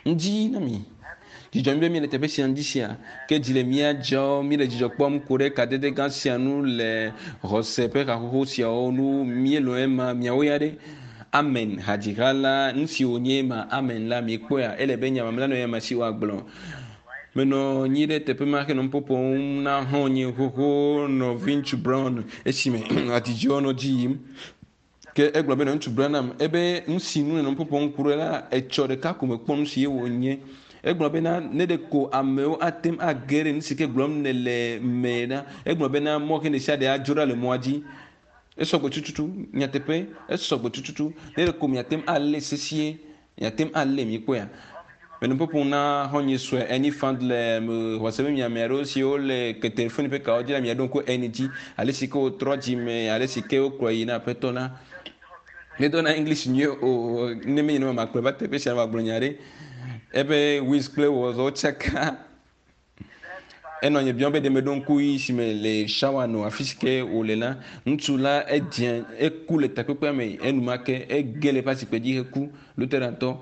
Ŋdi na mi. Dzidzɔ mi be miele teƒe sia ŋdi sia. Ke dzi le mía dzɔ, míele dzidzɔ kpɔm ku ɖe kadede gã sia nu le xɔse ƒe haxoxo siawo nu. Míelɔ̃ ema, miawo ya ɖe. Amen. Hadziha la, nu si wònye ema, amen la, mikpɔea, ele be nya mamlɛ nɔ ya me si woagblɔ. Menɔ anyi ɖe teƒe ma henɔ nu ƒoƒom na xɔ̃nye xoxo nɔviŋutsu Brown esime hadzidziwo nɔ dzi yim. Ke egblɔ be nɔviŋutsu Branham ebe nu si nu nènɔ nu ƒoƒom ku ɖe la, etsɔ ɖeka ko mekpɔ nu si ye wònye. Egblɔ bena ne ɖeko amewo ate ŋu age ɖe nu si ke gblɔm nèle me la, egblɔ bena mɔ ke ɖesiaɖe adzo ɖa le mɔa dzi. Esɔgbe tututu, nyateƒe, esɔgbe tututu. Ne ɖeko miate ŋu alé sesie, miate ŋu alé, mikpɔea. Menɔ nu ƒoƒom na xɔ̃nye sue Ernie Fandler, mexɔ se be mi ame aɖewo siwo le ke telefoni ƒe kawo dzi la, miaɖo ŋku Ernie dzi, ale si ke wòtrɔ dzime, ale si ke wokplɔe yi na Aƒetɔ la. Medona English nyuie o, ne menye nenema makplɔe va teƒe sia wòagblɔ nya ɖe. Eƒe Wiz kple wɔzɔwo tsaka. Enɔ nye biɔm be ɖe meɖo ŋku yi si me le shawa nɔ afi si ke wòle la. Ŋutsu la edze eku le takpekpea me enumake ege le eƒe asikpe dzi heku. Lutherantɔ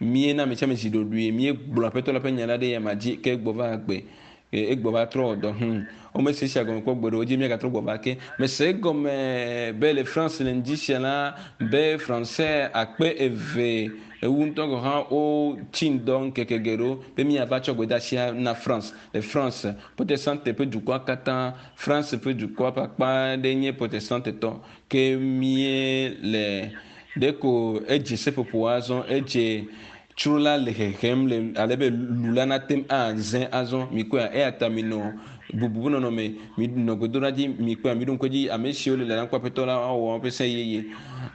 míena ame sia ame zi ɖoɖoe míegblɔ aƒetɔ la ƒe nya la ɖe yama dzi ke egbɔ va agbe egbɔ va trɔ wɔ dɔ. Hum womese esia gɔme kpɔ gbeɖe o dzi míagatrɔ gbɔ va ke. Mese egɔme be le France le ŋdi sia la be Français akpe eve Ewu ŋutɔ gɔ̃ hã wotsi ŋdɔ ŋkeke geɖewo be míava tsɔ gbedeasia na France. Le France, Protestante ƒe dukɔa katã, France ƒe dukɔa ƒe akpa aɖe nye Protestantetɔ. Ke míele ɖeko edze seƒoƒo azɔ, edze tsro la le hehem le ale be lu la nate ŋu aze azɔ. Mikpɔea? Eya ta minɔ bubu ƒe nɔnɔme, minɔ gbedoɖa dzi, mikpɔea? Miɖo ŋku edzi, ame siwo le lalam kpɔ Aƒetɔ la woawɔ woƒe se yeye.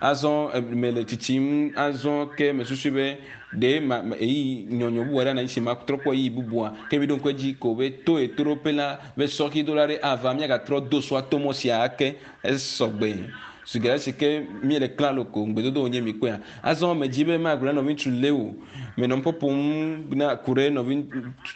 Azɔ mele tsitsim azɔ ke mesusui be ɖe ma ɣeyiɣi nyɔnyɔ bubu aɖe anɔ anyi si matrɔ kpɔ ɣeyiɣi bubua. Ke miɖo ŋku edzi ko be to ɣetoɖoƒe la be sɔxidola aɖe ava míagatrɔ do sɔa to mɔ sia ake. Esɔgbe. Zi geɖe si ke míele klalo ko ŋugbedodo wònye mikpɔea. Azɔ medzi be magblɔ na nɔviŋutsu Leo. Menɔ nuƒo ƒom na ku ɖe nɔvi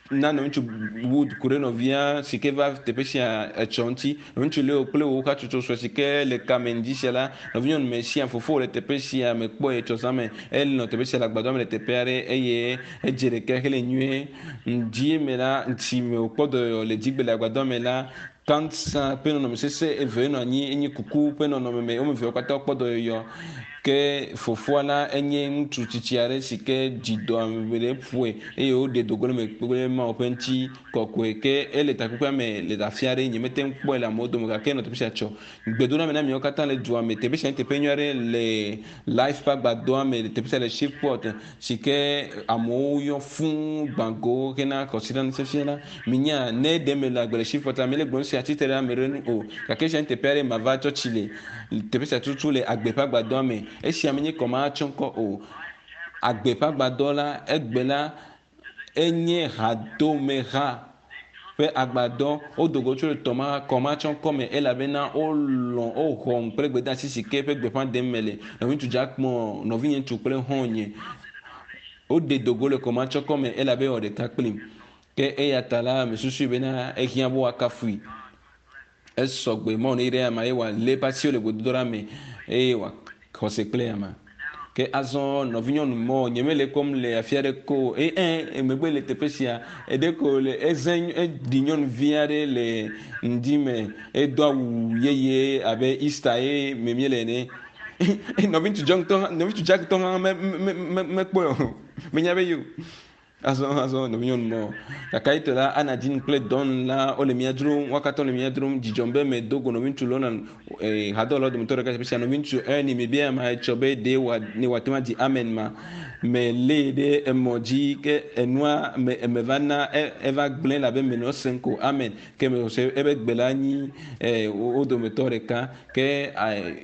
na nɔviŋutsu Wood ku ɖe nɔvia si ke va teƒe sia etsɔ ŋuti. Nɔviŋutsu Leo kple wò hatsotso sue si ke le kame ŋdi sia la, nɔvinyɔnu Mesia fofowò le teƒe sia mekpɔe etsɔ zã me. Enɔ teƒe sia le agbadɔa me le teƒe aɖe eye edze ɖeke hele nyuie. Ŋdi me la, ŋti me wòkpɔ dɔyɔyɔ le dzigbe le agbadɔa me la, Kansa ƒe nɔnɔme sesẽ eve nɔ anyi enye kuku ƒe nɔnɔme me. Wo ame eveawo katã wokpɔ dɔyɔyɔ. Ke fofoa la enye ŋutsu tsitsi aɖe si ke dzi dɔame ɖe ƒoe eye woɖe do go le eme kple Mawu ƒe ŋuti kɔkɔe. Ke ele takpekpea me le afi aɖe. Nyemete ŋu kpɔe le amewo dome o gake enɔ teƒe sia tsɔ. Gbedoname na miawo katã le dua me. Teƒe sia nye teƒe nyui aɖe le Life ƒe agbadɔa me le teƒe sia le Shreveport si ke amewo yɔ fũu gbã go hena kɔsiɖanufiafia la. Minya ne ɖe mele agbe le Shreveport la, mele gblɔm sia tsitre ɖe ame ɖe nu o. Gake esia nye teƒe aɖe mava tsɔtsi le. Teƒe sia tutu le agbe ƒe agbadɔa me. Esia menye kɔmahatsɔŋkɔ o. Agbe ƒe agbadɔ la, egbe la, enye hadomeha ƒe agbadɔ. Wodo go tso tɔma kɔmatsɔŋkɔ me elabena wolɔ̃ woxɔm kple gbedeasi si ke ƒe gbeƒã ɖem mele. Nɔviŋutsu Jackmore, nɔvinye ŋutsu kple xɔ̃nye, woɖe do go le kɔmatsɔkɔ me elabe ewɔ ɖeka kplim. Ke eya ta la, mesusui bena ehiã be woakafui. Esɔgbe mɔ ne ɖe ama ye wòalé eƒe asiwo le gbedodoɖa me eye wòaxɔse kple ama. Ke azɔ nɔvinyɔnu mɔ nyemele kpɔm le afi aɖe ko eye ɛ emegbe le teƒe sia eɖe ko le eze eɖi nyɔnuvi aɖe le ŋdi me edo awu yeye abe Easter ye me míele ene. Nɔviŋutsu John tɔ nɔviŋutsu Jack tɔ hã me me me mekpɔe o. Menya be ye o. Azɔ azɔ nɔvinyɔnu mɔ gake ayitɔ la Anna Jean kple Don la wole mía dzrom wo katã wole mía dzrom dzidzɔm be medo go nɔviŋutsu Lona eh, hadɔwɔlawo dometɔ ɖeka teƒe sia nɔviŋutsu Ernie mebia ama etsɔ be ɖe wa ne wòate ŋu adzi amen ma melée ɖe emɔ dzi ke enua me eme va na e, eva gblẽ elabe menɔ esem ko amen ke mese ebe gbe la nyi eh, wo dometɔ ɖeka Ke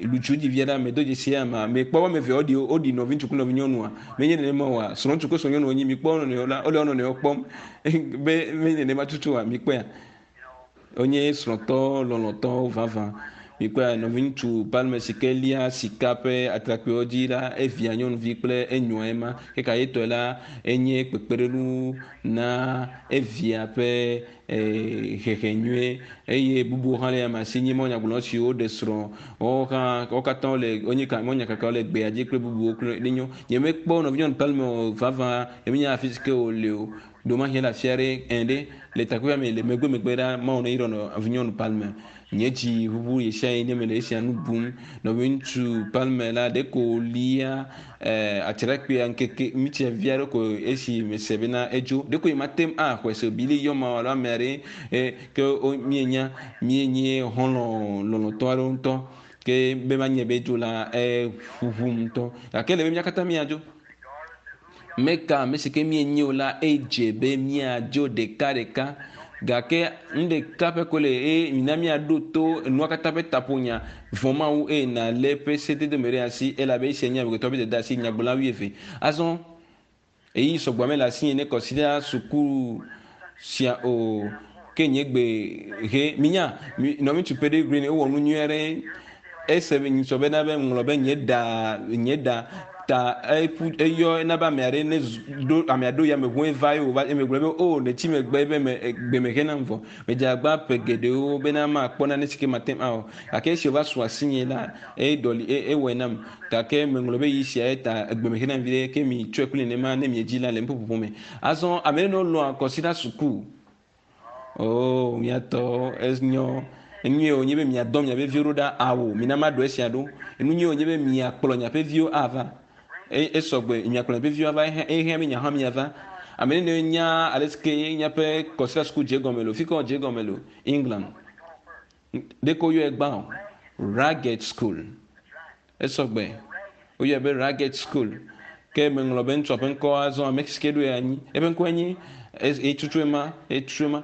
lutsu dzi via ɖe ame do dzesi ama me kpɔ wɔme eve woɖi woɖi nɔviŋutsu kple nɔvinyɔnua menye nenema oa srɔ̃ŋutsu kple srɔ̃nyɔnu wonyi mikpɔ wo nɔnɔewo la wole wo nɔnɔewo kpɔm be menye nenema tutu oa mikpɔea wonye srɔ̃tɔ lɔlɔ̃tɔwo vavã. Mikpɔe nɔviŋutsu Palmer si ke lia sika ƒe atrakpuiwo dzi la, evia nyɔnuvi kple enyoa ema. Ke ka yetɔe la, enye kpekpeɖeŋu na evia ƒe hehe nyuie eye bubuwo hã le ame si nye mɔnyagblɔ siwo ɖe srɔ̃ woawo hã wo katã wole wonye ka mɔnyakakawo le gbea dzi kple bubuwo kple ɖe nyo. Nyemekpɔ nɔvinyɔnu Palmer o vavã emenya afi si ke wòle o. Ɖewomahi ele afi aɖe ẽ ɖe le takpekpea me le megbe megbe ɖa Mawu ne yrɔ nɔvinyɔnu Palmer. Nye dzi ʋuʋu ɣesiaɣi ne mele esia nu bum. Nɔviŋutsu Palmer la ɖeko wòlia atrakpuia ŋkeke ŋutsia vi aɖe ko esi mese bena edzo. Ɖeko nye mate ŋu axɔe se o. Billy yɔ ma alo ame aɖe ke míenya míenye xɔlɔ̃ lɔlɔ̃tɔ aɖewo ŋutɔ ke be manye be edzo la eʋuʋum ŋutɔ. Gake ele be mía katã míadzo. Meka ame si ke míenye o la edze be míadzo ɖekaɖeka. Gake nu ɖeka ƒe ko le eye mina míaɖo to enua katã ƒe taƒonya vɔ̃ Mawu eye nàlé eƒe sedede me ɖe asi elabe esia nye amegbetɔ ƒe dɔdeasi nyagblɔla wuieve. Azɔ ɣeyiɣi sɔgbɔ mele asinye ne kɔsiɖa suku sia o ke nye gbe he minya nɔviŋutsu Peregrine ewɔ nu nyui aɖe ese nyitsɔ bena be ŋlɔ be nye ɖa nye ɖa ta eƒu eyɔ ena be ame aɖe ne ɖo amea ɖo yameʋu eva ye wòva eme gblɔ be o nètsi megbe be me gbe me henam vɔ medze agba ƒe geɖewo bena makpɔ nane si ke mate ŋu awɔ gake esi wòva su asinye la eɖɔli ewɔe nam gake meŋlɔ be yi sia ta egbe me henam viɖe ke mi tsɔe kple nenema ne miedzi la le nuƒoƒoƒo me. Azɔ ame ɖe lɔ̃a kɔsiɖa suku. Oo, miatɔ enyɔ. Enyuie wònye be miadɔ miaƒe viwo ɖo ɖa awo. Mina maɖo esia ɖo. Enu nyuie wònye be miakplɔ miaƒe viwo ava. E, esɔgbe miakplɔ miaƒe viwo ava. Ehiã be miahã miava. Ame ɖe nya ale si ke miaƒe kɔsiɖa suku dze egɔme lo. Fi ka wòdze egɔme lo? England. Ɖeke woyɔe gbã o. Ragged School. Esɔgbe. Woyɔe be Ragged School. Ke meŋlɔ be ŋutsua ƒe ŋkɔ azɔ ame si ke ɖoe anyi. Eƒe ŋkɔe nye etutue ma, etutue ma.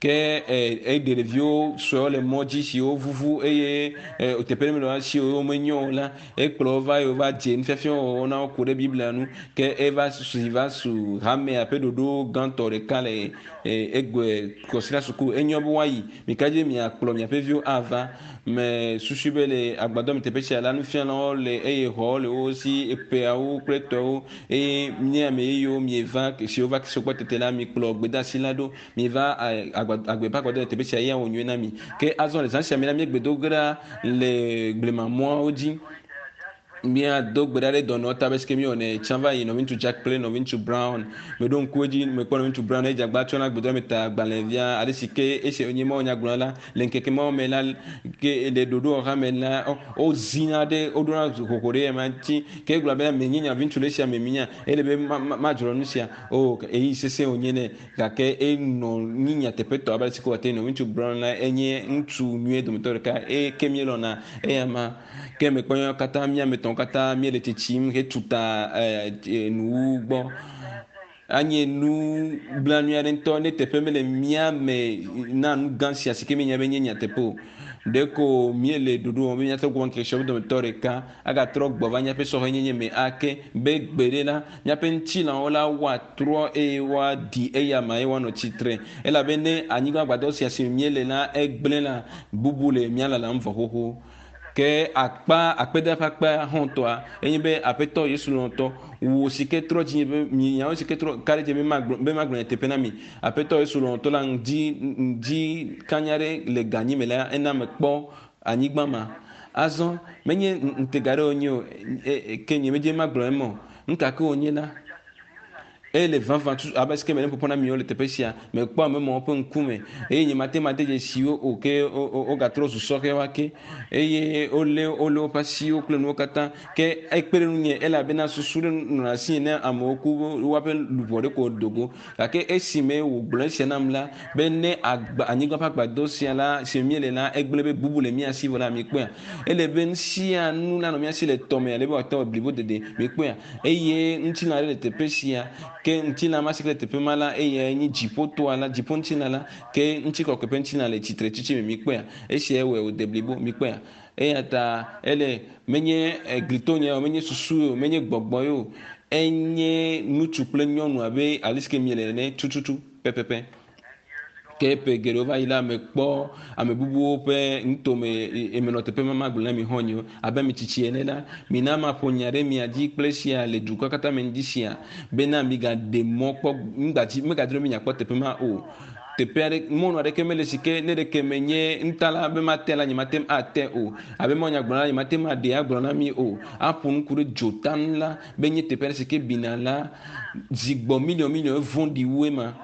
Ke eɖe ɖeviwo suewo le mɔ dzi siwo vuvu eye teƒe ɖe mele woa si o, womenyo o la, ekplɔ wo va eye wova dze nufiafia wɔwɔ na wo ku ɖe Biblia ŋu. Ke eva si va su hamea ƒe ɖoɖo gãtɔ ɖeka le egbe kɔsiɖa suku. Enyo be woayi. Mika dzi be miakplɔ miaƒe viwo ava. Me susui be le agbadɔ me teƒe sia la, nufialawo le eye xɔwo le wo si, eƒeawo kple tɔwo eye nye ame yeyewo mieva siwo va sɔgbɔ tete la, mikplɔ gbedeasi la ɖo. Mieva agbe ƒe agbadɔ le teƒe sia eye awɔ nyuie na mi. Ke azɔ le zã sia me la, míegbe do ge ɖa le blemamɔawo dzi. Míado gbe ɖa ɖe dɔnɔ ta be sike míwɔnɛ tsã va yi nɔviŋutsu Jack kple nɔviŋutsu Brown. Meɖo ŋku edzi mekpɔ nɔviŋutsu Brown edze agba tsɔna gbedɔ me ta agbalẽvia ale si ke esi nye Mawu nya gblɔ la le ŋkeke mawo me la ke le ɖoɖowɔha me la wozina ɖe woɖona hoho ɖe ema ŋuti ke egblɔ be menye nɔviŋutsu le esia me minya ele be madzro nu sia o eyi sesẽ wònye nɛ gake enɔ nyi nyateƒetɔ abe ale si ke wòate nɔviŋutsu Brown la enye ŋutsu nyuie dometɔ ɖeka eye ke míelɔ̃na eya ma. Ke mekpɔ míawo katã mía ame etɔ̃wo katã míele tsitsim hetu ta nuwuwu gbɔ. Anye nu blanui aɖe ŋutɔ ne teƒe mele mía me na nu gã sia si ke míenya be nye nyateƒe o. Ɖeko míele ɖoɖo wɔm be míatrɔ gbɔ ŋkeke siawo dometɔ ɖeka agatrɔ gbɔ va míaƒe sɔhɛnyenye me ake be gbe ɖe la, míaƒe ŋutilãwo la woatrɔ eye woaɖi eyama eye woanɔ tsitre. Elabe ne anyigba gbadɔ sia si me míele la egblẽ la, bubu le mía lalam vɔ xoxo. Ke akpa akpeda ƒe akpa hɔ̃tɔa enye be Aƒetɔ Yesu lɔlɔ̃tɔ, wò si ke trɔ dzinye be miawo si ke trɔ ka ɖe dzi be magblɔ be magblɔ nyateƒe na mi. Aƒetɔ Yesu lɔlɔ̃tɔ la ŋdi ŋdi kanya ɖe le ganyi me la ena mekpɔ anyigba ma. Azɔ menye ŋutega ɖe wònye o ke nye medze magblɔ eme o. Nu ka ke wònye la, Eye le vavã tutu abe sike mele nuƒoƒo na miwo le teƒe sia, mekpɔ ame mawo ƒe ŋkume eye nyemate ŋu ade dzesi wo o ke wogatrɔ zu sɔhɛwo ake eye wolé wolé woƒe asiwo kple nuwo katã ke ekpe ɖe ŋunye elabena susu ɖe nɔna asinye ne amewo ku woaƒe luʋɔ ɖe ko do go. Gake esime wògblɔ esia nam la be ne agba anyigba ƒe agbadɔ sia la si me míele la egblẽ be bubu le mía si vɔ la mikpɔea ele be nu sia nu nanɔ mía si le tɔme ale be wòate ŋu blibo dede mikpɔea eye ŋutilã aɖe le teƒe sia ke ŋutilã ma si ke le teƒe ma la eyae nye dziƒotoa la dziƒoŋutilã la ke ŋutikɔkɔe ƒe ŋutilã le tsitre tsitsi me mikpɔea esiae wɔe wòde blibo mikpɔea eya ta ele menye eglitonye o menye susu o menye gbɔgbɔ ye o enye ŋutsu kple nyɔnu abe ale si ke miele ene tututu pɛpɛpɛ. Ke ƒe geɖewo va yi la, mekpɔ ame bubuwo ƒe nutome menɔ teƒe ma magblɔ na mi xɔ̃nyewo abe ame tsitsi ene la, mina maƒo nya ɖe mia dzi kple esia le dukɔa katã me ŋdi sia bena migaɖe mɔ kpɔ ŋgbadzi megadro be miakpɔ teƒe ma o. Teƒe aɖe mɔnu aɖeke mele si ke ne ɖeke menye nutala be mate la nyemate ŋu ate o. Abe mawunyagblɔla la nyemate ŋu aɖee agblɔ na mi o. Aƒo nu ku ɖe dzota ŋu la be nye teƒe aɖe si ke bina la zi gbɔ miliɔn miliɔn evɔ̃ɖi wu ema.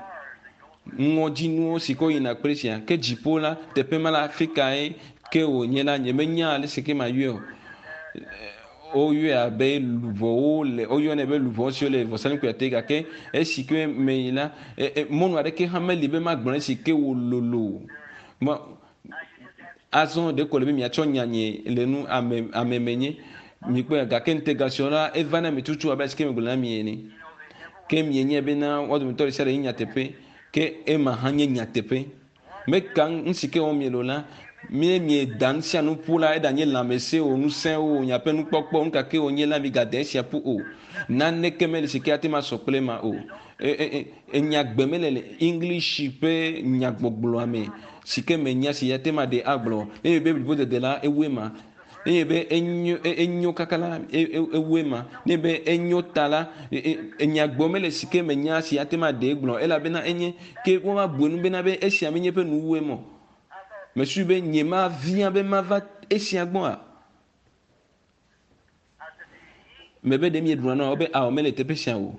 Ŋɔdzinuwo si ke woyina kple sia. Ke dziƒo la, teƒe ma la, afi kae ke wònye la, nyemenya ale si ke mayɔe o. Woyɔe abe luʋɔwo le, woyɔnɛ be luʋɔ siwo le vɔsamlekpuia te gake esi ke meyi la, mɔnu aɖeke hã meli be magblɔ esi ke wòlolo. Ma, azɔ ɖeko le be miatsɔ nya nye le nu ame ame menye. Mikpɔe gake ŋutega siwo la eva na mi tutu abe asike megblɔ na mi ene. Ke mienye bena woa dometɔ ɖe sia ɖe nye nyateƒe, ke ema hã nye nyateƒe. Meka nu si ke wɔm miele o la, mie mieda nu sia nu ƒu la, eɖanye lãmesẽ o, ŋusẽ o, miaƒe nukpɔkpɔ, nu ka ke wònye la, migade esia ƒu o. Naneke meli si ke ate ŋu asɔ kple ema o. Enyagbe mele le English ƒe nyagbɔgblɔa me si ke menya si ate ŋu aɖe agblɔ. Ne be blibodede la, ewu ema. Nenye be enyo enyo kaka la, ewu ema. Ne be enyo ta la, enyagbɔ mele si ke menya si ate ŋu aɖee gblɔ elabena enye ke wova bu enu bena be esia menye eƒe nuwuwue mɔ. Mesui be nye mavia be mava esia gbɔa. Mebe ɖe mieɖuna nua? Wobe ao, mele teƒe sia o.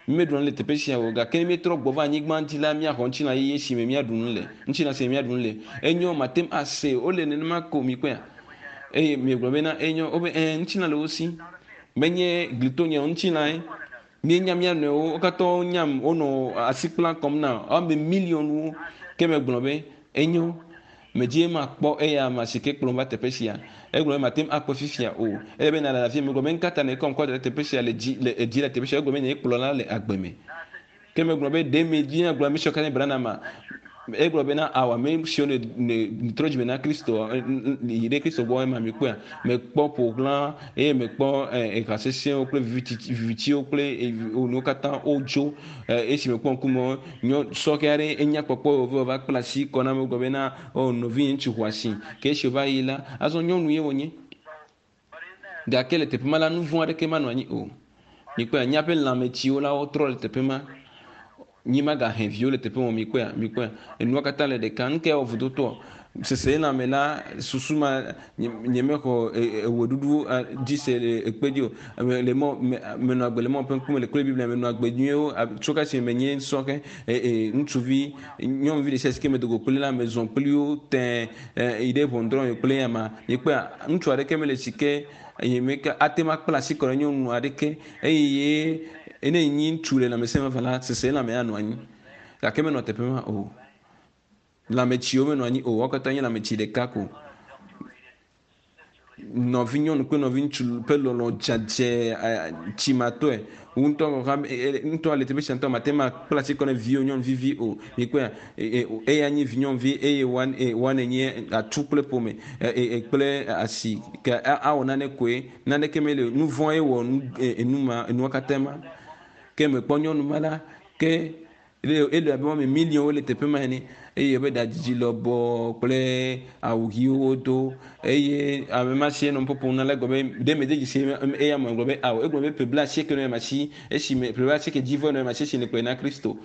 Mímeɖuna nu le teƒe sia o, gake ne míetrɔ gbɔ va anyigba dzi la, míaxɔ ŋutilã yeye si me míaɖu nu le. Ŋutilã si me míaɖu nu le. Enyo, mate ŋu ase. Wole nenema ko, mikpɔea? Eye miegblɔ bena, enyo. Wobe, ɛ̃, ŋutilã le wo si. Menye glitonye o, ŋutilãe. Míenya mía nɔewo, wo katã wonyam, wonɔ asi kpla kɔm na ame miliɔnwo. Ke megblɔ be, Enyo, medzi be makpɔ eya ame si ke kplɔm va teƒe sia. Egblɔ be mate ŋu akpɔe fifia o. Ele be nàle afia. Megblɔ be, Nukata nèkɔm kɔ da ɖe teƒe sia le dzi le edzi le teƒe sia? Egblɔ be nyee kplɔla le agbe me. Ke megblɔ be, Ɖe medzi agblɔ ame siwo katã nye Branham-a? Egblɔ bena, Ao, ame siwo ne ne trɔ dzime na Kristo, yi ɖe Kristo gbɔ ema mikpɔea? Mekpɔ ƒoxlã eye mekpɔ eha sesẽwo kple vivitiwo kple nuwo katã wodzo. Esi mekpɔ ŋkume nyɔ sɔhɛ aɖe enya kpɔkpɔ wòve wòva kpla asi kɔ na megblɔ bena, O nɔvinye ŋutsu xɔasi. Ke esi wòva yi la, azɔ nyɔnu ye wònye. Gake le teƒe ma la, nu vɔ̃ aɖeke manɔ anyi o. Mikpɔea, míaƒe lãmetsiwo la wotrɔ le teƒe ma. Mí magahe viwo le teƒe ma o. Mikpɔea, mikpɔea, enua katã le ɖeka. Nu kae wɔ vudotoa? Seselelãme la, susu ma, nye, nyemexɔ eweɖuɖu dzi se le ekpe dzi o. Le mɔ, me, menɔ agbe le mɔ ƒe ŋkume le kple Biblia, menɔ agbe nyuiwo tso kasime menye sɔhɛ, ŋutsuvi, nyɔnuvi ɖe sia si ke medo go kpli la, mezɔ kpli wo tẽ yi ɖe ʋɔnudrɔ̃ kple ama. Mikpɔea, ŋutsu aɖeke mele si ke eye meke ate ŋu akpla asi kɔ ɖe nyɔnu aɖeke eye ne enyi ŋutsu le lãmesẽ vavã la, seselelãme anɔ anyi. Gake menɔ teƒe ma o. Lãmetsiwo menɔ anyi o. Wo katã nye lãmetsi ɖeka ko. Nɔvinyɔnu kple nɔviŋutsu ƒe lɔlɔ̃ dzadzɛ tsimatɔe. Ŋutɔ hã ŋutɔ le teƒe sia ŋutɔ mate ŋu akpla asi kɔ na viwò nyɔnuvi vi o. Mikpɔea eya nye vinyɔnuvi eye woa nenye atu kple ƒome kple asi ke awɔ nane koe. Naneke meli o. Nu vɔ̃e wɔ nu ma enua katã ma. Ke mekpɔ nyɔnu ma la ke Ele abe woame miliɔnwo le teƒe ma ene eye woƒe ɖadzidzi lɔbɔ kple awu ɣiwo wodo eye ame ma si enɔ ƒoƒom na la egblɔ be ɖe mede dzesi eya me gblɔ be ao egblɔ be ƒe blaasieke nɔ ema si esime ƒe blaasieke dzi vɔ nɔ ema si esi nèkplɔe na Kristo.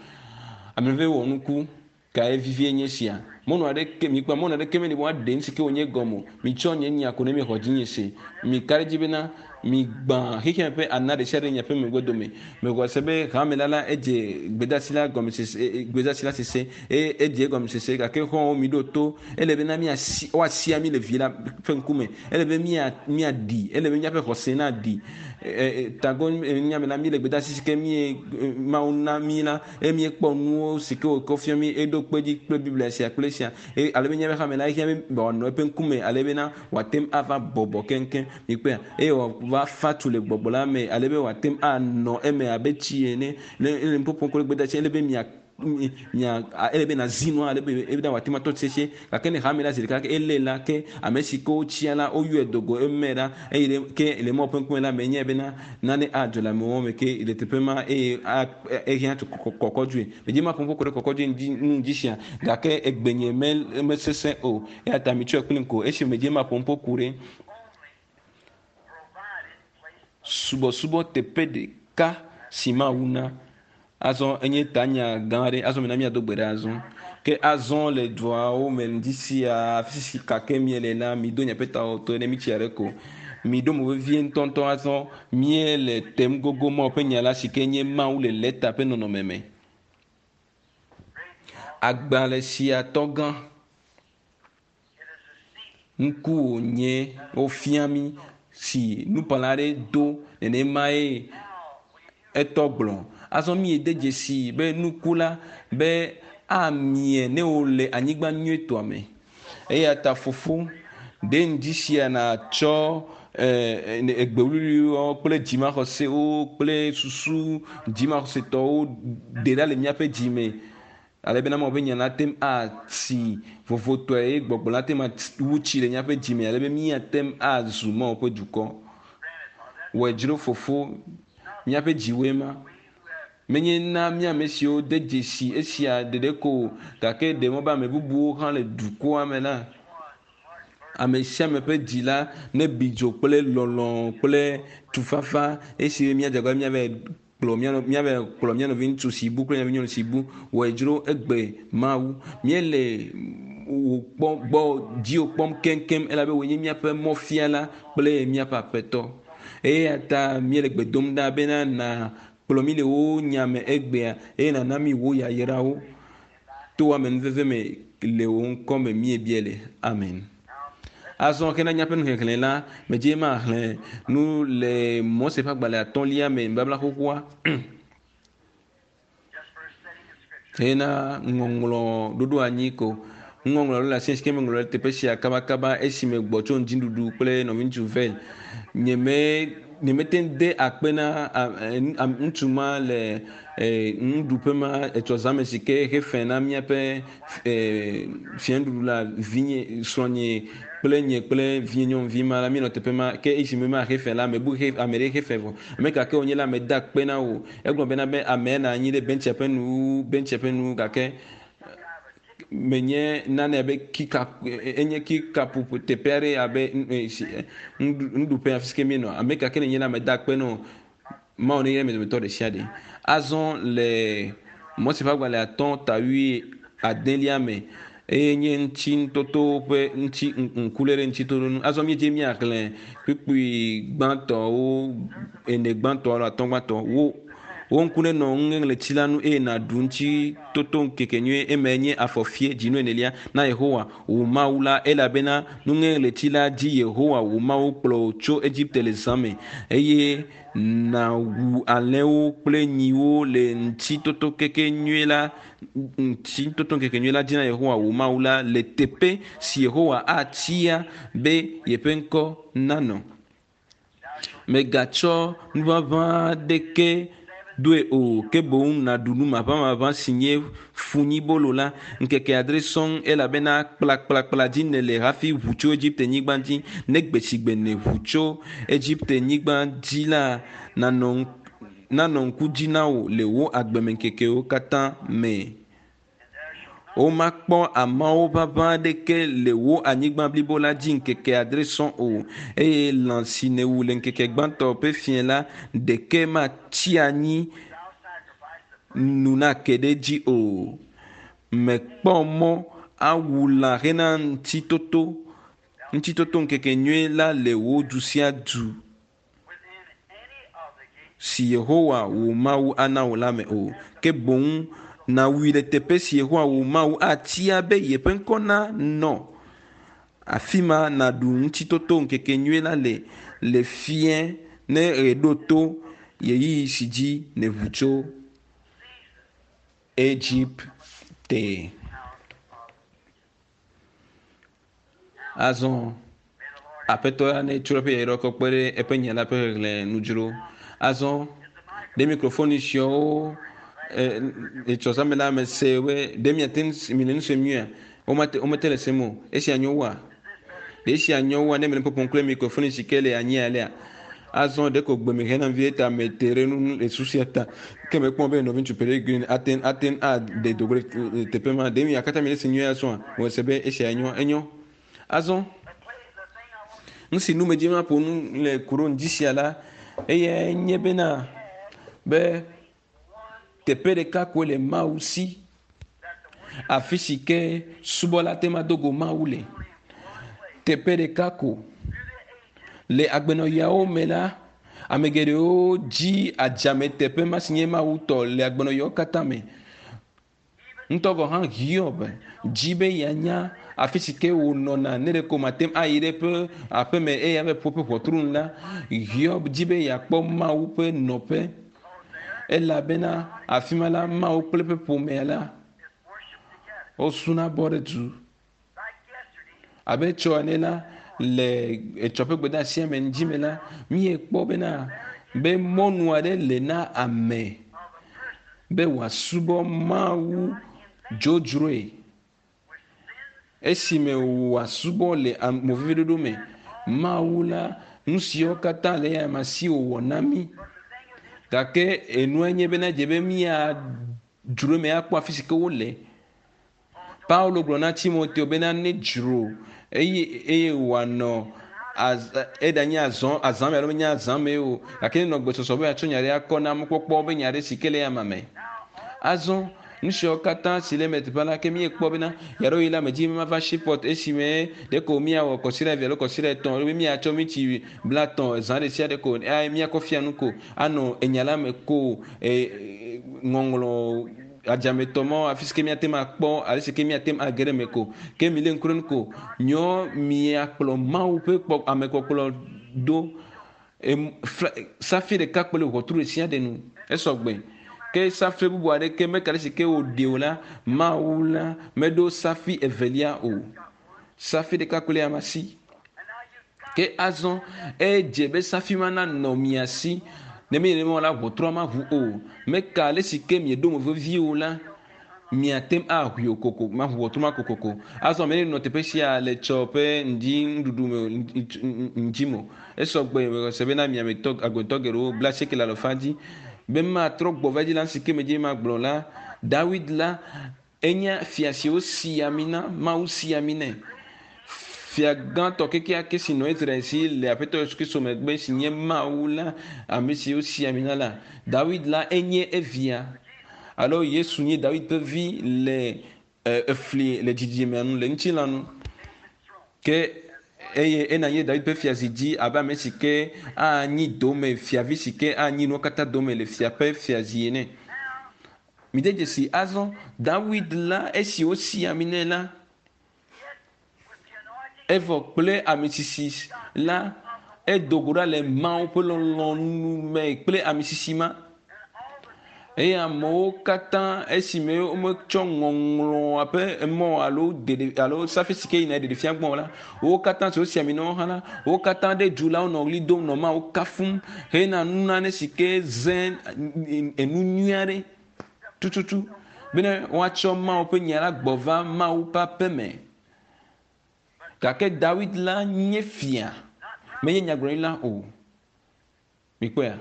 Ame ƒe wɔ nuku kae vivie nye sia. Mɔnu aɖeke mikpɔ mɔnu aɖeke meli be woaɖe nu si ke wònye gɔme o. Mitsɔ nye nya ko ne miexɔ dzinye se. Mika ɖe edzi bena Migbã xexeame ƒe ana ɖesiaɖe le miaƒe megbe dome. Mexɔe se be hame la la edze gbedasi la gɔmesese, gbedasi la sese eye edze egɔmesese gake xɔ̃wo miɖo to. Ele bena míasi, woasia mí le vi la ƒe ŋkume. Ele be mía, míaɖi. Ele be míaƒe xɔse naɖi. Tago nyame la, míle gbedasi si ke mí, Mawu na mí la eye míekpɔ nuwo si ke wòkɔ fia mí eɖo kpe edzi kple Biblia sia kple esia. Eye ale be míaƒe hame la ehiã be wòanɔ eƒe ŋkume ale bena wòate ŋu ava bɔbɔ keŋkeŋ. Mikpɔea? Eye wòava fa tu le gbɔgbɔ la me ale be wòate ŋu anɔ eme abe tsi ene. Ne ele nuƒoƒom kple gbedeasi, ele be mia. mia ele be nazi nua ale be ebena wòate ŋu atɔ sesĩe gake ne hame la zi ɖeka ke elé la ke ame si ke wotsia la woyɔe do go eme ɖa eye ɖe ke le Mawu ƒe ŋkume la menyae bena nane adzɔ le amewo me ke le teƒe ma eye a ehiã tso kɔkɔdzoe. Medzi maƒo nuƒo ku ɖe kɔkɔdzoe ŋuti nu ŋuti sia gake egbenye me mesesẽ o eya ta mitsɔe kplim ko esi medzi maƒo nuƒo ku ɖe subɔsubɔ teƒe ɖeka si Mawu na. Azɔ enye tanya gã aɖe. Azɔ mina míado gbe ɖa azɔ. Ke azɔ le duawo me ŋdi sia afi si kake miele la, mido miaƒe tawo to ne mitsi aɖe ko. Miɖo mo vevie ŋutɔŋutɔ azɔ. Míele tem gogo Mawu ƒe nya la si ke nye Mawu le lɛta ƒe nɔnɔme me. Agbalẽ sia tɔgã ŋku wònye wofia mí si nukpɔla aɖe do nenemae etɔ gblɔ. Azɔ míede dzesi be nuku la be amie ne wole anyigba nyuietɔa me. Eya ta fofo, ɖe ŋdi sia nàtsɔ egbe wuwluiwo kple dzimaxɔsewo kple susu dzimaxɔsetɔwo ɖe ɖa le míaƒe dzi me ale bena Mawu ƒe nya nate ŋu atsi vovotɔe eye gbɔgbɔ nate ŋu awu tsi le míaƒe dzi me ale be míate ŋu azu Mawu ƒe dukɔ. Wɔe dzro fofo, míaƒe dziwoe ma. Menye na mía ame siwo de dzesi esia ɖeɖe ko o, gake ɖe mɔ be ame bubuwo hã le dukɔa me la, ame sia ame ƒe dzi la nebi dzo kple lɔlɔ̃ kple tufafa esi míadze agbagba míavae kplɔ mía míava kplɔ mía nɔviŋutsu si bu kple mía nɔvinyɔnu si bu wɔe dzro egbe Mawu. Míele wò kpɔ gbɔ dziwò kpɔm keŋkeŋ elabe wòe nye míaƒe mɔfiala kple míaƒe aƒetɔ. Eya ta míele gbe dom ɖa bena nàkplɔ mí le wò nya me egbea eye nàna mí wò yayrawo to amenuveve me le wò ŋkɔ me míebia le. Amen. Azɔ hena míaƒe nuxexlẽ la, medze maxlẽ nu le Mose ƒe agbalẽ atɔ̃lia me, nubabla xoxoa. Hena ŋɔŋlɔ ɖoɖo anyi ko. Nuŋɔŋlɔ ɖo le asi si ke meŋlɔ ɖe teƒe sia kabakaba esime gbɔ tso ŋdziɖuɖu kple nɔviŋutsu Vel. Nyeme nyemete ŋu de akpe na ŋutsu ma le nuɖuƒe ma etsɔ zãme si ke hefe na míaƒe fianuɖuɖu la vinye srɔ̃nye kple nye kple vinye nyɔnuvi ma la míenɔ teƒe ma ke esime ma hefe la mebu he ame ɖe hefe vɔ. Ame ka ke wònye la meda akpe na wò. Egblɔ bena be amea nɔ anyi ɖe bentsia ƒe nuwuwu bentsia ƒe nuwuwu gake menye nane abe kika enye kikapu teƒe aɖe abe nuɖuƒe afi si ke míenɔ. Ame ka ke nènye la meda akpe na wò. Mawu neyra mia dometɔ ɖe sia ɖe. Azɔ le Mose ƒe agbalẽ atɔ̃ ta wui adelia me eye nye ŋuti ŋutoto ƒe ŋuti ŋkuléle ŋuti toto nu. Azɔ míedze míaxlẽ kpukpui gbãtɔwo ene gbãtɔ alo atɔ̃ gbãtɔ. Wo wò ŋku nenɔ nuŋeŋleti la ŋu eye nàɖu ŋutitoto ŋkekenyui emae nye afɔfie dzinu enelia na Yehowa wò Mawu la, elabena nuŋeŋleti la dzi Yehowa wò Mawu kplɔ wò tso Egipte le zã me eye nàwu alẽwo kple nyiwo le ŋutitotoŋkekenyui la ŋutitotoŋkekenyui la dzi na Yehowa wò Mawu la le teƒe si Yehowa atia be yeƒe ŋkɔ nanɔ. Mègatsɔ nuʋaʋã aɖeke doe o, ke boŋ nàɖu nu maʋamaʋã si nye funyibolo la ŋkeke adre sɔŋ, elabena kplakplakpla dzi nèle hafi ʋu tso Egipte-nyigba dzi. Ne gbe si gbe nèʋu tso Egipte-nyigba dzi la, nanɔ nanɔ ŋku dzi na wò le wò agbemeŋkekewo katã me. Womakpɔ ameawo ʋaʋã aɖeke le wò anyigba blibo la dzi ŋkeke adre sɔŋ o, eye lã si nèwu le ŋkeke gbãtɔ ƒe fiẽ la ɖeke matsi anyi nu nake ɖe edzi o. Mèkpɔ mɔ awu lã hena ŋutitoto ŋutitotoŋkekenyui la le wò du sia du si Yehowa wò Mawu ana wò la me o. Ke boŋ nàwui le teƒe si Yehowa wò Mawu atia be yeƒe ŋkɔ nanɔ. Afi ma nàɖu Ŋutitotoŋkekenyui la le le fiẽ ne ɣe ɖo to ɣeyiɣi si dzi nèʋu tso Egipte. Azɔ Aƒetɔ la netsɔ eƒe yayra kɔ kpe ɖe eƒe nya la ƒe xexlẽ nu dzro. Azɔ ɖe mikrofoni siawo Etsɔ zã me la mese be ɖe miate ŋu mi le nu sem nyuia? Womate womete le sem o. Esia nyo wua? Ɖe esia nyo wua ne mele nu ƒoƒom kple mikrofoni si ke le anyi alea? Azɔ ɖeko gbe me hena vie ta mete ɖe nu le susia ta. Ke mekpɔ be nɔviŋutsu Peregrine ate ate aɖe do go ɖe teƒe ma. Ɖe mia katã miele se nyuie azɔa? Mese be esia nyo enyo. Azɔ nu si nu medzi maƒo nu le ku ɖo ŋdi sia la eyae nye bena be teƒe ɖeka koe le Mawu si. Afi si ke subɔla te ma do go Mawu le. Teƒe ɖeka ko. Le agbenɔɣiawo me la, ame geɖewo dzi adzame teƒe ma si nye Mawu tɔ le agbenɔɣiawo katã me. Ŋutɔ gɔ̃ hã Hiob dzi be yeanya afi si ke wònɔna ne ɖeko mate ŋu ayi ɖe eƒe aƒeme eye ava ƒo eƒe ʋɔtru nu la, Hiob dzi be yeakpɔ Mawu ƒe nɔƒe elabena afi ma la Mawu kple eƒe ƒomea la wosuna bɔ ɖe du. Abe tsɔ ene la, le etsɔ ƒe gbedeasia me ŋdi me la, míekpɔ bena be mɔnu aɖe le na ame be wòasubɔ Mawu dzodzroe esime wòasubɔ le moveviɖoɖo me. Mawu la, nu siwo katã le eya ma si wòwɔ na mí. Gake enue nye bena dze be míadzro eme akpɔ afi si ke wole. Paulo gblɔ na Timoteo bena ne dzro eye eye wòanɔ eɖanye azɔ azã me alo menye azã me o gake nenɔ gbesɔsɔ be yeatsɔ nya ɖe akɔ na mɔkpɔkpɔ be nya ɖe si ke le ama me. Azɔ nu siawo katã si le eme teƒe la ke míekpɔ bena yaɖewoɣi la medzi be mava Shipot esime ɖeko míawɔ kɔsiɖa eve alo kɔsiɖa etɔ̃ be míatsɔ mítsi blatɔ̃ zã ɖe sia ɖe ko eye míakɔ fia nu ko anɔ enya la me ko e, ŋɔŋlɔ adzametɔ mɔ afi si ke míate ŋu akpɔ ale si ke míate ŋu age ɖe eme ko ke mi lé ŋku ɖe nu ko nyɔ miakplɔ Mawu ƒe kpɔ amekpɔkplɔ do em, fla, safi ɖeka kple ʋɔtru ɖe sia ɖe nu esɔgbe ke safi bubu aɖeke meka ɖe si ke wòɖe o la Mawu la meɖo safi evelia o safi ɖeka kple ama si ke azɔ edze be safi ma nanɔ mia si ne mi nenema la ʋɔtrua ma ʋu o meka ale si ke mieɖo mo vevi o la miate ŋu aʋui o koko maʋu ʋɔtru ma kokoko azɔ ame ɖe nɔ teƒe sia le tsɔ ƒe ŋdi nuɖuɖu me ŋdi me o esɔgbe se bena miametɔ agbetɔ geɖewo bla asieke le alɔfa dzi be matrɔ gbɔ va dzi la si ke medzi magblɔ la Dawid la enye fia si wosi ami na Mawu si ami nɛ fia gãtɔ kekeake si nɔ Israel si le Aƒetɔ Yesu Kristo megbe si nye Mawu la ame si wosi ami na la Dawid la enye evia alo Yesu nye Dawid ƒe vi le efli le dzidzimea nu le ŋutilã nu ke eye ena nye Dawid ƒe fiazi dzi abe ame si ke anyi dome fiavi si ke anyi nuwo katã dome le fia ƒe fiazi ene. Mide dzesi azɔ Dawid la esi wosi ami nɛ la evɔ kple ame sisi la edo go ɖa le Mawu ƒe lɔlɔ̃nu me kple ame sisi ma eye amewo katã esime wometsɔ ŋɔŋlɔa ƒe mɔ alo ɖeɖe alo safi si ke yina ɖeɖefia gbɔ la wo katã si wosi ami na wo hã la wo katã ɖe du la wonɔ ɣli dom nɔ Mawu kafum hena nunane si ke ze enu nyui aɖe tututu bene woatsɔ Mawu ƒe nya la gbɔ va Mawu ƒe aƒe me. Gake Dawid la nye fia menye nyagblɔɖila o. Mikpɔea?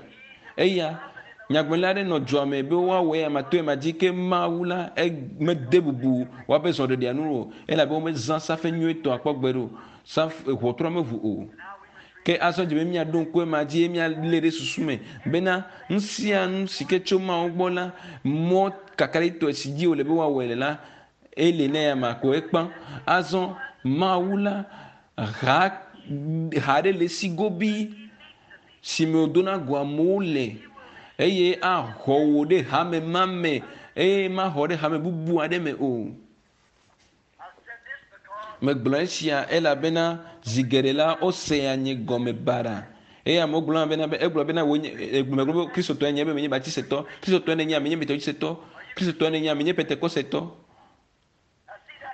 Eya nyagblɔɖila aɖe nɔ dua me be woawɔ eya ma to ema dzi ke Mawu la mede bubu woaƒe zɔɖeɖea nu o elabe womezã safe nyuietɔ akpɔ gbe ɖe o. Safe ʋɔtrua meʋu o. Ke azɔ dze be míaɖo ŋku ema dzi eye míalé ɖe susu me bena nu sia nu si ke tso Mawu gbɔ la mɔ kakaɖitɔe si dzi wòle be woawɔe le la ele ne ya ma ko ekpã. Azɔ Mawu la ha ha ɖe le esi gobi si me wòdona go amewo le eye axɔ wò ɖe hame ma me eye maxɔ ɖe hame bubu aɖe me o. Megblɔ esia elabena zi geɖe la wosea nye gɔme baɖa eye amewo gblɔna bena be egblɔ bena wonye megblɔ be Kristotɔe nye be menye Baptistetɔ, Kristotɔe nenye menye Methodistetɔ, Kristotɔe nenye menye Pentekosetɔ.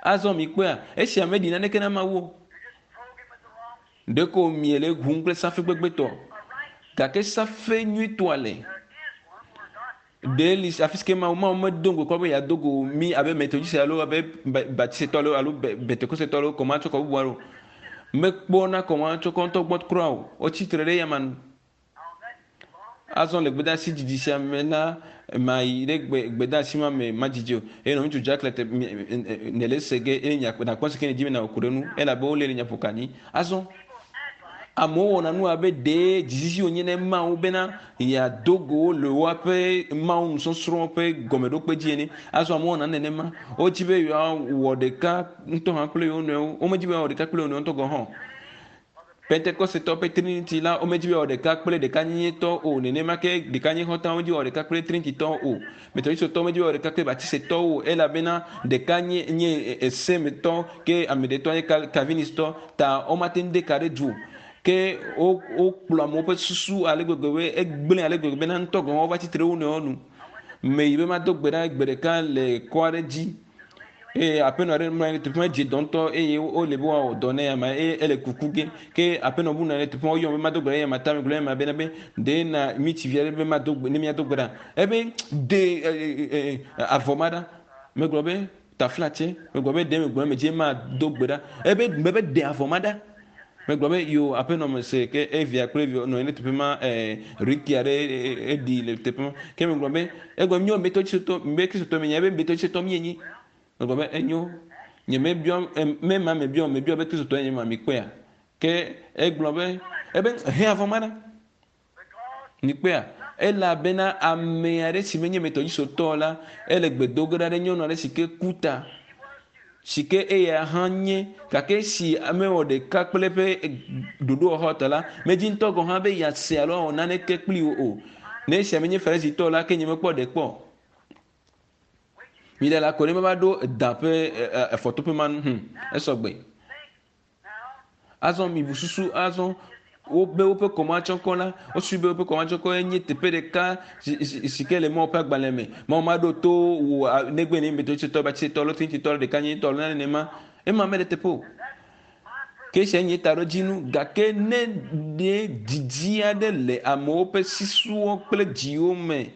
Azɔ mikpɔea esia meɖi naneke na Mawu o. Ɖeko miele ʋum kple safe gbegbetɔ gake safe nyuitɔa le. Ɖe li afi si ke Mawu Mawu medo ŋgɔ kpɔ be yeado go mí abe Metodiste alo abe Baptistetɔ alo alo Pentekosetɔ alo kɔmatsɔkɔ bubu alo mekpɔna kɔmatsɔkɔ ŋutɔ gbɔ kura o. Wotsi tre ɖe eyama nu. Azɔ le gbedeasi didi sia me la, mayi ɖe gbe gbedeasi ma me madzidzi o. Eye nɔviŋutsu Jack le te nèle ese ge eye nàkpɔ si ke nèdi be nàwɔ ku ɖe eŋu elabe wolé le nya ƒo ka anyi. Azɔ amewo wɔna nu abe ɖee dzizizi wònye ne Mawu bena yeado go wo le woaƒe Mawu nusɔsrɔ̃ ƒe gɔmeɖokpe dzi ene. Azɔ amewo wɔna nenema. Wodi be yewoawɔ ɖeka ŋutɔ hã kple yewo nɔewo. Womedi be yewoawɔ ɖeka kple yewo nɔewo ŋutɔ gɔ̃ hã o. Pentekostetɔ ƒe Trinity la, womedi be woawɔ ɖeka kple ɖekanyenyetɔ o, nenema ke ɖekanyexɔtɔwo medi be woawɔ ɖeka kple Trinititɔwo o. Metodistetɔwo medi be woawɔ ɖeka kple Baptistetɔwo o, elabena ɖeka nye nye esemetɔ ke ame ɖetɔ nye Calvinistɔ, ta womate ŋu de ka ɖe du o. Ke wo wokplɔ amewo ƒe susu ale gbegbe be egblẽ ale gbegbe bena ŋutɔ gɔ̃ hã wova tsi tre ɖe wo nɔewo nu. Meyi be mado gbe ɖa gbe ɖeka le kɔ aɖe dzi eye aƒenɔ aɖe mlɔ anyi ɖe teƒe ma dze dɔ ŋutɔ eye wole be woawɔ dɔ nɛ ama eye ele kuku ge ke aƒenɔ bu nɔ anyi ɖe teƒe ma woyɔm be mado gbe ɖa eye ama ta megblɔ ema bena be ɖe na mi tsi vi aɖe be mado gbe ne míado gbe ɖa ebe de avɔ ma ɖa megblɔ be taflatse megblɔ be ɖe megblɔ medze mado gbe ɖa ebe mebe ɖe avɔ ma ɖa megblɔ be yo aƒenɔ me se ke evia kple evia nɔ anyi ɖe teƒe ma ɛɛ riki aɖe eɖi le teƒe ma ke megblɔ be egblɔ míɔ metɔtsitɔ be kristotɔ mi nye ebe metɔtsitɔ mi nyi megblɔ be enyo nye mebiɔ mema mebiɔ mebiɔ be kristotɔ nye ma mi kpɔea ke egblɔ be ebe he avɔ ma ɖa mi kpɔea elabena ame aɖe si menye metɔtsitɔ la ele gbe do ge ɖa ɖe nyɔnu aɖe si ke ku ta si ke eya hã nye gake esi mewɔ ɖeka kple eƒe ɖoɖowɔxɔ ta la medzi ŋutɔ gɔ̃ hã be yease alo awɔ naneke kpli wo o ne esia menye farisitɔ la ke nye mekpɔ ɖe kpɔ mi ɖe la ko ne meva ɖo da ƒe efɔtoƒe ma nu hm esɔgbe azɔ mi bu susu azɔ wobe woƒe kɔmatsɔkɔ la wosu be woƒe kɔmatsɔkɔ nye teƒe ɖeka si ke le Mawu ƒe agbalẽ me Mawu ma ɖo to wò negbe ne metɔtsitɔ batsitɔ alo tintitɔ alo ɖeka nyitɔ alo nenema ema mele teƒe o ke esia nye taɖodzinu gake ne ɖe didi aɖe le amewo ƒe sisuwo kple dziwo me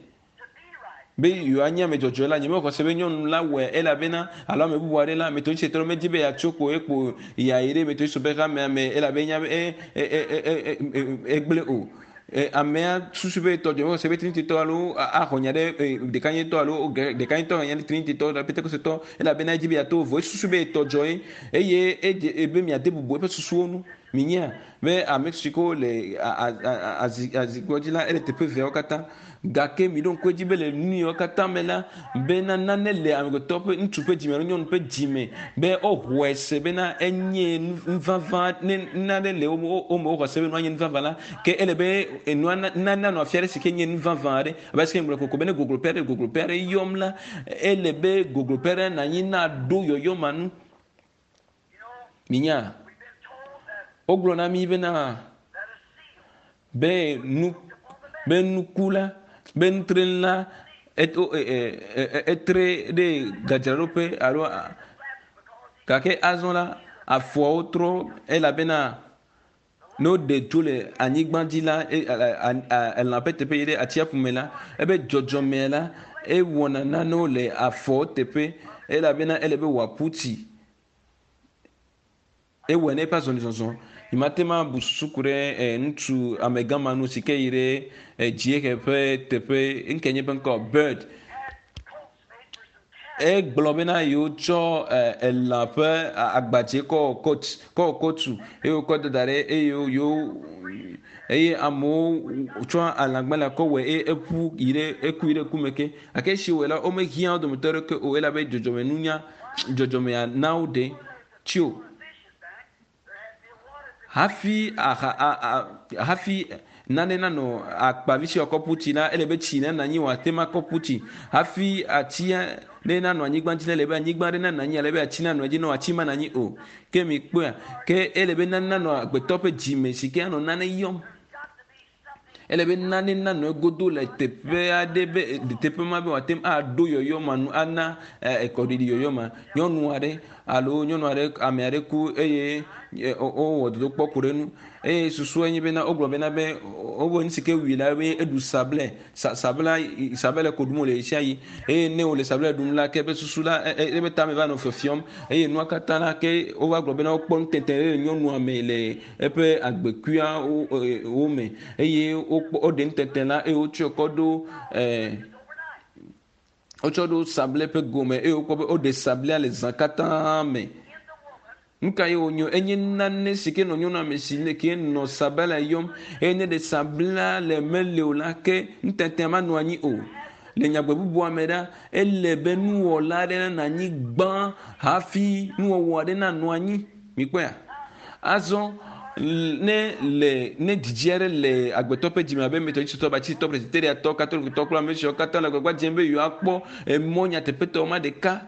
be yewoanye ame dzɔdzɔe la nyemexɔ se be nyɔnu la wɔe elabena alo ame bubu aɖe la metɔtsitɔ medi be yeatso kpo ekpo yeayi ɖe metɔtsitɔ ƒe hamea me elabe enya be egblẽ o amea susu be tɔdzɔ mexɔ se be trinititɔ alo axɔ nya ɖe ɖekanyetɔ alo ɖekanyetɔ xɔ nya ɖe trinititɔ pentekosetɔ elabena edzi be yeato vovo esusu be tɔdzɔ ye eye edze be miade bubu eƒe susuwo ŋu minyea be ame si ke le azikpɔ dzi la ele teƒe eveawo katã gake mi ɖo ŋku edzi be le nu yiwo katã me la bena nane le amegbetɔ ƒe ŋutsu ƒe dzime alo nyɔnu ƒe dzime be woxɔe se bena enye nuvavã ne nane le wo me woxɔ se be nua nye nuvavã la ke ele be enua nane anɔ afi aɖe si ke nye nuvavã aɖe abe si ke ŋgblɔ koko be ne gogloƒe aɖe gogloƒe aɖe yɔm la ele be gogloƒe aɖe nanyi na ɖo yɔyɔ ma nu minya wogblɔ na mi bena be nu be nuku la be nutrenu la eto etre ɖe gadzraɖoƒe alo gake azɔ la afɔawo trɔ elabena ne woɖe tso le anyigba dzi la elã ƒe teƒe yi ɖe atsiaƒu me la ebe dzɔdzɔme la ewɔna nanewo le afɔwo teƒe elabena ele be wòaƒu tsi ewɔe ne eƒe azɔlizɔzɔ nyemate ŋu abu susu ku ɖe ŋutsu amegã ma nu si ke yi ɖe dziehe ƒe teƒe ŋke nye eƒe ŋkɔ bird egblɔ bena yewotsɔ elã ƒe agbadze kɔ wɔ kot kɔ wɔ kotu eye wokɔ da ɖe eye yewo eye amewo tsɔ alãgbalẽa kɔ wɔe eye eƒu yi ɖe eku yi ɖe ku me ke gake esi wɔe la womehiã wo dometɔ aɖeke o elabe dzɔdzɔmenunya dzɔdzɔmea na woɖe tsi o hafi aha a a hafi nane nanɔ akpavi si wòakɔ ƒu tsi la ele be tsi nanɔ anyi wòate ŋu akɔ ƒu tsi hafi atsia ne nanɔ anyigba dzi la ele be anyigba aɖe nanɔ anyi ale be atsi nanɔ edzi ne atsi manɔ anyi o ke mi kpɔea ke ele be nane nanɔ agbetɔ ƒe dzime si ke anɔ nane yɔm ele be nane nanɔ egodo le teƒe aɖe be teƒe ma be wòate ŋu aɖo yɔyɔ ma nu ana ekɔɖiɖi yɔyɔ ma. Nyɔnu aɖe alo nyɔnu aɖe ame aɖe ku eye wowɔ dodokpɔ ku ɖe enu. Eye susua nye bena wogblɔ bena be wobe nu si ke wui la be eɖu sablɛ sa sabla sabɛlɛ ko ɖum wòle ɣesiaɣi eye ne wòle sablɛ ɖum la ke eƒe susu la eƒe tame va nɔ fiɔfiɔm eye nua katã la ke wova gblɔ bena wokpɔ nutete ɖe le nyɔnua me le eƒe agbekuia wo me eye wokpɔ woɖe nutete la eye wotsɔe kɔ ɖo ɛɛ wotsɔ ɖo sablɛ ƒe gome eye wokpɔ be woɖe sablɛa le zã katã me. Nu ka ye wònyo? Enye nane si ke nɔ nyɔnua me si ne ke nɔ sabala yɔm eye ne ɖe sabla le mele o la ke nutɛtɛa manɔ anyi o. Le nyagbe bubua me ɖa, ele be nuwɔla aɖe nanɔ anyi gbã hafi nuwɔwɔ aɖe nanɔ anyi. Mikpɔea? Azɔ ne le ne didi aɖe le agbetɔ ƒe dzime abe Methodisttɔ, Baptisttɔ, Presbyteriatɔ, Katolikotɔ kple ame siawo katã le agbagba dzem be yewoakpɔ emɔ nyateƒetɔ ma ɖeka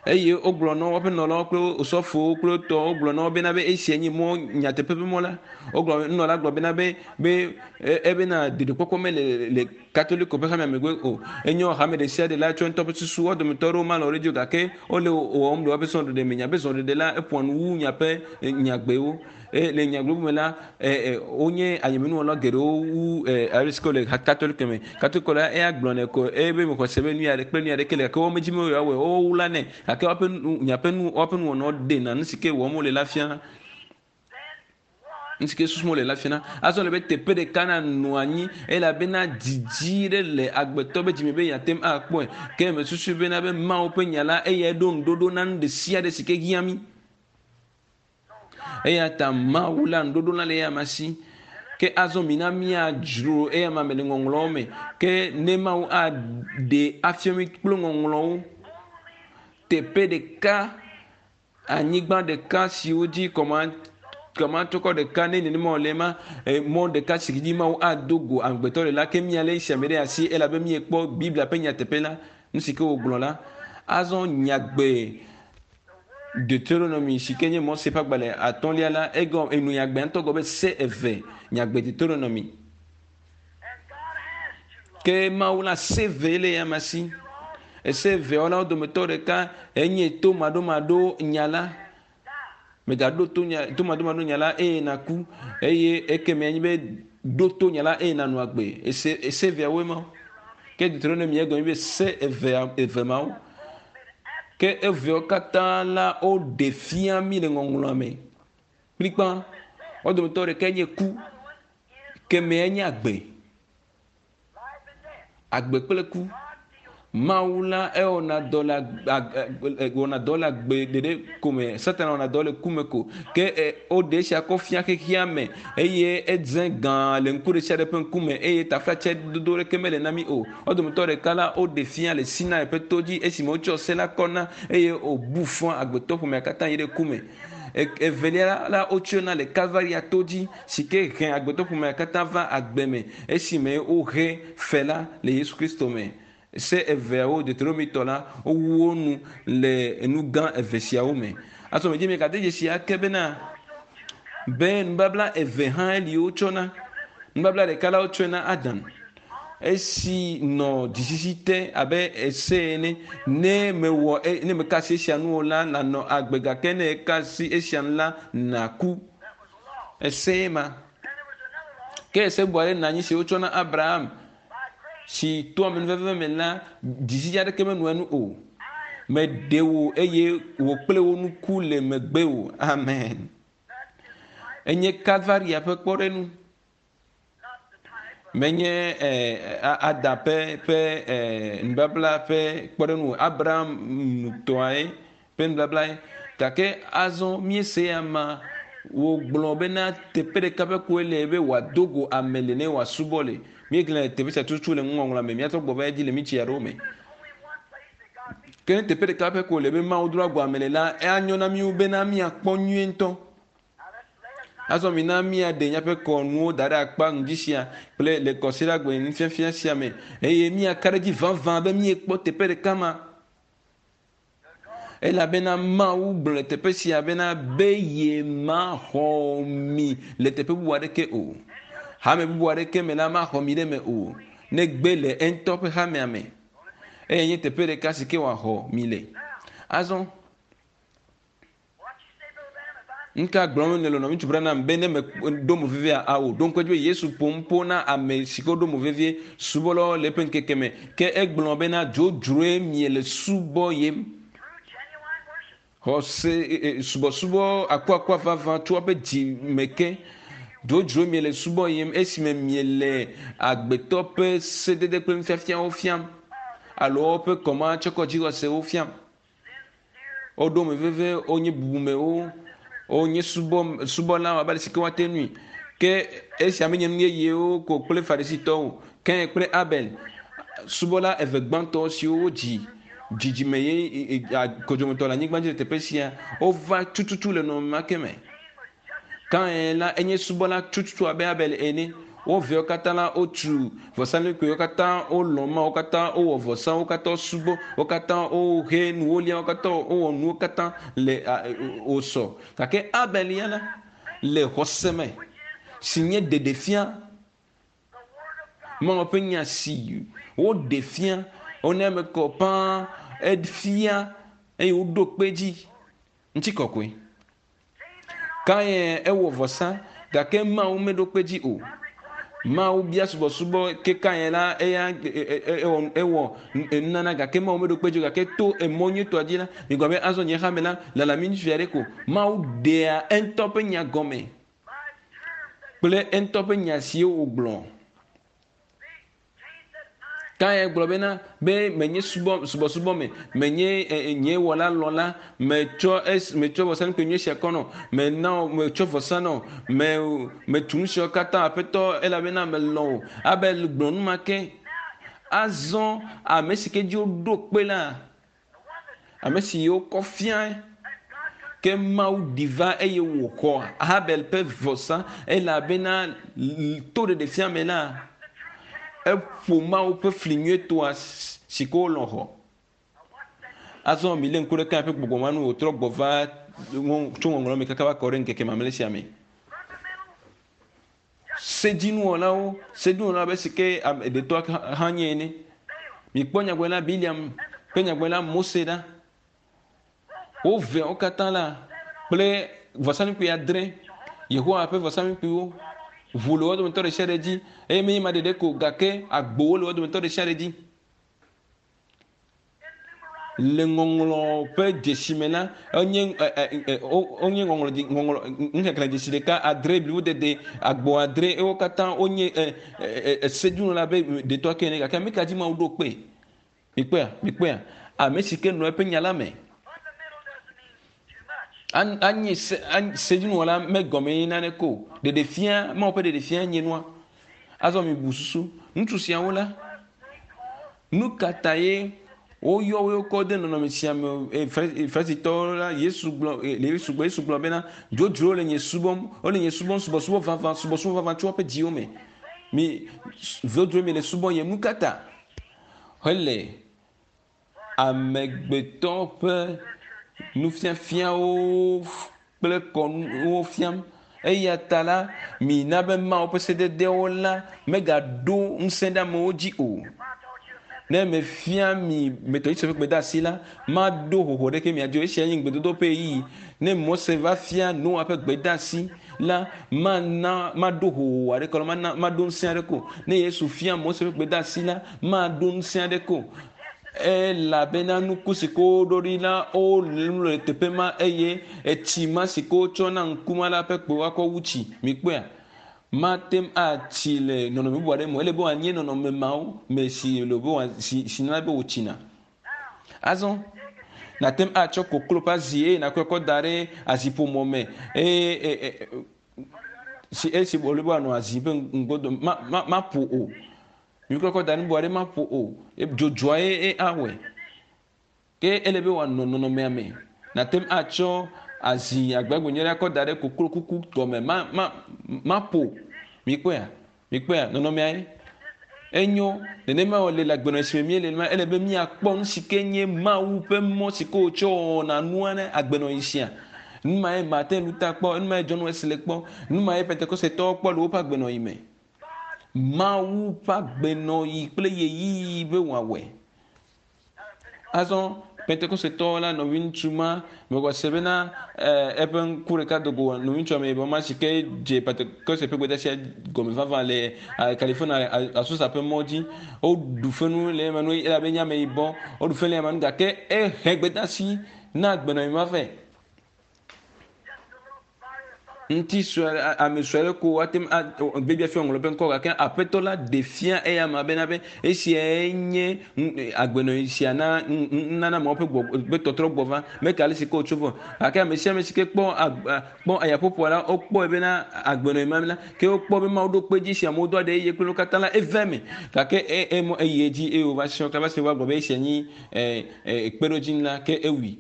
eye wogblɔ na woƒe nɔlawo kple osɔfowo kple tɔwo gblɔ na wo bena be esia nye mɔ nyateƒe ƒe mɔ la. Wogblɔ nunɔla gblɔ bena be be ebena ɖeɖekpɔkpɔ mele le Katoliko ƒe hamea megbe o. Enyo hame ɖe sia ɖe la tsɔ ŋutɔ ƒe susu. Wo dometɔ aɖewo malɔ̃ ɖe edzi o gake wole wɔwɔm le woƒe srɔ̃ɖeɖe me. Miaƒe srɔ̃ɖeɖe la eƒoa nu wu miaƒe nyagbewo. Eye le nyagblɔɖi bubu me la, wonye ayemenuwɔla geɖewo wu ale si ke wole Katoliko me. Katoliko la eya gblɔnɛ ko eye be mexɔ se be nu ya kple nu ya ɖeke le gake womedi be yewoawɔe o, wowla nɛ gake woƒe nu miaƒe nu woƒe nuwɔnawo ɖena nu si ke wɔm wole la fiana. Nu si ke susum wole la fiana. Azɔ le be teƒe ɖeka nanɔ anyi elabena didi ɖe le agbetɔ be dzime be yeate ŋu akpɔe. Ke mesusui bena be Mawu ƒe nya la eyae ɖo ŋuɖoɖo na nu ɖe sia ɖe si ke hiã mí. Eya ta Mawu la ŋuɖoɖo la le eyama si. Ke azɔ mina míadzro eyama me le ŋɔŋlɔwo me. Ke ne Mawu aɖe afia mí kple ŋɔŋlɔwo teƒe ɖeka, anyigba ɖeka siwo dzi kɔma kɔmatɔkɔ ɖeka ne nenema wòle ma, mɔ ɖeka si dzi Mawu ado go amegbetɔ le la, ke míalé esia me ɖe asi elabe míekpɔ Biblia ƒe nyateƒe la, nu si ke wògblɔ la. Azɔ nyagbe Deuteronomy si ke nye Mose ƒe agbalẽ atɔ̃lia la, egɔ enu nyagbea ŋutɔ gɔ be se eve nyagbe Deuteronomy. Ke Mawu la se eve le ya ma si. Ese eveawo la wo dometɔ ɖeka enye to maɖomaɖo nya la. Mègaɖo to nya to maɖomaɖo nya la eye nàku eye ekemɛ anyi be ɖo to nya la eye nànɔ agbe. Ese ese eveawoe ma. Ke Deuteronomy egɔme be se evea eve mawo. Ke eveawo katã la woɖe fia mí le ŋɔŋlɔa me kplikpa. Wo dometɔ ɖekae nye ku, kemɛa nye agbe. Agbe kple ku. Mawu la ewɔna dɔ le wɔna dɔ le agbe ɖeɖe ko me. Satana wɔna dɔ le ku me ko. Ke woɖe esia kɔ fia xexea me eye edze gã le ŋku ɖe sia ɖe ƒe ŋkume eye taflatse dodo ɖeke mele na mí o. Wo dometɔ ɖeka la woɖe fia le Sinai ƒe to dzi esime wotsɔ se la kɔ na eye wòbu fɔ agbetɔ ƒomea katã yi ɖe ku me. Evelia la wotsɔe na le Kalvaria to dzi si ke he agbetɔ ƒomea katã va agbe me esime wohe fe la le Yesu Kristo me. Se eveawo, Deuteronomitɔ la, wowu wo nu le enu gã eve siawo me. Azɔ medzi miegade dzesi ake bena be nubabla eve hã li wotsɔ na. Nubabla ɖeka la wotsɔe na Adam esi nɔ dzisisi te abe ese ene. Ne mewɔ ne meka asi esia nu o la, nànɔ agbe gake ne eka asi esia nu la, nàku. Ese ma. Ke ese bu aɖe nɔ anyi si wotsɔ na Abraham si to amenuveve me la, dzisisi aɖeke menɔ enu o. Meɖe wò eye wò kple wò nuku le megbewò. Amen. Enye Kalvaria ƒe kpɔɖeŋu. Menye Ada ƒe ƒe nubabla ƒe kpɔɖeŋu o. Abraham tɔae ƒe nubablae. Gake azɔ míese ama wògblɔ bena teƒe ɖeka ƒe koe le be wòado go ame le ne wòasubɔ le. Míegblẽ teƒe sia tututu le nuŋɔŋlɔa me. Míatrɔ gbɔ va edzi le minti aɖewo me. Ke ne teƒe ɖeka ƒe koe le be Mawu doa go ame le la, anyo na mí bena míakpɔ nyuie ŋutɔ. Azɔ mina míaɖe míaƒe kɔnuwo da ɖe akpa ŋdi sia kple le kɔsiɖagbe nufiafia sia me eye míaka ɖe edzi vavã be míekpɔ teƒe ɖeka ma. Elabena Mawu gblɔ le teƒe sia bena be yemaxɔ mi le teƒe bubu aɖeke o. Hame bubu aɖeke me la maxɔ mi ɖe eme o, negbe le eŋutɔ ƒe hamea me. Eye nye teƒe ɖeka si ke wòaxɔ mi le. Azɔ What you say, Brother Branham, if I'm Nuka gblɔm nèle nɔviŋutsu Branham be ne meɖo mo vevia ao ɖo ŋku edzi be Yesu ƒo nu ƒo na ame si ke woɖo mo vevie subɔlawo le eƒe ŋkeke me. Ke egblɔ bena dzodzroe miele subɔ yem. Xɔse subɔsubɔ akuakua vavã tso eƒe dzi me ke. Dzodzroe miele subɔ yem esime miele agbetɔ ƒe sedede kple nufiafiawo fiam alo woƒe kɔmatsɔkɔdzixɔsewo fiam. Woɖo ame veve, wonye bubumewo, wonye subɔ subɔlawo abe ale si ke woate ŋui. Ke esia menye nu yeyewo ko kple Farisitɔwo o. Kain kple Abel, subɔla eve gbãtɔ siwo wodzi dzidzime ye kodzomotɔ le anyigba dzi le teƒe sia, wova tututu le nɔnɔme ma ke me. Kain la enye subɔla tututu abe Abel ene. Wo viawo katã la wotu vɔsamlekpuiwo katã, wolɔ̃ Mawu katã, wowɔ vɔsa, wo katã wosubɔ, wo katã wohe nuwo lia, wo katã wowɔ nuwo katã le wòsɔ. Gake Abel ya la le xɔse me si nye ɖeɖefia Mawu ƒe nya si woɖe fia wona eme kɔ ƒãa efia eye woɖo kpe edzi ŋutikɔkɔe. Kain ewɔ vɔsa gake Mawu meɖo kpe dzi o. Mawu bia subɔsubɔ ke Kain la eya ewɔ ewɔ nunana gake Mawu meɖo kpe dzi o gake to emɔ nyuitɔa dzi la migblɔ be azɔ nye xame la lala mi ŋutsu aɖe ko. Mawu ɖea eŋutɔ ƒe nya gɔme kple eŋutɔ ƒe nya siwo wògblɔ. Kain gblɔ bena, be menye subɔ, subɔsubɔ me, menye e, e, nye wɔla lɔla, metsɔ es, metsɔ vɔsamlekpui nyui sia kɔ nɔ, mena wò, metsɔ vɔsa nɔ, me, metu nu siawo katã, Aƒetɔ, elabena melɔ̃ wò. Abel gblɔ nu ma ke. Azɔ ame si ke dzi woɖo kpe la, ame si wokɔ fiae, ke Mawu ɖi va eye wòxɔ Habel ƒe vɔsa elabena to ɖeɖefia me la, eƒo Mawu ƒe fli nyuietɔa si ke wolɔ̃ xɔ. Azɔ milé ŋku ɖe Kain ƒe gbɔgbɔ ma nu wòtrɔ gbɔ va tso ŋɔŋlɔ me kaka va kɔ ɖe ŋkeke mamlɛ sia me. Sedzinuwɔlawo, sedzinuwɔlawo abe si ke ɖetɔa hã nye ene. Mikpɔ nyagblɔɖila Biliam kple nyagblɔɖila Mose ɖa. Wo veawo katã la kple vɔsamlekpui adre, Yehowa ƒe vɔsamlekpuiwo, ʋu le wo dometɔ ɖe sia ɖe dzi eye menye ema ɖeɖe ko gake agbowo le wo dometɔ ɖe sia ɖe dzi. Le ŋɔŋlɔ ƒe dzesi me la, enye wonye ŋɔŋlɔ ŋɔŋlɔ nuxexlẽ dzesi ɖeka adre blibo dede agbo adre ewo katã wonye esedzunɔla be detɔ ke ene gake ame ka dzi Mawu ɖo kpe? Mikpɔea? Mikpɔea? Ame si ke nɔ eƒe nya la me. Anye se sedzunɔla megɔme ye nane ko. Ɖeɖefia Mawu ƒe ɖeɖefia nye nua. Azɔ mibu susu ŋutsu siawo la Nu ka tae woyɔ wo kɔ de nɔnɔme sia me? Farisitɔwo la, Yesu gblɔ, Yesu gblɔ, Yesu gblɔ bena, dzodzro le nye subɔm, wole nye subɔm subɔsubɔ vavã, subɔsubɔ vavã tso woƒe dziwo me. Mi dzodzro mi le subɔ yem. Nu ka ta? Hele amegbetɔ ƒe nufiafiawo kple kɔnuwo fiam. Eya ta la, mina be Mawu ƒe sededewo la megaɖo ŋusẽ ɖe amewo dzi o. Ne mefia mi Metodistwo ƒe gbedeasi la, maɖo hoho ɖeke mia dzi o. Esia nye ŋugbedodo ƒe ɣeyiɣi. Ne Mose va fia Noa ƒe gbedeasi la, mana maɖo hoho aɖeke alo mana maɖo ŋusẽ aɖeke o. Ne Yesu fia Mose ƒe gbedeasi la, maɖo ŋusẽ aɖeke o. Elabena nuku si ke woɖo ɖi la, wolu le teƒe ma eye etsi ma si ke wotsɔ na ŋku ma la ƒe kpe woakɔ wu tsi. Mikpɔea? Mate ŋu atsi le nɔnɔme bubu aɖe me o. Ele be wòanye nɔnɔme mawo me si le be wòa si si nana be wòtsina. Azɔ nàte ŋu atsɔ koklo ƒe azi eye nàkɔe kɔ da ɖe aziƒomɔ me eye e, e, si esi wòle be wòanɔ azi ƒe ŋgodo ma ma maƒo o. Miklɔ kɔ da ɖe nubu aɖe maƒo o. Dzodzoa ye ye awɔe. Ke ele be wòanɔ nɔnɔmea me. Nàte ŋu atsɔ azi agbagbe nyui aɖe akɔ da ɖe koklo kuku gɔme ma ma maƒo. Mikpɔea? Mikpɔea? Nɔnɔmea ye. Enyo. Nenema wòle le agbenɔɣi si me míele la, ele be míakpɔ nu si ke nye Mawu ƒe mɔ si ke wòtsɔ wɔna nua ne agbenɔɣi sia. Nu mae Martin Luther kpɔ, nu mae John Wesley kpɔ, nu mae Pentekostetɔwo kpɔ le woƒe agbenɔɣi me. Mawu ƒe agbenɔɣi kple ɣeyiɣi be wòawɔe. Azɔ Pentekostetɔwo la nɔviŋutsu ma mexɔ se bena eƒe ŋku ɖeka do go nɔviŋutsu ameyibɔ ma si ke dze Pentekoste ƒe gbedeasia gɔme vavã le California Azusa ƒe mɔ dzi. Woɖu fenu le ema nu elabe enye ameyibɔ. Woɖu fenu le ema nu gake ehe gbedeasi na agbenɔɣi ma vɛ. Ŋuti sue ame sue aɖe ko woate ŋu a Biblia fia ŋlɔ eƒe ŋkɔ gake Aƒetɔ la ɖe fia eya ma bena be esiae nye agbenɔɣi sia na nunana mawo ƒe gbɔgbɔ ƒe tɔtrɔ gbɔ va. Meke ale si ke wòtso vɔ gake ame sia ame si ke kpɔ kpɔ ayaƒoƒoa la wokpɔe bena agbenɔɣi ma la ke wokpɔ be Mawu ɖo kpe edzi si amewo do aɖe eye kple wo katã la eve eme gake e eyi edzi eye wòva srɔ̃ kaba si wova gblɔ be esia nyi kpeɖodzi la ke ewui.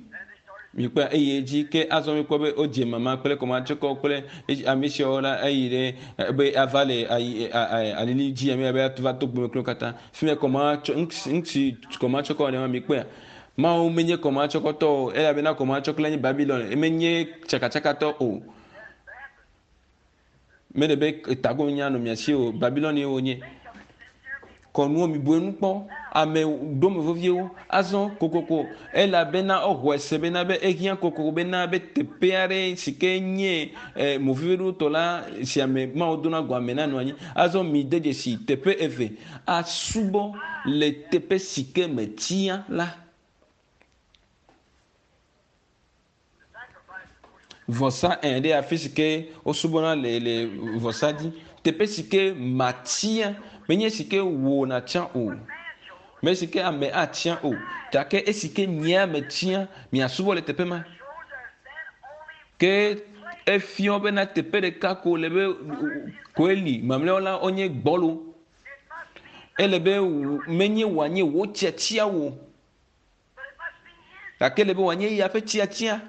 Mikpɔe eye edzi ke azɔ mikpɔ be wodze mama kple kɔmatsɔkɔ kple ame siawo la eyi ɖe be ava le ayi alili dzi ame abe va to gbeme kple katã. Fi me kɔmatsɔ ŋuti kɔmatsɔkɔ ne ma mikpɔea. Mawu menye kɔmatsɔkɔtɔ o elabena kɔmatsɔkɔ la nye Babilon menye tsakatsakatɔ o. Mele be tago nya nɔ mia si o. Babilon ye wonye. Kɔnuwo mibu enu kpɔ. Ame ɖome veviewo. Azɔ kokoko elabena woxɔe se bena be ehiã kokoko bena be teƒe aɖe si ke nye eh, moviviɖotɔ la si ame Mawu dona go ame nanɔ anyi. Azɔ mide dzesi teƒe eve asubɔ le teƒe si ke metia la. Vɔsa ẽ ɖe afi si ke wosubɔna le le vɔsa dzi. Teƒe si ke matia menye si ke wò nàtia o, me si ke ame atia o, gake esi ke nyea metia miasubɔ le teƒe ma. Ke efiɔ bena teƒe ɖeka ko le be koe li, mamlɛawo la wonye gbɔlo. Ele be menye wòanye wò tiatia wò. Gake ele be wòanye eya ƒe tiatia.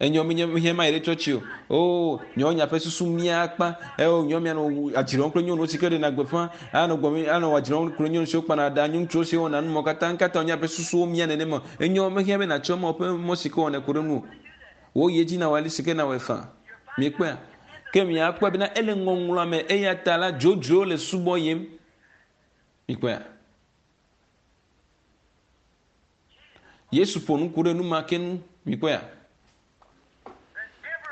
Enyɔ menye mehiã ma yi ɖe tsɔtsi o. Oo, nyɔ nya ƒe susu mía akpa. Eo, nyɔ mía nɔ adzrɔm kple nyɔnuwo si ke ɖena gbeƒã. Anɔ gbɔ anɔ adzrɔm kple nyɔnu siwo kpana ɖa, ŋutsuwo siwo wɔna numɔ katã. Ŋkata wònye ƒe susuwo mía nenema. Enyɔ mehiã be nàtsɔ Mawu ƒe mɔ si ke wɔnɛ ku ɖe nu o. Wò yi edzi nawɔe ale si ke nawɔe faa. Miekpɔea? Ke miakpɔe bena ele ŋɔŋlɔa me eya ta la dzodzrowo le subɔ yim. Mikpɔea? Yesu ƒo nu ku ɖe nu ma ke ŋu. Mikpɔea?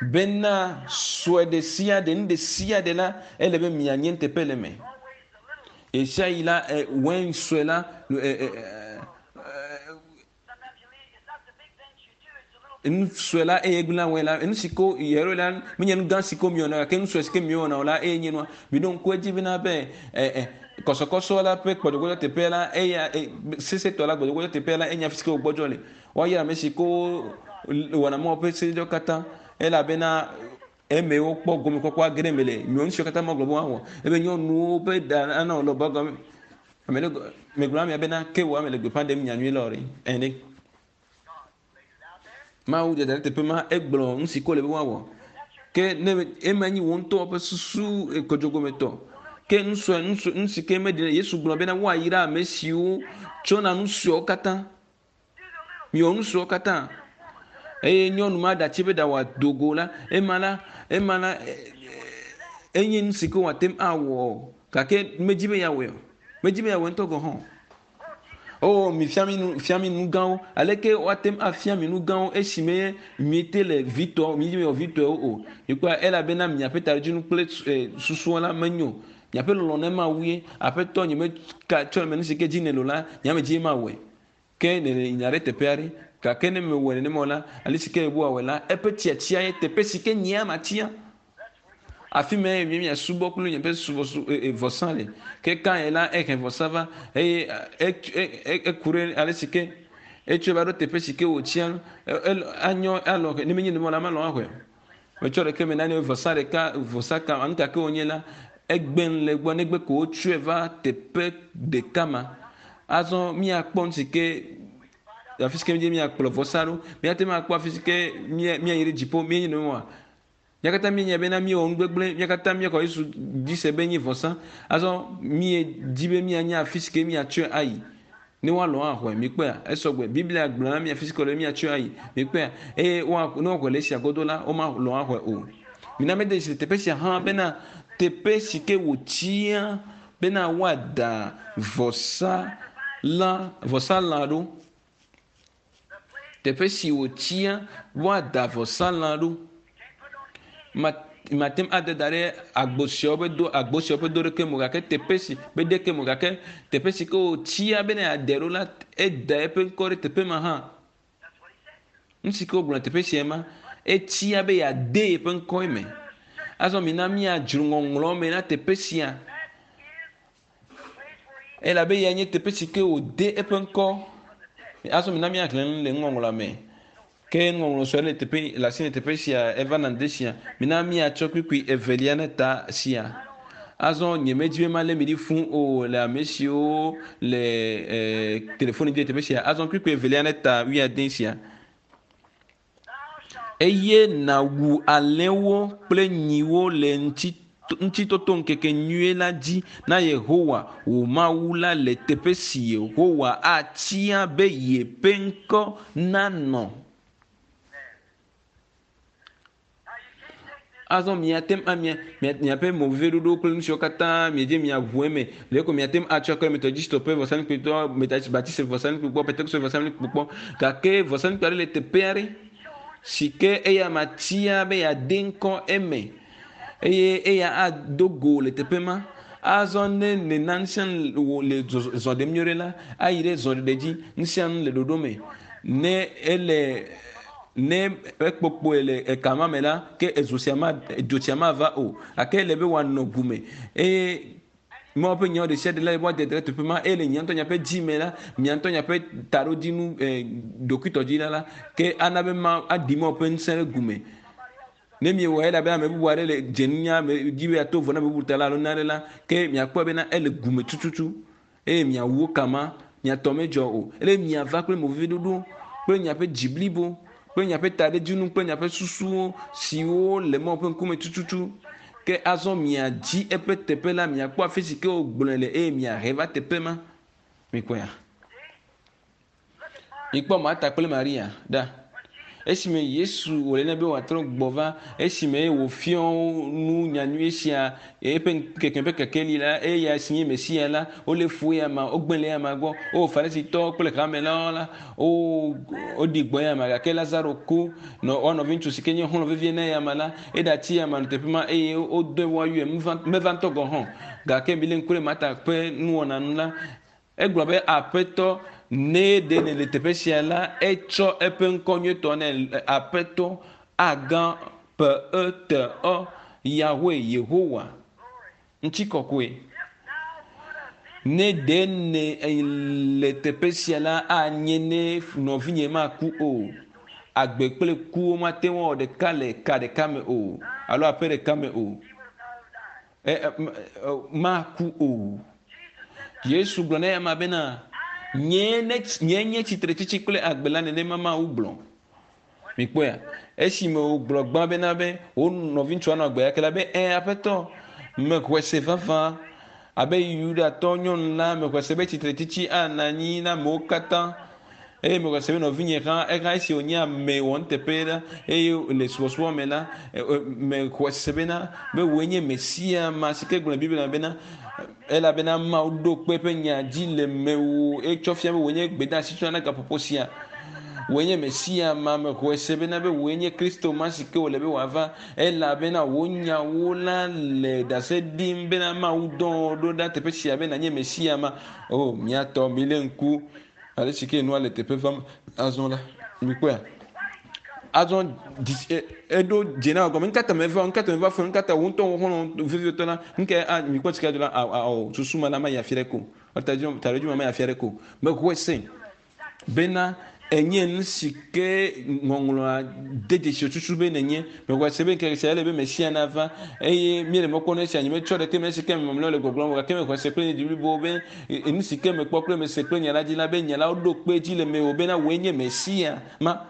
Bena sue ɖe sia ɖe, nu ɖe sia ɖe la, ele be mianye nuteƒe le eme. Ɣesiaɣi la, wein sue la, nu sue la eye gblẽa wein la. Nu si ko yɛrɛ la, menye nu gã si ko miewɔna gake nu sue si ke miewɔna o la eye nye nua. Miɖo ŋku edzi bena be kɔsɔkɔsɔ la ƒe gbɔdzɔgbɔdzɔ teƒe la eya sesẽtɔ la gbɔdzɔgbɔdzɔ teƒe la enye afi si ke wògbɔdzɔ le. Woayra ame si ko wɔna Mawu ƒe sededewo katã elabena eme wokpɔ gomekpɔkpɔ age ɖe eme le. Nyɔnu siwo katã magblɔ be woawɔ ebe nyɔnuwo ƒe ɖa ana wòle wobe gɔme. Ame ɖe megblɔ amea bena ke wò ame le gbeƒã ɖem nyanyui la o ɖe. Ene. Mawu dada ɖe teƒe ma egblɔ nu si ko le be woawɔ. Ke ne ema nyi wò ŋutɔ ƒe susu kodzogometɔ. Ke nu sue nu sue nu si ke meɖi Yesu gblɔ bena woayra ame siwo tsɔna nu suewo katã. Miwɔ nu suewo katã. Eye nyɔnu ma ɖatsi be ɖawɔ do go la, ema la, ema la, enye nu si ke wòate ŋu awɔ gake medzi be yeawɔe o. Medzi be yeawɔe ŋutɔ gɔ̃ hã o. Oh, mi fia mi nu, fia mi nu gãwo. Aleke woate ŋu afia mi nu gãwo esime miete le vitɔ, mi mewɔ vitɔewo o. Mikpɔa, elabena miaƒe taɖodzinu kple susuwo la menyo o. Miaƒe lɔlɔ̃ ne Mawu ye. Aƒetɔ, nyemeka tsɔ eme nu si ke dzi nèle o la, nye ame dzie mawɔe. Ke nèle nya ɖe teƒe aɖe. Gake ne mewɔe nenema o la, ale si ke Yehowa wɔe la, eƒe tiatia ye teƒe si ke nyea matia. Afi mae mi miasubɔ kple miaƒe subɔsu vɔsa le. Ke Kain la ehe vɔsa va eye eku ɖe ale si ke etsɔe va ɖo teƒe si ke wòtsia anyɔ alɔ ne menye nenema la malɔ axɔe o. Metsɔ ɖeke me nane vɔsa ɖeka vɔsa ka nu ka ke wònye la egbe nu le egbɔ negbe ko wotsɔe va teƒe ɖeka ma. Azɔ míakpɔ nu si ke afi si ke mídze míakplɔ vɔsa ɖo. Míate ŋu akpɔ afi si ke míayi ɖe dziƒo míenye nenema. Mía katã míenya bena míewɔ nu gbegblẽ, mía katã míexɔ Yesu dzi se be enye vɔsa. Azɔ míedi be míanya afi si ke míatsɔe ayi ne woalɔ̃ axɔe. Mikpɔea? Esɔgbe. Biblia gblɔ na mí afi si ke wòle be míatsɔe ayi. Mikpɔea? Eye woa, ne woaxɔe le esia godo la, womalɔ̃ axɔe o. Mina mede dzesi le teƒe sia hã bena teƒe si ke wòtia bena woada vɔsa la, vɔsalã ɖo. Teƒe si wòtia woada vɔsalã ɖo. Mate ŋu ade da ɖe agbo siawo ƒe do agbo siawo ƒe do ɖeke me o gake teƒe si be ɖeke me o gake teƒe si ke wòtia bene yeade ɖo la, eda eƒe ŋkɔ ɖe teƒe ma hã. Nu si ke wogblɔ le teƒe sia ma, etia be yeade yeƒe ŋkɔ eme. Azɔ mina míadzro ŋɔŋlɔ me na teƒe sia. Elabe eyae nye teƒe si ke wòde eƒe ŋkɔ. Azɔ mina míaxlẽ nu le nuŋɔŋlɔa me. Ke nuŋɔŋlɔ sue le teƒe le asi le teƒe sia eva na ŋdi sia. Mina míatsɔ kpukpui evelia ne ta sia. Azɔ nyemedi be malé mi ɖi fũ o le ame siwo le e, telefoni dzi le teƒe sia. Azɔ kpukpui evelia ne ta wuiade sia. Eye nàwu alẽwo kple nyiwo le Ŋutitotoŋkeke nyui la dzi na Yehowa wò Mawu la le teƒe si Yehowa atia be yeƒe ŋkɔ nanɔ. Azɔ miate ŋu amia miaƒe moveviɖoɖowo kple nu siwo katã miedze miaʋu eme le ko miate ŋu atsɔ akɔ Methodistɔ ƒe vɔsamlekpui tɔ, Baptist vɔsamlekpui gbɔ, Pentekoste vɔsamlekpui gbɔ. Gake vɔsamlekpui aɖe le teƒe aɖe si ke eya matia be yeade ŋkɔ eme eye eya ado go le teƒe ma. Azɔ ne nèna nu sia nu wò le zɔ ɖem nyuie ɖe la, ayi ɖe zɔɖeɖe dzi. Nu sia nu le ɖoɖo me. Ne ele Ne ekpokpoe le eka ma me la, ke ezo sia ma, dzo sia mava o. Gake ele be wòanɔ gu me. Eye Mawu ƒe nyawo ɖesiaɖe la, woade ɖe teƒe ma. Eye le mia ŋutɔ miaƒe dzi me la, mia ŋutɔ miaƒe taɖodzinu, eh, ɖokuitɔdzi la la, ke ana be Mawu aɖi Mawu ƒe ŋusẽ ɖe gu me. Ne miewɔe elabe ame bubu aɖe le dze nunya me dzi be yeato vo na ame bubu ta la alo nane la, ke miakpɔe bena ele gu me tututu. Eye miawu wo kama, mia tɔ medzɔ o. Ele miava kple moveviɖoɖo kple miaƒe dzi blibo kple miaƒe taɖodzinu kple miaƒe susuwo siwo le Mawu ƒe ŋkume tututu. Ke azɔ miadzi eƒe teƒe la, miakpɔ afi si ke wògblɔe le eye miahe va teƒe ma. Mikpɔea? Mikpɔ Marta kple Maria ɖa. Esime Yesu wòle nɛ be wòatrɔ gbɔ va, esime wòfiɔ nu nyanyui sia, eƒe ŋkeke ƒe kekeli la, eya si nye Mesia la, wolé fu eya ma, wogblẽ le eya ma gbɔ. O Farisitɔwo kple hamelawo la, wo woɖi gbɔ eya ma gake Lazaro ku. Nɔ woa nɔviŋutsu si ke nye xɔlɔ̃ vevie na eya ma la, eɖatsi eya ma nɔ teƒe ma eye wodɔe woayɔe meva ŋutɔ gɔ̃ hã o. Gake milé ŋku ɖe Marta ƒe nuwɔna nu la, Egblɔ be, Aƒetɔ, ne ɖe nèle teƒe sia la, etsɔ eƒe ŋkɔ nyuietɔ nɛ, Aƒetɔ, Agã, P-E-T-Ɔ, Yahweh, Yehowa, ŋutikɔkɔe. Ne ɖe nèle teƒe sia la, anye ne nɔvinye maku o. Agbe kple ku womate ŋu awɔ ɖeka le ka ɖeka me o, alo aƒe ɖeka me o. E, e, maku o. Yesu gblɔ na eyama bena, Nyee ne, nyee nye tsitretsitsi kple agbe la, nenema Mawu gblɔ. Mikpɔea? Esime wògblɔ gbã bena be wo nɔviŋutsua nɔ agbe gake la be, Ẽ, Aƒetɔ, mexɔe se vavã. Abe Yudatɔ nyɔnu la, mexɔe se be tsitretsitsi anɔ anyi na amewo katã. Eye mexɔe se be nɔvinye hã, eha esi wònye ame wɔnuteƒe la, eye le subɔsubɔ me la, mexɔe se bena be wòe nye Mesia ma si ke gblɔ le Biblia me bena, elabena Mawu ɖo kpe eƒe nya dzi le mewò etsɔ fia be wòe nye gbedeasi tsɔ na gaƒoƒo sia. Wòe nye Mesia ma, mexɔe se bena be wòe nye Kristo ma si ke wòle be wòava, elabena wò nyawo la le ɖase ɖim bena Mawu dɔ wò ɖo ɖa teƒe sia be nànye Mesia ma. O, mía tɔ, milé ŋku Ale si ke nua le teƒe vam azɔ la, mikpɔea? Azɔ eɖo dze na gɔme. Nukata meva? Nukata meva fɔ? Nukata wò ŋutɔ wò xɔlɔ̃ vevitɔ la? Nuka a mikpɔ sika do la awɔ susu ma la ma yi afi ɖe ko. Taɖodzi ma ma yi afi ɖe ko. Mexɔe se bena enye nu si ke ŋɔŋlɔa de dzesi tutu be nenye. Mexɔe se be ŋkeke sia ele be Mesia nava eye míele mɔ kpɔm na esia. Nyemetsɔ ɖeke me esi ke ame mamlɛawo le gbɔgblɔm o gake mexɔe se kple nye dzi blibo be Nu si ke mekpɔ kple mese kple nya la dzi la be nya la woɖo kpe edzi le mewò bena wòe nye Mesia ma.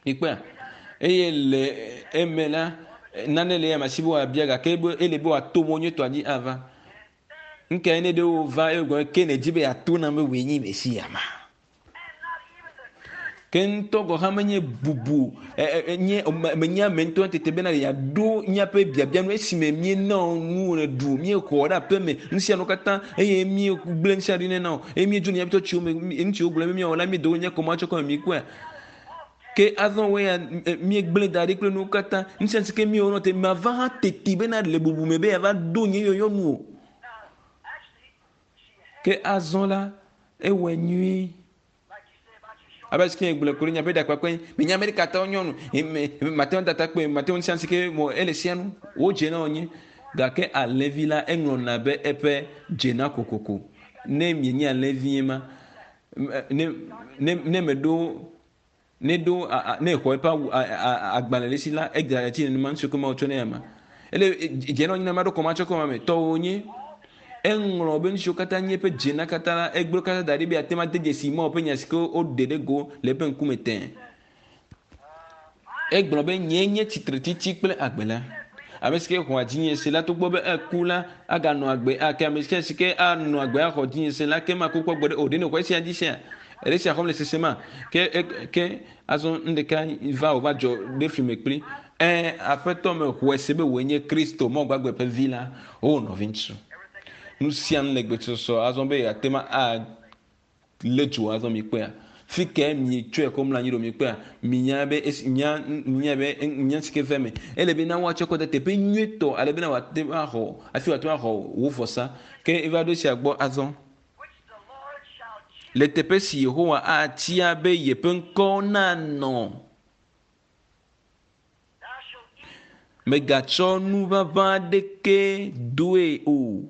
Mikpɔea? Eye le eme la, nane le eya si be wòabia gake ele be wòato mɔ nyuietɔa dzi ava. Nu kae ne ɖe wova eye wògblɔ ke nèdi be yeato nam be wòe nye Mesia ma? Ke ŋutɔ gɔ̃ hã menye bubu nye menye ame ŋutɔ tete bena yeaɖo míaƒe biabia nu esime míena wò nu nèɖu, míexɔ ɖe aƒe me, nu sia nu katã eye míegblẽ nu sia ɖi nɛ na wò eye míedzo le míaƒe tsɔtsiwo me, nu si wogblɔ be míawɔ la míedo nye kɔma tsɔ kɔ me míekpɔea. Ke azɔ wò ya míegblẽ da ɖi kple nuwo katã. Nu sia nu si ke míewɔ nɔ te mava hã teti bena le bubu me be yeava ɖo nye yɔyɔ nu o. Ke azɔ la, ewɔe nyuie. Abe si ke gblɔ ku ɖe miaƒe ɖakpakpe, menye Amerikatɔwo nyɔnu, mate ŋu tata kpe, mate ŋu sia si ke mɔ ele sia nu, wodze na wonye. Gake alẽvi la eŋlɔna be eƒe dzena kokoko. Ne mienye alẽvie ma, ne ne ne meɖo ne ɖo ne exɔ eƒe awu agbalẽ le si la, edza etsi nenema nu si ke Mawu tsɔ nɛ ama. Ele dze na wonye ma ɖo kɔmatsɔ kɔma me tɔwo nye. Eŋlɔ be nu siwo katã nye eƒe dzena katã la, egblɔ katã da ɖi be yeate ŋu ade dzesi Mawu ƒe nya si ke woɖe ɖe go le eƒe ŋkume tẽe. Egblɔ be, Nyee nye tsitretsitsi kple agbe la. Ame si ke xɔa dzinye se la, togbɔ be eku la, aganɔ agbe ake. Ame sia si ke anɔ agbe axɔ dzinye se la, ke maku kpɔ gbeɖe o. Ɖe nèxɔ esia dzi sea? Èle esia xɔm le sesema? Ke, ke azɔ nu ɖeka va wòva dzɔ ɖe fli me kpli. Ẽ, Aƒetɔ, mexɔe se be wòe nye Kristo, Mawu gbagbe ƒe Vi la. O, nɔviŋutsu, nu sia nu le gbesɔsɔ azɔ be yeate ŋu alé dzo azɔ. Mikpɔea? Fi kae mietsɔe kɔ mlɔ anyi ɖo? Mikpɔea? Minya be esi, nya, nya be nya si ke ve eme. Ele be na woatsɔ kɔ de teƒe nyuietɔ ale bena wòate ŋu axɔ, hafi wòate ŋu axɔ wò vɔsa. Ke eva ɖo esia gbɔ azɔ. Le teƒe si Yehowa atia be yeƒe ŋkɔ nanɔ. Mègatsɔ nu ʋaʋã aɖeke doe o.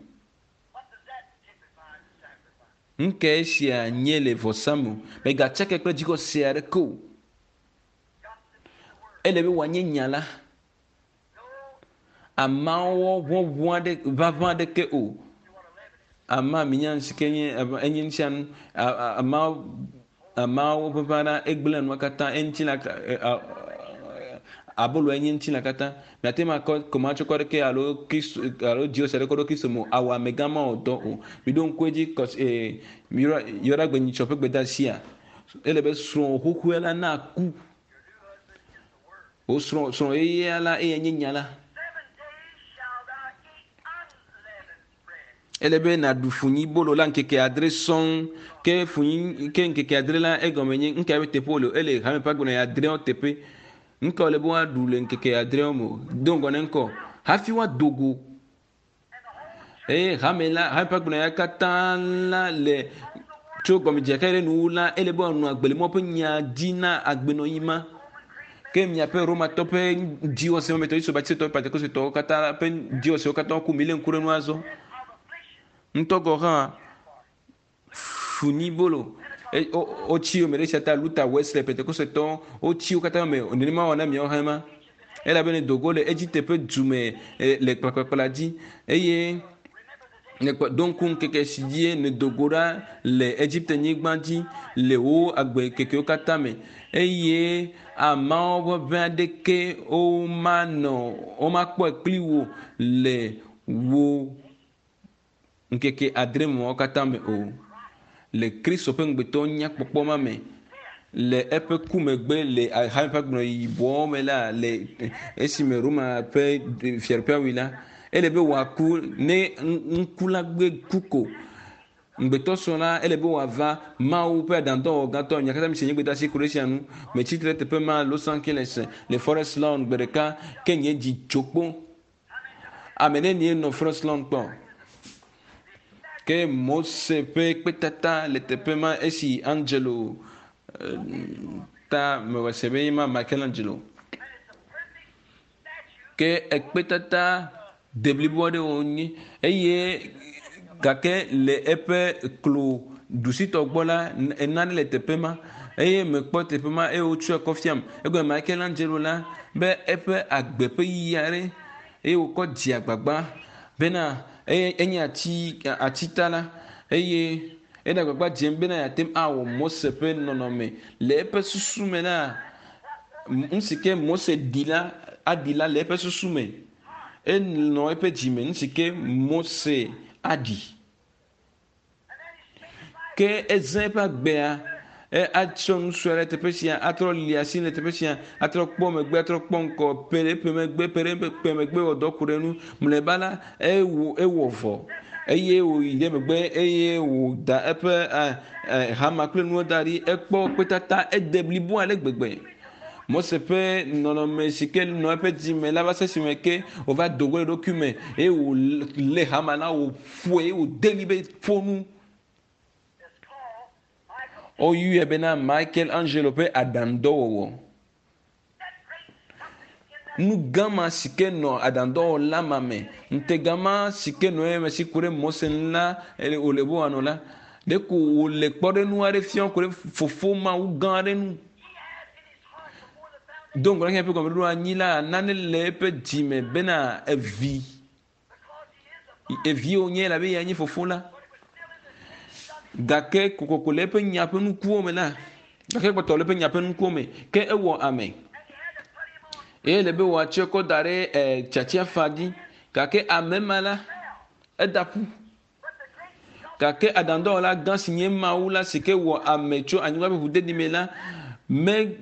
Nu kae esia nye le vɔsa me? Mègatsake kple dzixɔse aɖeke o. Ele be wòanye nya la. Amawɔ ʋɔʋɔ aɖe ʋaʋã aɖeke o. Ama minya nu si ke nye enye nu sia nu. Ama amawo ʋaʋã la egblẽa nua katã eŋuti la abolo enye ŋuti la katã. Miate ŋu akɔ kɔmatsɔkɔ aɖeke alo kristo alo dziwɔse aɖeke ɖo kristo me o. Awɔ amegã mawɔ dɔ o. Miɖo ŋku edzi kɔs ee yɔɖa yɔɖagbe nyitsɔ ƒe gbedeasia. Ele be srɔ̃wò xoxoe la naku. Wò srɔ̃ srɔ̃ yeyea la eyae nye nya la. Ele be nàɖu funyibolo la ŋkeke adre sɔŋ. Ke funyi ke ŋkeke adre la egɔme nye nuka be teƒe wòle o. Ele hame ƒe agbenɔɣi adreawo teƒe. Nuka wòle be woaɖu le ŋkeke adreawo me o. Do ŋgɔ ne ŋkɔ hafi woado go. Eye hame la, hame ƒe agbenɔɣia katã la le tso gɔmedzedzea ke ɖe nuwuwu la, ele be woanɔ agbe le Mawu ƒe nya dzi na agbenɔɣi ma. Ke miaƒe Romatɔ ƒe dziwɔse me tɔ, Yesu Baptistɔ, Pentekostetɔwo katã ƒe dziwɔsewo katã ku. Milé ŋku ɖe nu azɔ. Ŋutɔ gɔ̃ hã funyibolo wotsi yome ɖe esia ta Luther, Wesley, Pentekostetɔwo wotsi wo katã yome. Nenema wɔ na miawo hã ema. Elabena dogo le Egipte ƒe du me le kplakplakpla dzi eye nèkpɔ ɖo ŋku ŋkeke si dzie nèdo go ɖa le Egipte nyigba dzi le wò agbe kekewo katã me eye ameawo ƒe ʋe aɖeke womanɔ womakpɔe kpli wò le wò ŋkeke adre mɔawo katã me o. Le Kristo ƒe ŋugbetɔ nyakpɔkpɔ ma me, le eƒe ku megbe le hame ƒe agbenɔɣi yibɔwo me la, le esime Roma ƒe fiaɖuƒea wui la, ele be wòaku ne ŋku la gbe ku ko. Ŋugbetɔsrɔ̃ la, ele be wòava Mawu ƒe aɖaŋudɔwɔwɔ gãtɔ. Nya katã mi se nye gbedeasi ku ɖe esia ŋu. Metsi tre ɖe teƒe ma, Los Angeles, le Forest Lawn gbe ɖeka, ke nye dzi tso kpo. Ame nenie nɔ Forest Lawn kpɔ? Ke Mose ƒe kpetata le teƒe ma esi Angelo eh, ta mewɔ se be ma Michelangelo. Ke ekpetata deblibo aɖe wònye eye gake le eƒe klo ɖusitɔ gbɔ la nane le teƒe ma eye mekpɔ teƒe ma eye wotsɔe kɔ fiam. Egɔme Michelangelo la be eƒe agbe ƒe yiyi aɖe eye wòkɔ dze agbagba bena eye enye ati atitala eye ene agbagba dzem bena yeate ŋu awɔ Mose ƒe nɔnɔme le eƒe susu me la nu si ke Mose ɖi la aɖi la le eƒe susu me. Enɔ eƒe dzi me nu si ke Mose aɖi. Ke ezã eƒe agbea E atsɔ nu sue ɖe teƒe sia, atrɔ li asi le teƒe sia, atrɔ kpɔ megbe, atrɔ kpɔ ŋkɔ, pe ɖe eƒe megbe, pe ɖe eƒe megbe wɔ dɔ ku ɖe enu. Mlɔeba la, ewɔ ewɔ vɔ eye wòyi ɖe megbe eye wòda eƒe e, hama kple nuwo da ɖi. Ekpɔ kpetata ede blibo ale gbegbe. Mose ƒe nɔnɔme si ke nɔ eƒe dzime la va se esime ke wòva do go le eɖokui me eye wòlé hama la wòƒoe eye wòde ɣli be ƒo nu. Woyɔe bena Michael Angelo ƒe aɖaŋudɔwɔwɔ. Nu gã ma si ke nɔ aɖaŋudɔwɔla ma me, ŋutega ma si ke nɔ eme si ku ɖe Mose ŋu la, wòle be wòanɔ la, ɖeko wòle kpɔɖeŋu aɖe fiam ku ɖe fofo Mawu gã aɖe ŋu. Do ŋgɔ na xexea ƒe gɔmeɖoɖo anyi la, nane le eƒe dzi me bena evi Evi wònye elabe eyae nye fofo la. Gake kokoko le eƒe nya ƒe nukuwo me la, gake kpɔtɔ le eƒe nya ƒe nukuwo me, ke ewɔ ame. Eye le be wòatsɔe kɔ da ɖe e, tiatiafa dzi. Gake ame ma la, eda ƒu. Gake aɖaŋudɔwɔla gã si nye Mawu la si ke wɔ ame tso anyigba ƒe ʋuɖeɖi me la, me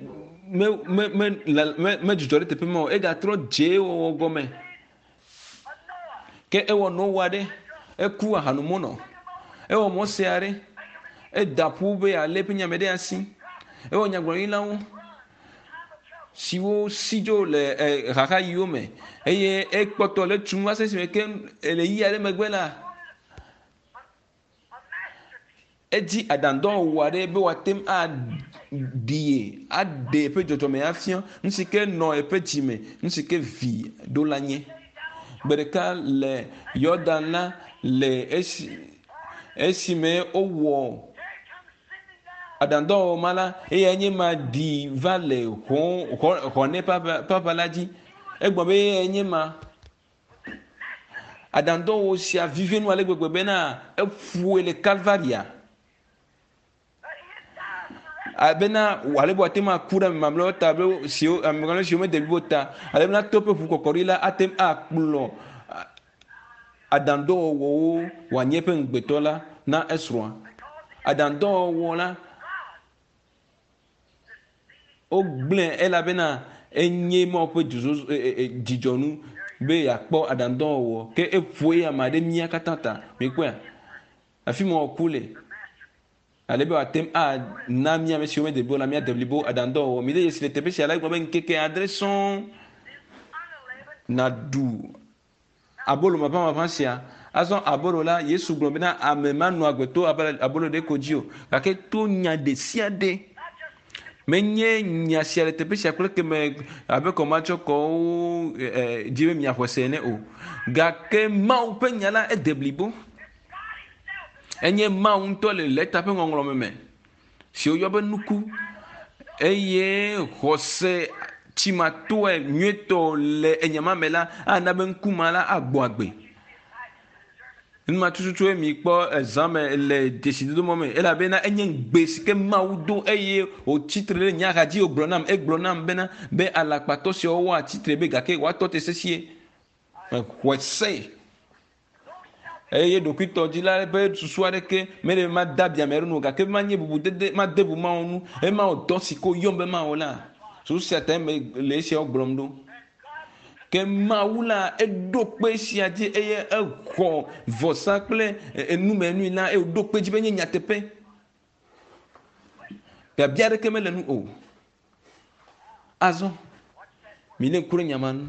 me me me me medzudzɔ ɖe teƒe ma o. Egatrɔ dze ewɔwɔ gɔme. Ke ewɔ Noa ɖe, eku ahanomunɔ. Ewɔ Mose aɖe, eda ƒu be yealé eƒe nya me ɖe asi. Ewɔ nyagblɔɖilawo siwo si dzo le xaxaɣiwo me eye ekpɔtɔ le tum va se esime ke le ɣeyiɣi aɖe megbe la, edzi aɖaŋudɔwɔwɔ aɖe be wòate ŋu aɖi ye, aɖe eƒe dzɔdzɔme afia, nu si ke nɔ eƒe dzi me, nu si ke vi ɖo la nye. Gbe ɖeka le Yɔdan la le esi esime wowɔ aɖaŋudɔwɔwɔ ma la, eyae nye ma ɖi va le xɔ xɔ xɔnɛ ƒe aʋa la dzi. Egblɔ be eyae nye ma. Aɖaŋudɔwɔwɔ sia vivi nu ale gbegbe bena eƒoe le Kalvaria. Bena ale be wòate ŋu aku ɖe ame mamlɛawo ta be siwo ame mamlɛ siwo mede blibo ta ale bena to eƒe ʋu kɔkɔɖi la ate ŋu akplɔ aɖaŋudɔwɔwɔwo wòanye eƒe ŋugbetɔ la na esrɔ̃a. Aɖaŋudɔwɔwɔ la wogblẽe elabena enye Mawu ƒe dzozozo e, e, e, dzidzɔnu be yeakpɔ aɖaŋudɔwɔwɔ. Ke eƒo eya ma ɖe mía katã ta. Mikpɔea? Afi ma wòku le. Ale be wòate ŋu ana mía ame siwo mede blibo la míade blibo aɖaŋudɔwɔwɔ. Mide dzesi le teƒe sia la, egblɔ be ŋkeke adre sɔŋ nàɖu Abolo maʋãmaʋã sia. Azɔ abolo la, Yesu gblɔ bena ame manɔ agbe to abolo ɖe ko dzi o, gake to nya ɖesiaɖe. Menye nya sia le teƒe sia kple keme abe kɔmatsɔkɔwo dzi be miaxɔe se ene o. Gake Mawu ƒe nya la ede blibo. Enye Mawu ŋutɔ le lɛta ƒe ŋɔŋlɔme me. si woyɔ be nuku eye xɔse tsimatoe nyuietɔ le enya ma me la ana be ŋku ma la agbɔ agbe. Nu ma tututue mikpɔ ezã me le dzesidodo mɔ me elabena enye ŋugbe si ke Mawu do eye wòtsi tre ɖe nye axa dzi wògblɔ nam egblɔ nam bena be alakpatɔ siawo woatsi tre be gake woatɔ te sesĩe. Mexɔe se. Eye ɖokuitɔdila ƒe susu aɖeke mele be made abi ame aɖe nu o, gake be manye bubudede, made bu Mawu ŋu, eye mawɔ dɔ si ke woyɔm be mawɔ la, susu sia tae mele esiawo gblɔm ɖo. Ke Mawu la, eɖo kpe esia dzi eye exɔ vɔsa kple enumenui la eye wòɖo kpe edzi be enye nyateƒe. Biabia aɖeke mele nu o. Azɔ, milé ŋku ɖe nya ma ŋu.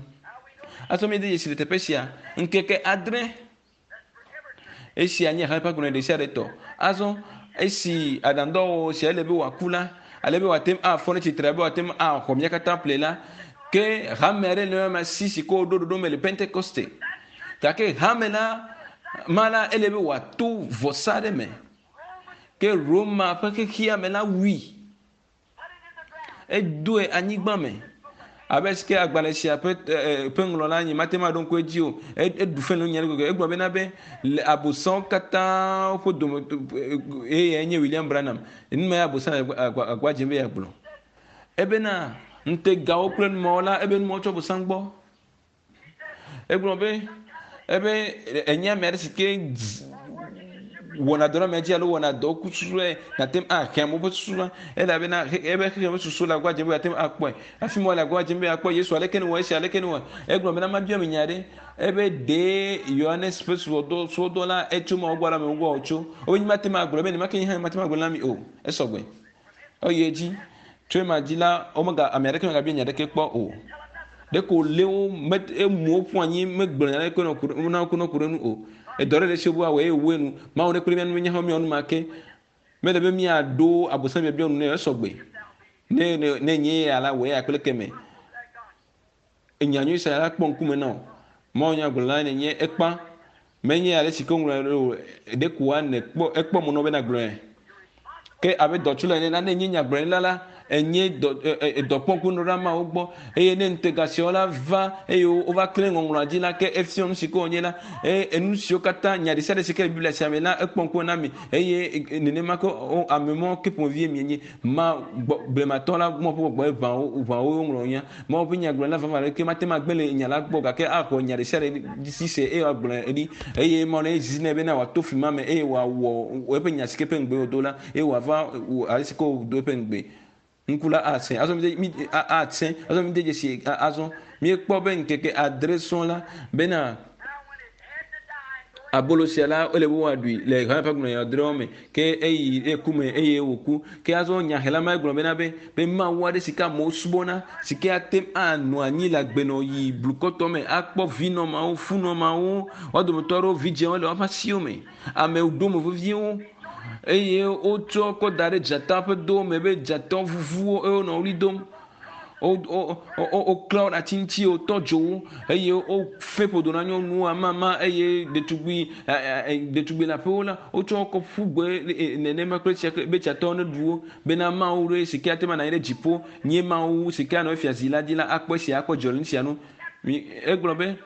Azɔ míede dzesi le teƒe sia ŋkeke adre. Esia nye hame ƒe agbalẽ ɖesiaɖe tɔ. Azɔ esi aɖaŋudɔwɔwɔ sia ele be wòaku la, ale be wòate ŋu afɔ ɖe tsitre, be wòate ŋu axɔ mía katã ƒle la, ke hame aɖe le ema si si ke woɖo ɖoɖo me le Pentekoste. Gake hame la ma la ele be wòato vɔsa aɖe me. Ke Roma ƒe xexea me la wui. Edoe anyigba me. Abe si ke agbalẽ sia ƒe ƒe ŋlɔla nye mate ŋu aɖo ŋku edzi o. Eɖu fe le nya ɖe gbegbe. Egblɔ bena be le abosãwo katã ƒe dome eye nye William Branham. Nu ma abosã le agba dzem be yeagblɔ. Ebena ŋutegawo kple numawo la ebe numawo tsɔ abosã gbɔ. Egblɔ be ebe enye ame aɖe si ke Wɔna dɔ ɖe amea dzi alo wɔna dɔ ku susue nate ŋu ahe amewo ƒe susu va elabena eƒe xexea ƒe susu le agbagba dzem be yeate ŋu akpɔe. Hafi mɔ le agbagba dzem be yeakpɔ Yesu aleke newɔ esia aleke newɔ. Egblɔ bena mabia mi nya ɖe ebe ɖe Yohanes ƒe subɔdɔ subɔdɔ la etso Mawu gbɔ alo amewo gbɔ wòtso. Wobe nye mate ŋu agblɔe be nenema ke nye hã mate ŋu agblɔe na mi o. Esɔgbe. Eyi edzi. Tso ema dzi la, womega ame aɖeke megabia nya aɖeke kpɔ o. Ɖeko wòlé wo me emu wo ƒu anyi megblɔ nya aɖeke na ku ɖe na wo ku ɖe nu o. Edɔ ɖe le esi wobe woawɔe eye wòwɔe nu. Mawu nekpe ɖe mía ŋu be míawo hã míawɔ nu ma ke. Mele be míaɖo Abosam biabia nu nɛ o, esɔgbe. Ne ne ne enye eya la, wɔ eya kple keme. Enya nyui sia la kpɔ ŋkume na wò. Mawu nya gblɔ la nenye ekpa. Menye ale si ke woŋlɔe ɖo o, ɖeko wa nèkpɔ ekpɔ mɔ nɔ be nagblɔe. Ke abe dɔtsula ene la, ne enye nyagblɔɖila la, enye dɔ edɔkpɔŋkunɔ ɖe ameawo gbɔ eye ne ŋutega siawo la va eye wova klẽ ŋɔŋlɔa dzi la, ke efia nu si ke wònye la, eye enu siwo katã nya ɖe sia ɖe si ke le Biblia sia me la, ekpɔ ŋkume na mi eye nenema ke ame mawo ke ƒomevie mienye. Ma gbɔ blematɔ la mɔ ƒe gbɔgbɔ ʋã wo ʋã wo woŋlɔ nya. Mawu ƒe nyagblɔɖila vavã aɖeke mate ŋu agbe le nya la gbɔ gake axɔ nya ɖesiaɖe dzi se eye wòagblɔe ɖi. Eye Mawu ne zi nɛ bena wòato fli ma me eye wòawɔ eƒe nya si ke ƒe ŋugbe wòdo la eye wòava ale si ke wòdo eƒe ŋugbe. Ŋku la asẽ. Azɔ mi mi asẽ. Azɔ mi de dzesi azɔ míekpɔ be ŋkeke adre sɔŋ la bena abolo sia la ele be woaɖui le hame ƒe agbalẽ adreawo me ke eyi eku me eye wòku ke azɔ nyahela ma egblɔ bena be be mawu aɖe si ke amewo subɔna si ke ate ŋu anɔ anyi le agbenɔɣi blukɔtɔ me akpɔ vinɔ mawo funɔ mawo wo dometɔ aɖewo vidzĩwo le woƒe asiwo me ame ɖome veviewo eye wotsɔ kɔ da ɖe dzata ƒe do me be dzata vuvuwo eye wonɔ ɣli dom woklã wo ɖe ati ŋuti, wotɔ dzo wo eye wofe ƒodo na nyɔnuwo amama eye ɖetugbui ɖetugbui leaƒewo la, wotsɔ wo kɔ ƒu gbe nenema kple tsia be tsiatɔwo neɖu wo bena Mawu ɖe si ke ate ŋu anɔ anyi ɖe dziƒo nye Mawu si ke anɔ efia zi la dzi la akpɔ esia akpɔ dzidzɔ le nu sia nu. Mi egblɔ be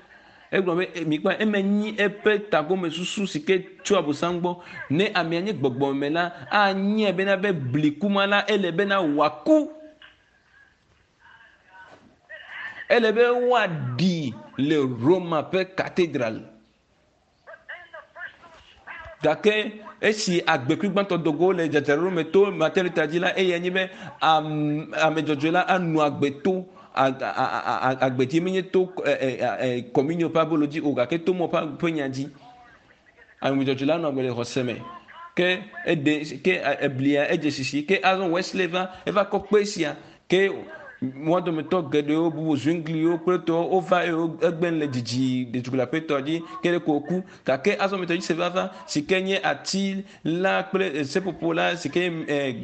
egblɔ be mikpɔ eme nyi eƒe tagomesusu si ke tso Abosam gbɔ. Ne amea nye gbɔgbɔme la, anyae bena be bliku ma la ele bena wòaku. Ele be woaɖi le Roma ƒe katedral. Gake esi agbekui gbãtɔ do go le dzadzraɖo me to Martin Luther dzi la, eyae nye be ame dzɔdzɔe la anɔ agbe to agbe dzi menye to kɔminio ƒe abolo dzi o gake to mɔ ƒe nya dzi. Ame dzɔdzɔe la nɔ agbe le xɔse me. Ke eɖe ke eblia edze sisi. Ke azɔ Wesley va eva kɔ kpe sia. Ke woa dometɔ geɖewo bubu Zwingliwo kple tɔwo wova eye egbe le dzidzi ɖetugbui le aƒetɔ dzi ke ɖeko wòku. Gake azɔ Methodiste va va si ke nye ati la kple seƒoƒo la si ke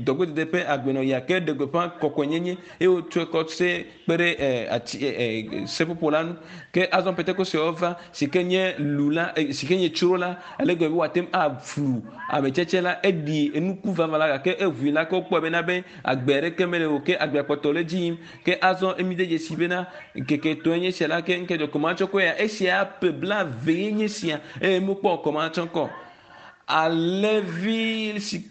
dɔgbedede ƒe agbenɔɣia ke ɖe gbeƒã kɔkɔenyenye eye wotsɔe kɔ se kpe ɖe e, ati e, e, seƒoƒo la ŋu. Ke azɔ Pentekostewo va, si ke nye lu la, e, si ke nye tsro la, ale gbegbe be woate ŋu aflu ame tsetse la, eɖi enuku vavã la, gake eʋui la, ke wokpɔe bena be agbe aɖeke mele o, ke agbea kpɔtɔ le edzi yim. Ke azɔ emi de dzesi bena ŋkeke etɔ̃e nye esia la, ke ŋke dzɔ kɔmatsɔkɔ ya, esia ƒe blaeve ye nye esia, eye mekpɔ kɔmatsɔkɔ. Alẽvi si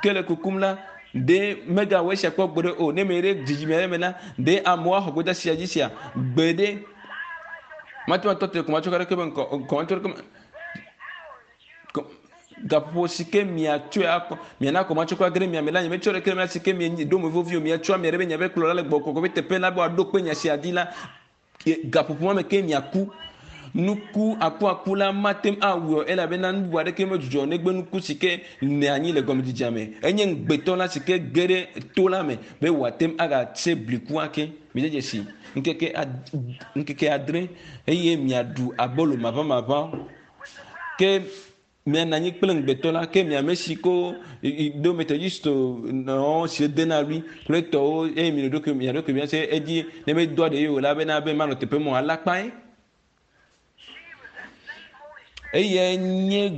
ke le kukum la, ɖe megawɔ esia kpɔ gbeɖe o. Ne meyi ɖe dzidzime aɖe me la, ɖe amewo axɔ gbedeasi sia dzi sia? Gbeɖe. Mate ŋu atɔ te kɔmatsɔkɔ aɖeke be ŋkɔ kɔmatsɔkɔ me gaƒoƒo si ke miatsɔe akɔ miana kɔmatsɔkɔ age ɖe mia me la, nyemetsɔ ɖeke le mia si ke mieɖo mo vevi o. Miatsɔ ame aɖe be miaƒe kplɔla le gbɔgbɔ kɔkɔe ƒe teƒe la be wòaɖo kpe nya sia dzi la, Gaƒoƒo ma me ke miaku. Nuku akuaku la mate ŋu awui o elabena nu bubu aɖeke medzudzɔ o negbe nuku si ke nɔ anyi le gɔmedzedzea me. Enye ŋugbetɔ la si ke ge ɖe to la me be wòate ŋu agatse bliku ake. Mide dzesi ŋkeke ad, ŋkeke adre eye miaɖu abolo maʋamaʋã. Ke Mianɔ anyi kple ŋugbetɔ la, ke mi ame si ko do Methodist nɔ si dena ɣli kple tɔwo eye mi ɖokui mia ɖokui mia se edzi ne medoa ɖe o la bena be manɔ teƒe mɔ alakpae. Eyae nye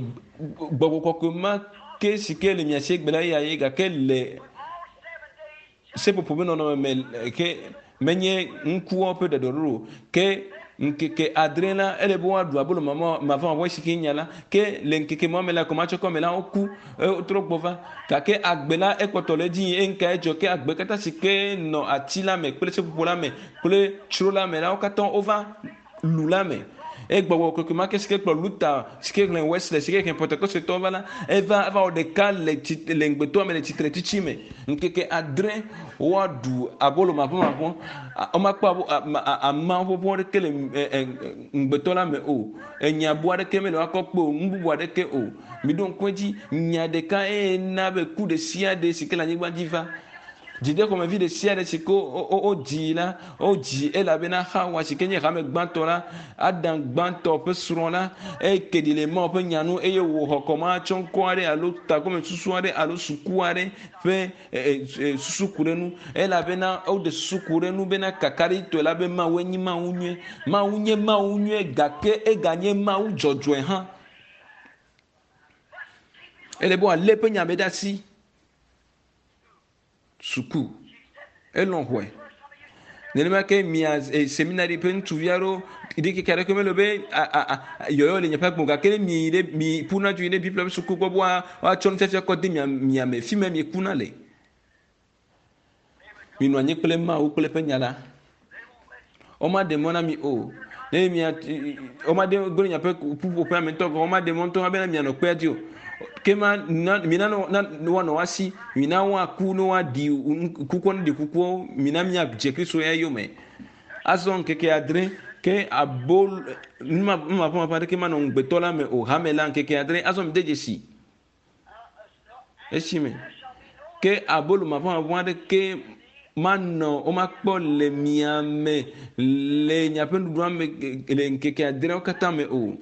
gbɔgbɔ kɔkɔe ma ke si ke le mia si egbe la eya ye gake le Seƒoƒo ƒe nɔnɔme me ke menye ŋkuwo ƒe ɖɔɖɔɖo o. Ke ŋkeke adre la, ele be woaɖu abolo mavɔmavɔ si ke nya la. Ke le ŋkeke ma me la, kɔmatsɔkɔ me la, woku, wotrɔ gbɔ va. Gake agbe la, ekpɔtɔ le edzi yim eye nukae dzɔ? Ke agbe katã si ke nɔ ati la me kple seƒoƒo la me kple tsro la me la, wo katã wova lu la me. Eye gbɔgbɔ kɔkɔe ma ke si ke kplɔ Luther, si ke xlẽ Wesley, si ke xlẽ Pentekostetɔwo va la, eva eva wɔ ɖeka le tsi le ŋugbetɔa me le tsitretsitsi me. Ŋkeke adre woaɖu abolo maʋɔmaʋɔ. Womakpɔ abo ama ƒoƒo aɖeke le ŋugbetɔ la me o. Enya bu aɖeke mele woakɔ kpe o, nu bubu aɖeke o. Miɖo ŋku edzi, nya ɖeka eye na be ku ɖe sia ɖe si ke le anyigba dzi va. Dzideƒomevi ɖe sia ɖe si ke wodzi la, wodzi elabena Xawa si ke nye hame gbãtɔ la, Adam gbãtɔ ƒe srɔ̃ la, eke ɖi le Mawu ƒe nya nu eye wòxɔ kɔmatsɔŋkɔ aɖe alo tagbɔmesusu aɖe alo suku aɖe ƒe susu ku ɖe nu elabena woɖe susu ku ɖe nu bena kakaɖitɔe la be Mawu enye Mawu nyui. Mawu nye Mawu nyui gake eganye Mawu dzɔdzɔe hã. Ele be wòalé eƒe nya me ɖe asi. Suku elɔ̃ xɔe. Nenema ke mia seminari ƒe ŋutsuvi aɖewo ɖikeke aɖeke mele be yɔyɔ le miaƒe agbe o gake ne mieyi ɖe mi ƒuna dzo yi ɖe Biblia ƒe suku gbɔ be woatsɔ nufiafia kɔ de mia mia me fi ma miekuna le. Minɔ anyi kple Mawu kple eƒe nya la. Womaɖe mɔ na mi o. Ne mia womaɖe gblẽ miaƒe ƒuƒoƒea me ŋutɔ gɔ̃ womaɖe mɔ ŋutɔ bena mianɔ kpea dzi o. Ke ma na mina na woanɔ woasi, mina woaku ne woaɖi kukua ne ɖi kukuawo, mina miadze Kristo ya yome. Azɔ ŋkeke adre ke abol numaƒomaƒo aɖeke manɔ ŋugbetɔ la me o. Hame la ŋkeke adre azɔ mide dzesi. Esime ke abolo maʋãmaʋã aɖeke manɔ womakpɔ le mia me le miaƒe nuɖuɖua me le ŋkeke adreawo katã me o.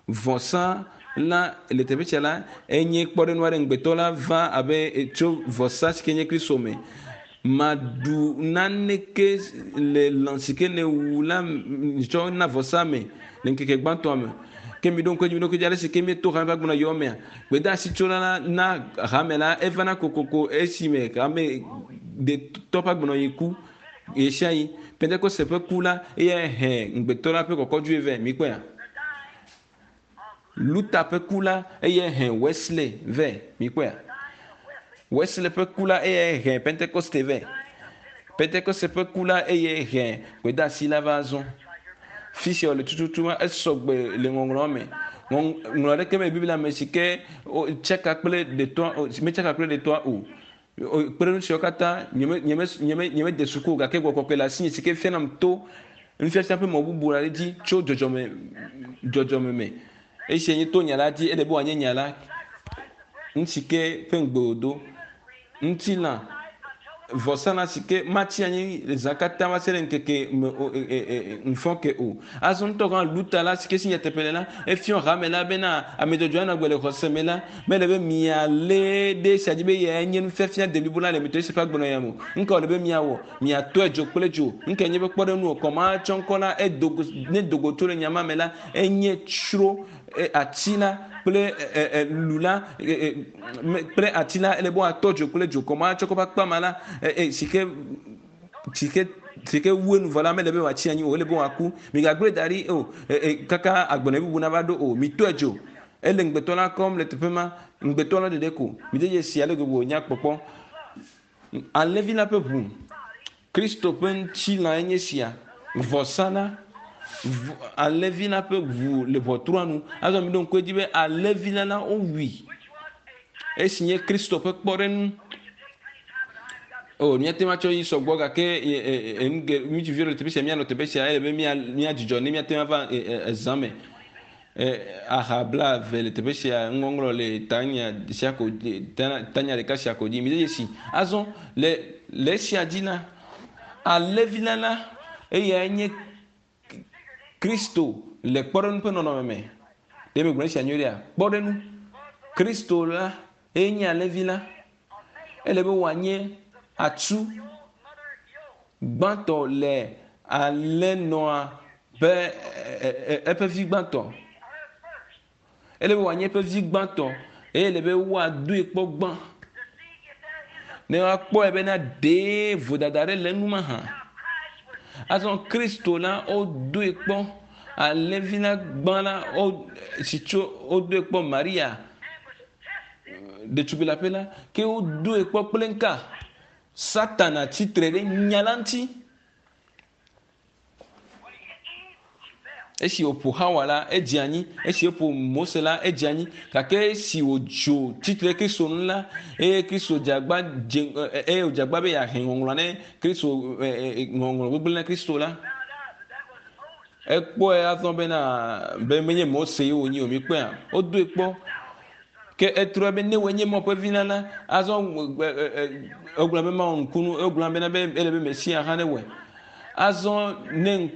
Vɔsa la le teƒe sia la enye kpɔɖeŋu aɖe ŋugbetɔ la va abe tso vɔsa si ke nye Kristo me. Maɖu naneke le lã si ke nèwu la tsɔ na vɔsa me le ŋkeke gbãtɔa me. Ke miɖo ŋku edzi, miɖo ŋku edzi ale si ke míeto hame ƒe agbenɔ yɔ mea. Gbedeasi tsola la na hame la evana kokoko esime hame detɔ ƒe agbenɔɣi ku ɣesiaɣi. Pentekoste ƒe ku la eyae he ŋugbetɔ la ƒe kɔkɔdzoe vɛ. Mikpɔea? Luther ƒe ku la eyae he Wesley vɛ. Mikpɔea? Wesley ƒe ku la eyae he Pentekoste vɛ. Pentekoste ƒe ku la eyae he gbedeasi la va azɔ. Fi sia wòle tututu ma esɔ gbe le ŋɔŋlɔa me. Ŋɔŋlɔ aɖeke me Biblia me si ke tsaka kple ɖetɔa metsaka kple ɖetɔa o. Kpeɖeŋu siawo katã nyeme nyeme nyeme nyemede suku o gake gbɔgbɔ kɔkɔe le asinye si ke fianam to nufiafia ƒe mɔ bubu aɖe dzi tso dzɔdzɔme dzɔdzɔme me. Esia nye to nya la dzi ele be wòanye nya la nu si ke ƒe ŋugbe wòdo. Ŋutilã vɔsalã si ke matsi anyi le zã katã va se ɖe ŋkeke me o e, e, e, ŋfɔ ke o. Azɔ ŋutɔ hã Luta la si ke si nyateƒe le la efiɔ hame la bena ame dzɔdzɔe anɔ agbe le xɔse me la Mele be mialé ɖe esia dzi be eyae nye nufiafia deblibo la le Methodist ƒe agbenɔɣia me o. Nuka wòle be miawɔ? Miatɔe dzo kple dzo. Nukae nye eƒe kpɔɖeŋu o? Kɔmahatsɔŋkɔ la, edo go, ne do go tso le nya ma me la, enye tsro, ati la kple lu la, kple ati la, ele be woatɔ dzo kple dzo. Kɔmahatsɔŋkɔ ƒe akpa ma la, si ke si ke si ke wu enu vɔ la mele be wòatsi anyi o, ele be wòaku. Migagblẽe da ɖi o, kaka agbenɔɣi bubu nava ɖo o. Mitɔe dzo. Ele ŋugbetɔ la kɔm le teƒe ma, ŋugbetɔ la ɖeɖe ko. Mide dzesi ale gbegbe wònya kpɔkpɔ. Alẽvi la ƒe ʋu, Kristo ƒe ŋutilã enye sia. Vɔsa la, alẽvi la ƒe ʋu le ʋɔtrua nu. Azɔ miɖo ŋku edzi be alẽvi la la wowui. Esi nye Kristo ƒe kpɔɖeŋu. O, míate ŋu atsɔ yi sɔgbɔ gake ŋutsuviwo le teƒe sia, míanɔ teƒe sia, ele be míadzudzɔ ne míate ŋu ava ezã me. Aha blaeve le teƒe sia, nuŋɔŋlɔ le tanya sia ko tanya ɖeka sia ko dzi. Mide dzesi. Azɔ le le esia dzi la, alẽvi la la, eyae nye Kristo le kpɔɖeŋu ƒe nɔnɔme me. Ɖe megblɔ esia nyuie ɖea? Kpɔɖeŋu. Kristo la eye nye alẽvi la. Ele be wòanye atsu gbãtɔ le alẽnɔa ƒe eƒe vi gbãtɔ. Ele be wòanye eƒe vi gbãtɔ eye ele be woadoe kpɔ gbã ne woakpɔe bena ɖee vodada aɖe le enu mahã. Azɔ Kristo la wodoe kpɔ alẽvi la gbã la wo si tso wodoe kpɔ Maria ɖetugbui leaƒe la ke wodoe kpɔ kple ŋka Satana tsitre ɖe nya la ŋuti. Esi wòƒo Xawa la, edze anyi. Esi woƒo Mose la, edze anyi. Gake esi wòdzo tsitre Kristo ŋu la, eye Kristo dze agba dze eye wòdze agba be yeahe ŋɔŋlɔ ne Kristo ŋɔŋlɔ gbegblẽ na Kristo la, ekpɔe azɔ bena be menye Mose ye wònye o. Mikpɔea? Wodoe kpɔ. Ke etrɔe be ne wòe nye Mawu ƒe vi la la, azɔ egblɔ be Mawu nukunu, egblɔ bena be ele be Mesia hã newɔe. Azɔ ne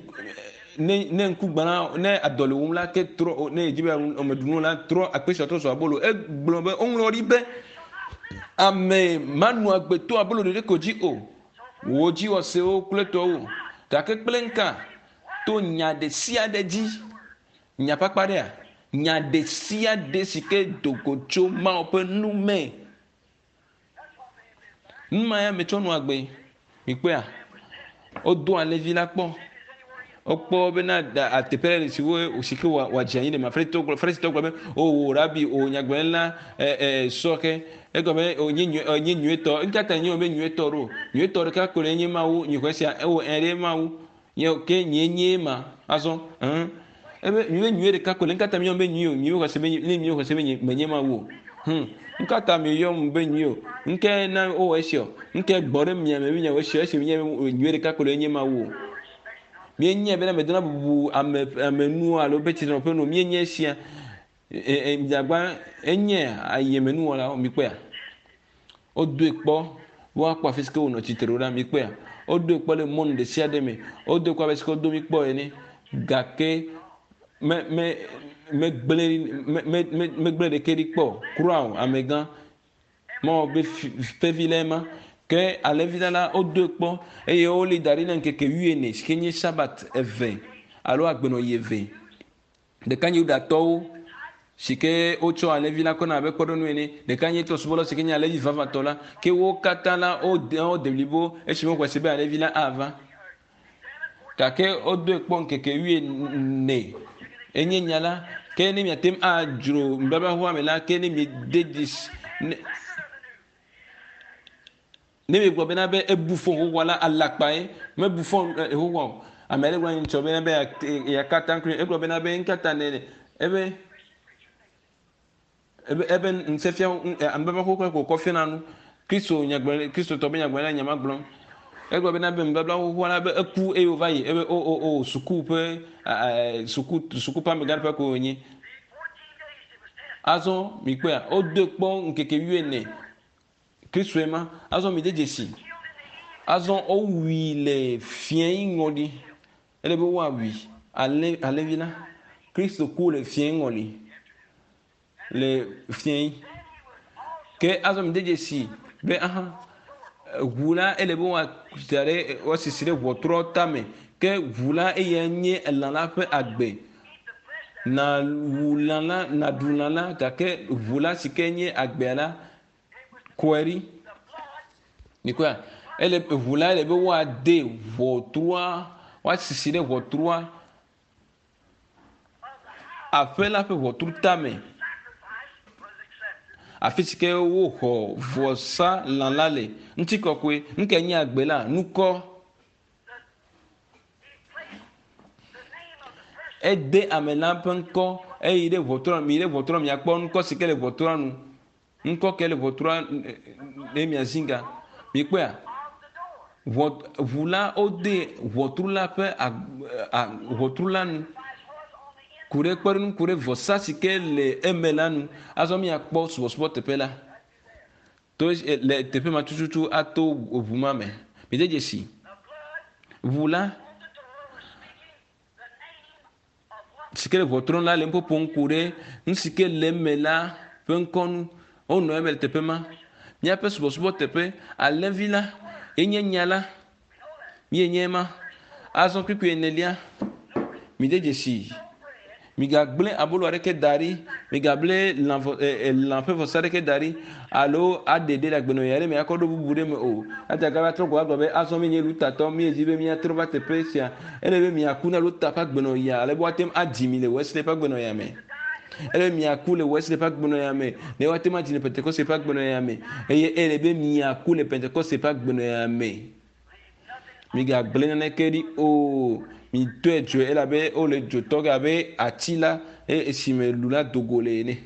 ne ne ŋku gbã ne adɔ le wum la, ke trɔ ne edzi be ame ɖu nu la, trɔ akpe sia trɔ zu abolo. Egblɔ be woŋlɔ ɖi be ame manɔ agbe to abolo ɖeɖe ko dzi o, wò dziwɔsewo kple tɔwo, gake kple ŋka to nya ɖe sia ɖe dzi. Nya kpakpa ɖea? Nya ɖe sia ɖe si ke do go tso Mawu ƒe nu me. Nu ma ya metsɔ nɔa gbe. Mikpɔea? Wodo alẽvi la kpɔ. Wokpɔ bena ateƒe ɖe si wo si ke wòadze anyi le ma. Farisitɔwo gblɔ Farisitɔwo gblɔ be, o wò rabi, o nyagblɔɖila ɛ ɛ sɔ ke. Egɔme be o nye nyui nye nyuietɔ. Ŋka ta nye be nyuietɔ ɖo? Nyuietɔ ɖeka koe nye Mawu. Nyixɔe sia ewɔ ɛ ɖe Mawu. Nye ke nyee nye ma azɔ. Ɛn. Ebe nyuie nyuie ɖeka ko le ŋka ta mi yɔm be nyuie o. Nyuie xɔse be ne nyuie xɔse be nye menye Mawu o. Hum. Ŋka ta mi yɔm be nyuie o. Ŋke na wowɔ esia o. Ŋke gbɔ ɖe mia me be miawɔ esia esi menye be nyuie ɖeka ko le nye Mawu o. Míenyae bena medona bubu ame ame nu alo be tsitrenu nu o. Míenye esia. E, e, miagba enye ayemenuwɔlawo mikpɔea? Wodoe kpɔ be woakpɔ afi si ke wònɔ tsitre ɖo ɖa. Mikpɔea? Wodoe kpɔ le mɔnu ɖe sia ɖe me. Wodoe kpɔ abe si ke wodo mi kpɔ ene. Gake me me megblẽ me me me megblẽ ɖeke ɖi kpɔ o. Kura o, amegã. Mawɔ be fi ƒe vi lae ma. Ke alẽvi la la, wodoe kpɔ eye woli da ɖi na ŋkeke wuiene si ke nye Sabat eve alo agbenɔɣi eve. Ɖeka nye Yudatɔwo si ke wotsɔ alẽvi la kɔna abe kpɔɖeŋu ene. Ɖeka nye trɔ̃subɔlawo si ke nye alẽvi vavãtɔ la. Ke wo katã la, wode wode blibo esime woxɔe se be alẽvi la ava. Gake wodoe kpɔ ŋkeke wuiene enye nya la. Ke ne miate ŋu adzro nubabla xoxoa me la, ke ne miede dzesi ne Ne miegblɔ bena be ebu fɔ xoxoa la, alakpae. Mebu fɔ xoxoa o. Ame aɖe gblɔ ŋtsɔ bena be yeaka atam kple egblɔ bena be ŋkata ne ebe ebe ebe ŋusẽfia nubabla xoxoa ko kɔ fiana nu. Kristo nyagblɔɖi Kristotɔ be nyagblɔɖila nya ma gblɔm. Egblɔ bena be nubabla xoxoa la be eku eye wòva yi ebe o o o suku ƒe suku suku ƒe amegã ƒe ko wònye. Azɔ mikpɔea wodoe kpɔ ŋkeke wuiene. Kristoe ma. Azɔ mide dzesi. Azɔ wowui le fiẽ ŋɔli. Ele be woawui alẽ alẽvi la. Kristo ku le fiẽ ŋɔli. Le fiẽ. Ke azɔ mide dzesi be aha ʋu la ele be woada ɖe woasisi ɖe ʋɔtrɔ tame. Ke ʋu la eya nye elã la ƒe agbe. Nawu lã la, naɖu lã la, gake ʋu la si ke nye agbea la, kɔe ɖi. Mikpɔa? Ele ʋu la ele be woade ʋɔtrua, woasisi ɖe ʋɔtrua, aƒe la ƒe ʋɔtru tame. Afi si ke woxɔ vɔsa lã la le. Ŋutikɔkɔe, nu kae nye agbe la? Nukɔ. Ede ame la ƒe ŋkɔ eyi ɖe ʋɔtrua nu. Miyi ɖe ʋɔtrua nu miakpɔ ŋkɔ si ke le ʋɔtrua nu. Ŋkɔ ke le ʋɔtrua ne miazi ga. Mikpɔea? Ʋɔ ʋu la wode ʋɔtru la ƒe ʋɔtru la nu. Ku ɖe kpɔɖeŋu ku ɖe vɔsa si ke le eme la nu. Azɔ miakpɔ subɔsubɔ teƒe la. To le teƒe ma tututu ato ʋu ma me. Mide dzesi. Ʋu la si ke le ʋɔtru la le nuƒoƒom ku ɖe nu si ke le eme la ƒe ŋkɔ nu. Wonɔ eme le teƒe ma. Míaƒe subɔsubɔ teƒe, alẽvi la ye nye nya la. Míenye ema. Azɔ kpukpui enelia, mide dzesii. Migagblẽ abolo aɖeke da ɖi, migable lã vɔ e, e, lã ƒe vɔsa aɖeke da ɖi alo aɖe ɖe le agbenɔɣi aɖe me akɔ ɖo bubu ɖe me o. Eya ta gava trɔ gbɔ agblɔ be azɔ míenye Lutatɔ, míedi be míatrɔ va teƒe sia. Ele be miaku na Luta ƒe agbenɔɣia ale be woate ŋu adzi mi le Wesley ƒe agbenɔɣia me. Ele be miaku le Wesley ƒe agbenɔɣia me ne woate ŋu adzi le Pentekoste ƒe agbenɔɣia me. Eye ele be miaku le Pentekoste ƒe agbenɔɣia me. Migagblẽ naneke ɖi o. Mitɔe dzoe elabe wole dzo tɔ ge abe ati la eye esime lu la do go le ene.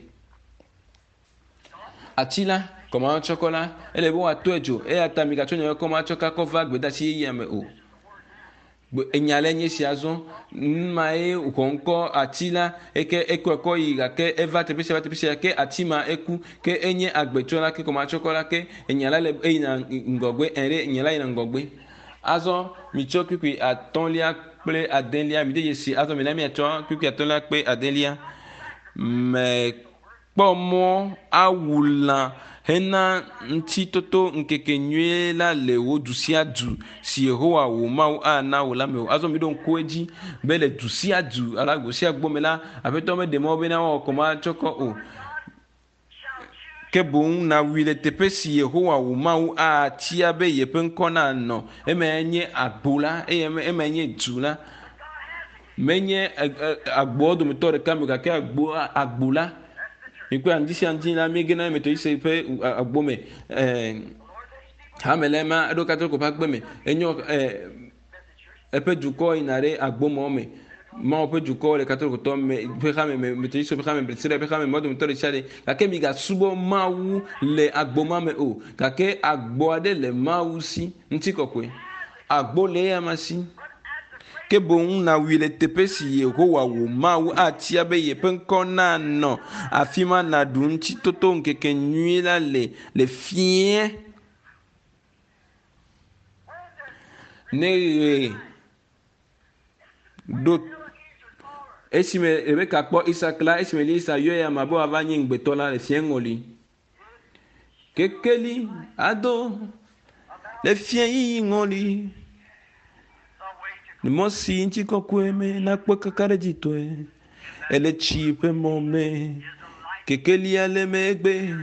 Ati la, kɔmatsɔkɔ la, ele be woatɔe dzo eya ta migatsɔ nye kɔmatsɔka kɔ va gbedeasi yeyea me o. Enya le nye sia azɔ nu ye xɔ ŋkɔ ati la eke ekɔe kɔ yi gake eva teƒe sia va teƒe sia ke ati ma eku ke enye agbetsɔ la ke kɔmatsɔkɔ la ke enya la le eyina ŋgɔgbe ɛɖe enya la yina ŋgɔgbe. Azɔ mitsɔ kpikpi atɔ̃lia kple adelia mi de dzesi azɔ mina miatsɔ kpikpi atɔ̃lia kple adelia mekpɔ mɔ awu lã hena ŋutitoto ŋkeke nyuie la le wò du sia du si Yehowa wò Mawu ana wò la me o. Azɔ mi ɖo ŋku edzi be le du sia du alo agbo sia agbo me la, Aƒetɔ meɖe mɔ bena woawɔ kɔmatsɔkɔ o. Ke boŋ nawui le teƒe si Yehowa wò Mawu atia be yeƒe ŋkɔ nanɔ. Emae nye agbo la eye emae nye du la. Menye agboawo dometɔ ɖeka me gake agbo agbo la. Mikpɔe ŋdi sia ŋdi la míegena Metodiste ƒe agbo me. Ɛɛ hame la ema eɖo Katoliko ƒe agbe me. Enyo ɛɛ eƒe dukɔ yina ɖe agbomɔ me. Mawu ƒe dukɔ le Katolikotɔ me ƒe hame me, Metodiste ƒe hame, Presbyterian ƒe hame, mɔ dometɔ ɖe sia ɖe. Gake migasubɔ Mawu le agbo ma me o. Gake agbo aɖe le Mawu si, ŋutikɔkɔe. Agbo le eya si. Ke boŋ nawui le teƒe si Yehowa wò Mawu atia be yeƒe ŋkɔ nanɔ. Afi ma nàɖu ŋutitoto ŋkeke nyui la le le fiẽ. Ne ɣe ɖo esime Rebeka kpɔ Isak la, esime Elisa yɔ ya ma be wòava nye ŋugbetɔ la le fiẽ ŋɔli. Kekeli ado le fiẽ yiyi ŋɔli. Le mɔ si ŋutikɔkɔe me nakpɔ kakaɖedzitɔe. Ele tsi ƒe mɔ me. Kekelia le megbe.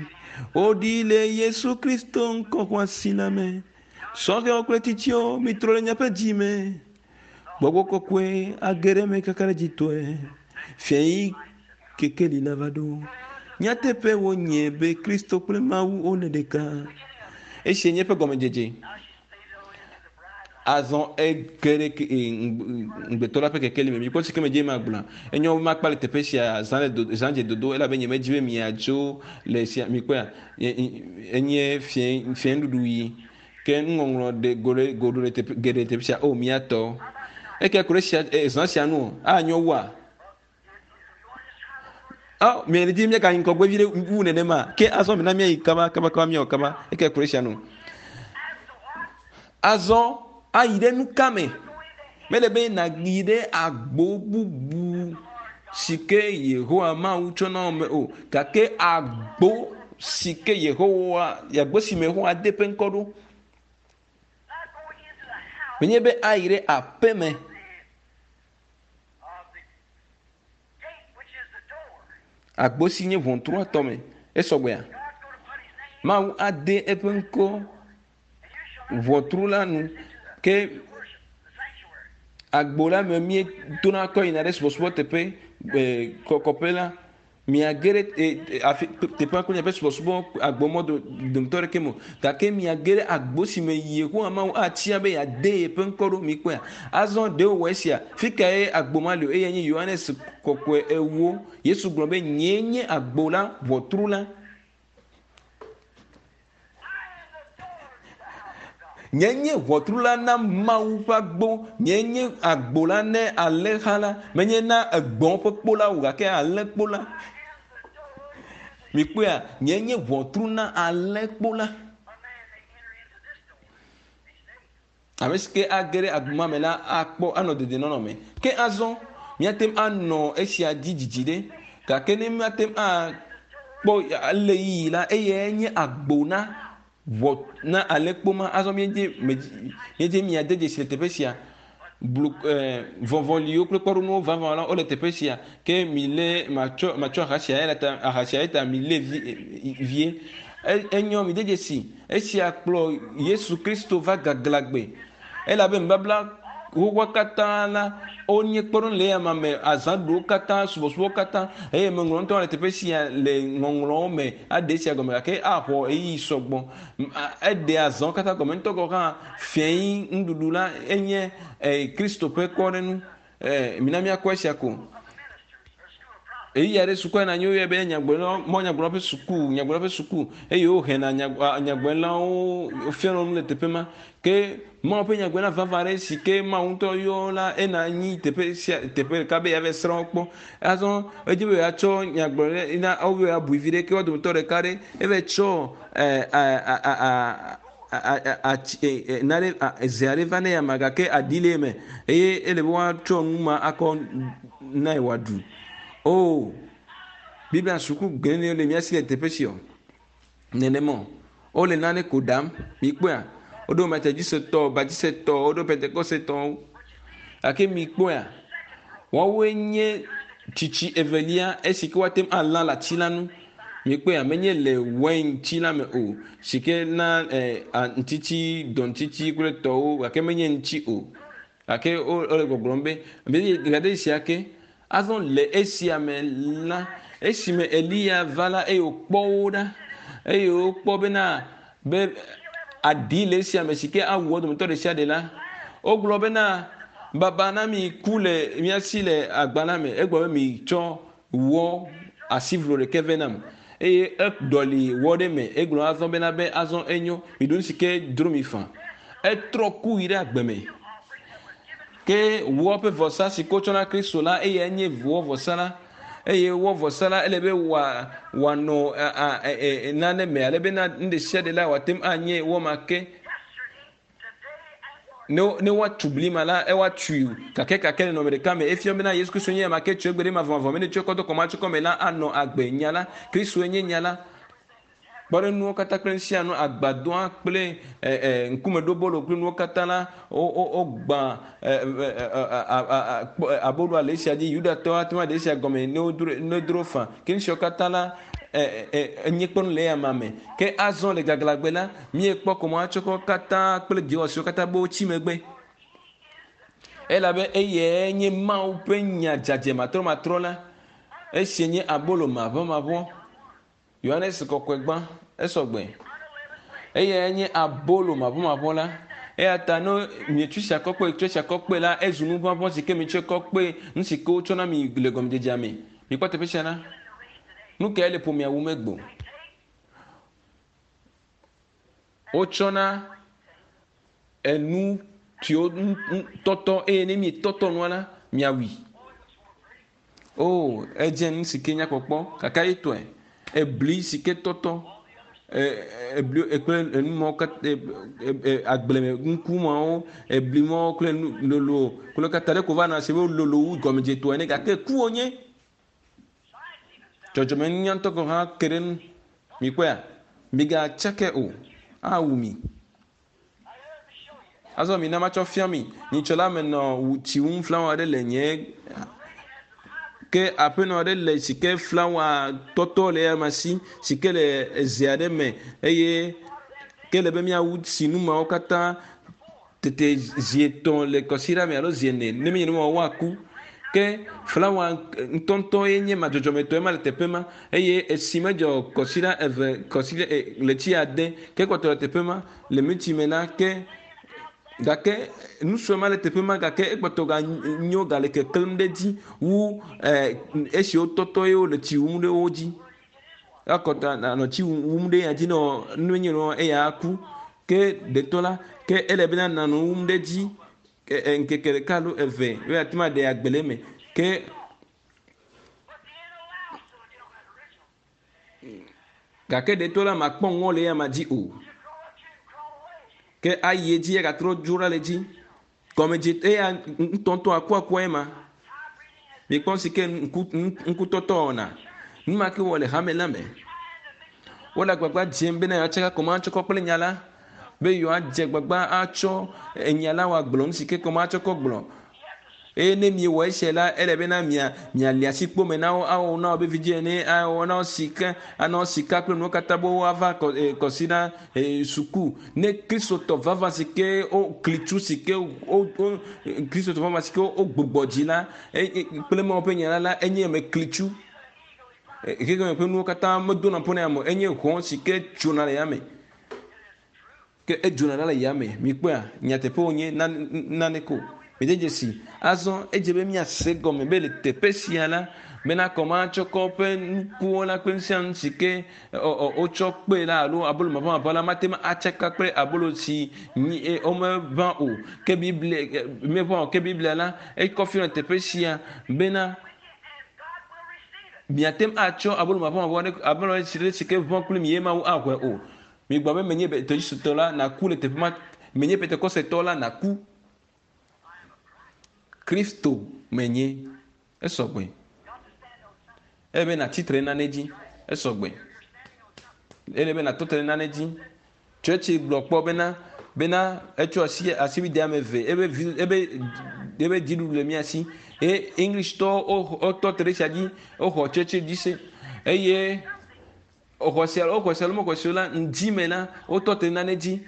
Woɖi le Yesu Kristo ŋkɔ xɔasi la me. Sɔhɛwo kple tsitsiwo mitrɔ le miaƒe dzi me. Gbɔgbɔ kɔkɔe age ɖe eme kakaɖedzitɔe. Fiayi kekeli la va ɖo. Nyateƒe wonye be Kristo kple Mawu wole ɖeka. Esia nye eƒe gɔmedzedze. Azɔ ege ɖe ŋugbetɔ la ƒe kekeli me. Mikpɔ si ke medze magblɔa. Enyo be makpa le teƒe sia zã le do zã dze dodo elabe nyemedzi be miadzo le sia mikpɔa enye fiẽ fiẽnuɖuɖu ɣi. Ke nuŋɔŋlɔ ɖe go ɖe go ɖo ɖe teƒe geɖe teƒe sia o miatɔ. Eke ku ɖe sia zã sia nu o anyo wua. Ɔ miele dzi miagayi ŋgɔgbe vi ɖe wu nenema ke azɔ mina miayi kaba kaba kaba miawɔ kaba eke ku ɖe sia nu. Azɔ ayi ɖe nuka me? Mele be nàyi ɖe agbo bubu si ke Yehowa Mawu tsɔ na wò me o gake agbo si ke Yehowa agbo si me Yehowa de eƒe ŋkɔ ɖo. Menye be ayi ɖe aƒe me. Agbo si nye ʋɔtrua tɔ me esɔgbea. Mawu ade eƒe ŋkɔ ʋɔtru la nu ke agbo la me míetona kɔ yina ɖe subɔsubɔ teƒe kɔkɔƒe la miage ɖe afi teƒea kple miaƒe subɔsubɔ agbomɔ dometɔ ɖeke me o gake miage ɖe agbo si me Yehowa Mawu atia be yeade yeƒe ŋkɔ ɖo mikpɔea. Azɔ ɖe wòwɔ esia fi kae agbo ma li o eye nye Yohanes kɔkɔe ewo. Yesu gblɔ be nyee nye agbo la ʋɔtru la. Nye nye ʋɔtru la na Mawu ƒe agbo. Nye nye agbo la ne alẽha la. Menye na egbɔ̃ ƒe kpo la o gake alẽkpo la. Mikpɔea, nye nye ʋɔtru na alẽkpo la. Ame si ke age ɖe agbo ma me la akpɔ anɔ dedienɔnɔ me. Ke azɔ míate ŋu anɔ esia dzi dzidzi ɖe gake ne míate ŋu akpɔ ale yiyi la eyae nye agbo na ʋɔ na alẽkpo ma. Azɔ míedze míedze miade dzesi le teƒe sia. Blu vɔvɔliwo kple kpɔɖeŋuwo vavã la wole teƒe sia ke mi lé matsɔ matsɔ aha sia eya ta aha sia ta mi lé vi vie. Enyo mi de dzesi esia kplɔ Yesu Kristo va gaglãgbe elabe nubabla Woƒe katã la, wonye kpɔɖeŋu le eyama me, azãɖuɖuwo katã, subɔsubɔwo katã, eye meŋlɔ ŋutɔ le teƒe sia le ŋɔŋlɔwo me aɖe esia gɔme gake axɔ ɣeyiɣi sɔgbɔ. Eɖe azãwo katã gɔme ŋutɔ gɔ̃ hã fiẽ nuɖuɖu la enye Kristo ƒe kpɔɖeŋu. Mina míakpɔ esia ko. Ɣeyiɣi aɖe sukua na anyi woyɔe be nyagblɔɖilawo, mɔ nyagblɔɖilawo ƒe suku, nyagblɔɖilawo ƒe suku eye wohena nyagblɔɖilawo wofiana nu le teƒe ma. Ke Mawu ƒe nyagblɔɖila vavã aɖe si ke Mawu ŋutɔ yɔ la ena anyi teƒe sia teƒe ɖeka be yeava srɔ̃ wo kpɔ. Azɔ edzi be yeatsɔ nyagblɔɖila wobe yeabui vi ɖe ke wo dometɔ ɖeka ɖe eva tsɔ atsi nane ze aɖe va ne ama gake aɖi le eme eye ele be woatsɔ nu ma akɔ nae wòaɖu. O, Biblia suku geɖe le mía si le teƒe sia o. Nenema o. Wole nane ko ɖam. Mikpɔea? Woɖo Methodistetɔwo, Baptistetɔwo, woɖo Pentecostetɔwo. Gake mikpɔea? Woawoe nye tsitsi evelia esi ke woate ŋu alã le ati la nu. Mikpɔea? Menye le wain-tsi la me o, si ke na ŋtitsi, dɔŋtitsi kple tɔwo gake menye ŋtsi o. Gake wole gbɔgblɔm be, gade sia ke, azɔ le esia me la, esime Eliya va la, eye wòkpɔ wo ɖa, eye wokpɔ bena be aɖi le esia me si ke awu wo dometɔ ɖe sia ɖe la, wogblɔ bena, baba na mi ku le mía si le agba la me. Egblɔ be mitsɔ wɔ asivlo ɖeke vɛ nam. Eye eɖɔli wɔ ɖe eme. Egblɔ azɔ bena be azɔ enyo, miɖu nu si ke dzro mi faa. Etrɔ ku yi ɖe agbe me. Ke wɔ ƒe vɔsa si ke wotsɔ na Kristo la, eyae nye wɔ vɔsa la. Eye wɔ vɔsa la, ele be wòanɔ nane me, ale be na nu ɖe sia ɖe la, wòate ŋu anye wɔ ma ke. Ne woatu bli ma la, woatui kakɛkakɛ le nɔnɔme ɖeka me. Efia bena Yesu Kristo nye ame ke tso egbe ɖe mavɔmavɔ me ne tsɔe kɔ do kɔmatsɔkɔ me la, anɔ agbe. Nya la, Kristoe nye nya la. Kpɔɖeŋunuwo katã kple nu sia nu, agbadɔa kple ŋkumeɖobolo kple nuwo katã la, wogbã aboloa le esia dzi. Yudatɔwo ate ŋu aɖe esia gɔme ne wodro fã. Ke nu siawo katã la, enye kpɔɖeŋu le eyama me. Ke azɔ le gaglãgbe la, míekpɔ kɔmatsɔkɔ katã kple dɔwɔsiwo katã be wotsi megbe. Elabe eyae nye Mawu ƒe nya dzadzɛ matrɔmatrɔ la. Esia nye abolo maʋɔmaʋɔ. Yohanes kɔkɔe gbã, esɔgbe. Eyae nye abolo maʋɔmaʋɔ la. Eya ta ne mietsɔ sia kɔ kpe, tsɔ sia kɔ kpe la, ezu nu ʋaʋã si ke mietsɔe kɔ kpe nu si ke wotsɔ na mi le gɔmedzedzea me. Mikpɔ teƒe sia ɖa. Nu kae le ƒomea wum egbe? Wotsɔna enu siwo tɔtɔ eye ne mietɔtɔ nua la, miawui. O, edze nu si ke nyakpɔkpɔ gake etɔe. Ebli si ke tɔtɔ, ebli kple enu mawo katã, agbleme nuku mawo, ebli mawo kple nu lolo kple katã ɖeko va nɔ si be wololo wu gɔmedzetɔ ene gake ku wonye. Dzɔdzɔmenunya ŋutɔ gɔ̃ hã ke ɖe enu. Mikpɔea? Migatsake o, awu mi. Azɔ mina matsɔ fia mi. Nyitsɔ la menɔ tsi wum flawa aɖe le nye ke aƒenɔ aɖe le si ke flawa tɔtɔ le eya si si ke le eze aɖe me eye ke le be míawu tsi nu mawo katã tete zi etɔ̃ le kɔsiɖa me alo zi ene ne menye nenema o woaku. Ke flawa ŋutɔŋutɔ ye nye ma dzɔdzɔmetɔ ema le teƒe ma eye esi medzɔ kɔsiɖa eve kɔsiɖa ɣleti ade ke kpɔtɔ le teƒe ma le miti me la ke gake nu sue ma le teƒe ma gake ekpɔtɔ ganyo gale keklẽm ɖe edzi wu esi wotɔtɔ ye wole tsi wum ɖe wo dzi. Ekɔtɔ anɔ tsi wum ɖe ya dzi ne nu nye nɔ eya aku. Ke ɖetɔ la ke ele bena nanɔ wum ɖe edzi ŋkeke ɖeka alo eve be yeate ŋu aɖe agbe le eme. Ke gake ɖetɔ la makpɔ ŋɔ le eya dzi o. Ke ayi edzi agatrɔ dzo ɖa le edzi. Gɔmedze eya ŋutɔŋutɔ akuakua ema. Mikpɔ si ke ŋkutɔtɔ wɔna. Nu ma ke wɔ le hame la me. Wole agbagba dzem bena yewoatsaka kɔmatsɔkɔ kple nya la be yewoadze agbagba atsɔ enya la wòagblɔ nu si ke kɔmatsɔkɔ gblɔ. Eye ne miewɔ esia la, ele bena mia miali asi kpome na wo, awɔ na wo be vidzĩ ene, awɔ na wo sika, ana wo sika kple nuwo katã be woava kɔsiɖa suku. Ne Kristotɔ vavã si ke wo klitsu si ke wo wo Kristotɔ vavã si ke wogbugbɔ dzi la kple Mawu ƒe nya la la, enye ame klitsu. Xexeme ƒe nuwo katã medona ƒo na ame o. Enye hɔ̃ si ke tsona le yame. Ke edzona ɖa le yame. Mikpɔea? Nyateƒe wònye na nane ko. Mide dzesi. Azɔ edze be míase gɔme be le teƒe sia la, bena kɔmatsɔkɔ ƒe nukuwo la kple nu sia nu si ke wotsɔ kpee la alo abolo maʋamaʋã la mate ŋu atsaka kple abolo si nyi womeʋã o. Ke Biblia meʋã o. Ke Biblia la ekɔ fia le teƒe sia bena miate ŋu atsɔ abolo maʋamaʋã ɖe abolo si ke ʋã kple mi ye Mawu axɔe o. Migblɔ be menye Metodisttɔ la, nàku le teƒe ma. Menye Pentekostetɔ la, nàku. Kristo menye. Esɔgbe. Ele be nàtsi tre nane dzi. Esɔgbe. Ele be nàtɔ te ɖe nane dzi. Tsɔtsi gblɔ kpɔ bena bena etsɔ asi asibide ame eve ebe vi ebe ebe dziɖuɖu le mía si. Eye Englishtɔwo wotɔ te ɖe esia dzi. Woxɔ tsɔtsi dzi se eye Woxɔ se alo woxɔ se alo mexɔ se o la, ŋdi me la, wotɔ te nane dzi.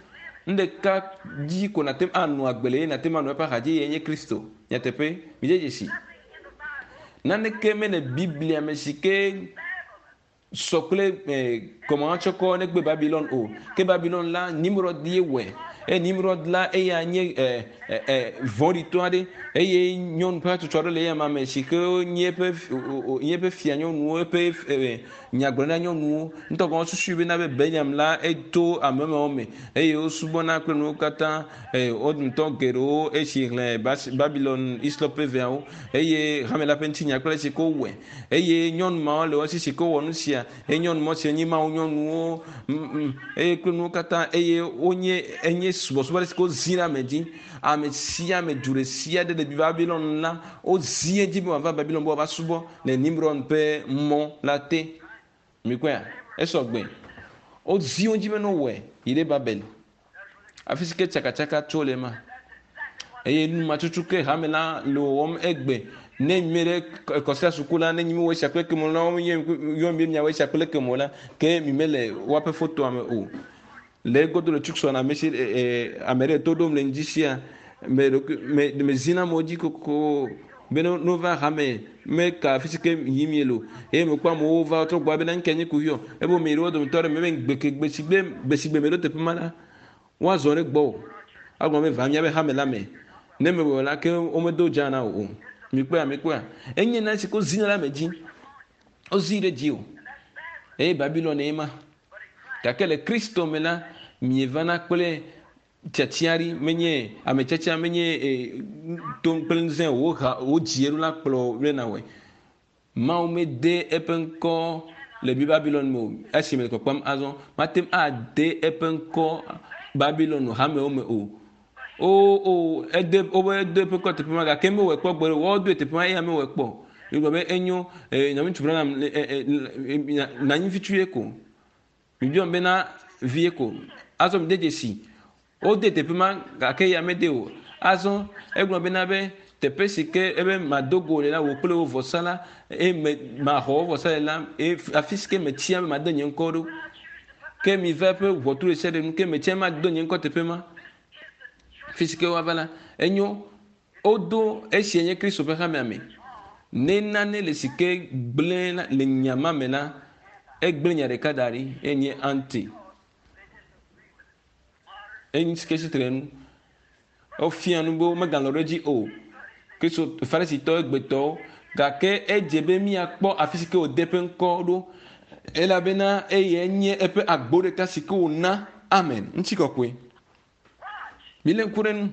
Nu ɖeka dzi ko nàte ŋu anɔ agbe le eye nàte ŋu anɔ eƒe axadzi eyae nye Kristo. Nyateƒe, midze dzesi. Naneke mele Biblia me si ke sɔ kple kɔmahatsɔkɔ negbe Babilon o. Ke Babilon la, Nimrod ye wɔe. Eye Nimrod la, eya nye vɔ̃ɖitɔ aɖe eye nyɔnu ƒe hatsotso aɖe le eya ma me si ke nye eƒe nye eƒe fia nyɔnuwo, eƒe nyagblɔɖila nyɔnuwo. Ŋutɔ gɔ̃ wosusui bena be Beliam la eto ame mawo me eye wosubɔna kple nuwo katã. Wo dometɔ geɖewo esi xlẽ Babilon Hislop ƒe veawo eye hame la ƒe ŋutinya kple esi ke wowɔe. Eye nyɔnu mawo le wo si si ke wowɔ nu sia eye nyɔnu mawo si nye Mawu nyɔnuwo eye kple nuwo katã eye wonye enye subɔsubɔ ɖe si ke wozi ɖe ame dzi. Ame sia ame du ɖe sia ɖe le Babilon la wozi edzi be wòava Babilon be wòava subɔ le Nimrod ƒe mɔ la te. Mikpɔea? Esɔ gbe. Wozi wo dzi be ne wowɔe yi ɖe Babel. Afi si ke tsakatsaka tso le ema. Eye nu ma tutu ke hame la le wɔwɔm egbe. Ne mi ɖe kɔsia suku la, ne nyi mi wɔ esia kple kemo la, yɔ mi be miawɔ esia kple kemo la, ke mi mele woaƒe fotoa me o. Le egodo le Tucson, ame si ame ɖe to ɖom le ŋdi sia, me ɖokui me me zina amewo dzi kokoko be ne wova hame me ka afi si ke yim miele o. Eye mekpɔ amewo va trɔ gbɔ bena ŋke nye kuxi o. Ebe mi ɖewo dometɔ ɖe me be gbeke gbesigbe gbesigbe meɖo teƒe ma la, woazɔ ɖe gbɔwò. Agblɔ be va míaƒe hame la me. Ne mewɔe o la, ke womedo dza na wò o. Mikpɔea, mikpɔea? Enye nane si ke wozina ɖe ame dzi. Wozii ɖe dziwò. Eye Babilon ye ma. Gake le Kristo me la, mievana kple tiatia ɖi, menye ame tiatia menye to kple ŋusẽ o, woha wodzi eɖo la kplɔ be nawɔe. Mawu mede eƒe ŋkɔ le Babilon me o. Esi mele kpɔkpɔm azɔ, mate ŋu ade eƒe ŋkɔ Babilon hamewo me o. O o ede wobe ede eƒe ŋkɔ teƒe ma gake mewɔe kpɔ gbeɖe o. Woawodoe teƒe ma eya mewɔe kpɔ o. Migblɔ be enyo nɔviŋutsu Branham nanyi fitsu ye ko. Mibiɔm bena vie ko. Azɔ mide dzesi. Wode teƒe ma gake eya mede o. Azɔ egblɔ bena be teƒe si ke ebe mado go le la wò kple wò vɔsa la eye me maxɔ wò vɔsa le la eye afi si ke metia be made nye ŋkɔ ɖo. Ke miva eƒe ʋɔtru ɖe sia ɖe nu ke metia be mado nye ŋkɔ teƒe ma. Fi si ke woava la enyo. Wodo esia nye Kristo ƒe hamea me. Ne nane le si ke gblẽ la le nya ma me la, egblẽ nya ɖeka da ɖi enye anti. Enyi si ke tsitre nu. Wofia nu be womegalɔ̃ ɖe edzi o. Kristo Farisitɔwo egbetɔwo gake edze be míakpɔ afi si ke wòde eƒe ŋkɔ ɖo elabena eyae nye eƒe agbo ɖeka si ke wòna. Amen. Ŋutikɔkɔe. Milé ŋku ɖe nu.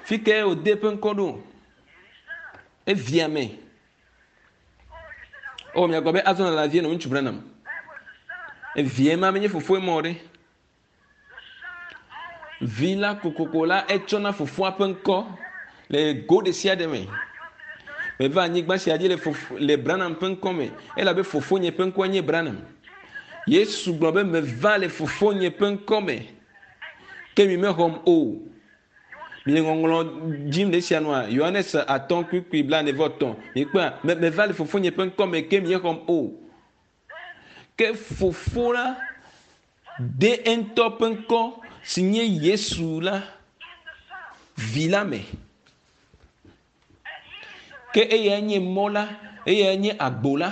Fi kae wòde eƒe ŋkɔ ɖo? Evia me. O, miagblɔ be azɔ nala vie nɔ ŋutsu Branham. Evia ma menye fofoe mɔ ɖe. Vi la kokoko la etsɔna fofoa ƒe ŋkɔ le go ɖe sia ɖe me. Meva anyigba sia dzi le fofo le Branham ƒe ŋkɔ me elabe fofonye ƒe ŋkɔe nye Branham. Yesu gblɔ be meva le fofonye ƒe ŋkɔ me ke mi mexɔm o. Mile ŋɔŋlɔ dzim le esia nua, Yohanes atɔ̃ kpukpui blaene-vɔ-etɔ̃. Mikpɔa, me meva le Fofonye ƒe ŋkɔ me ke miexɔm o. Ke Fofo la de eŋutɔ ƒe ŋkɔ si nye Yesu la Vi la me. Ke eyae nye mɔ la, eyae nye agbo la,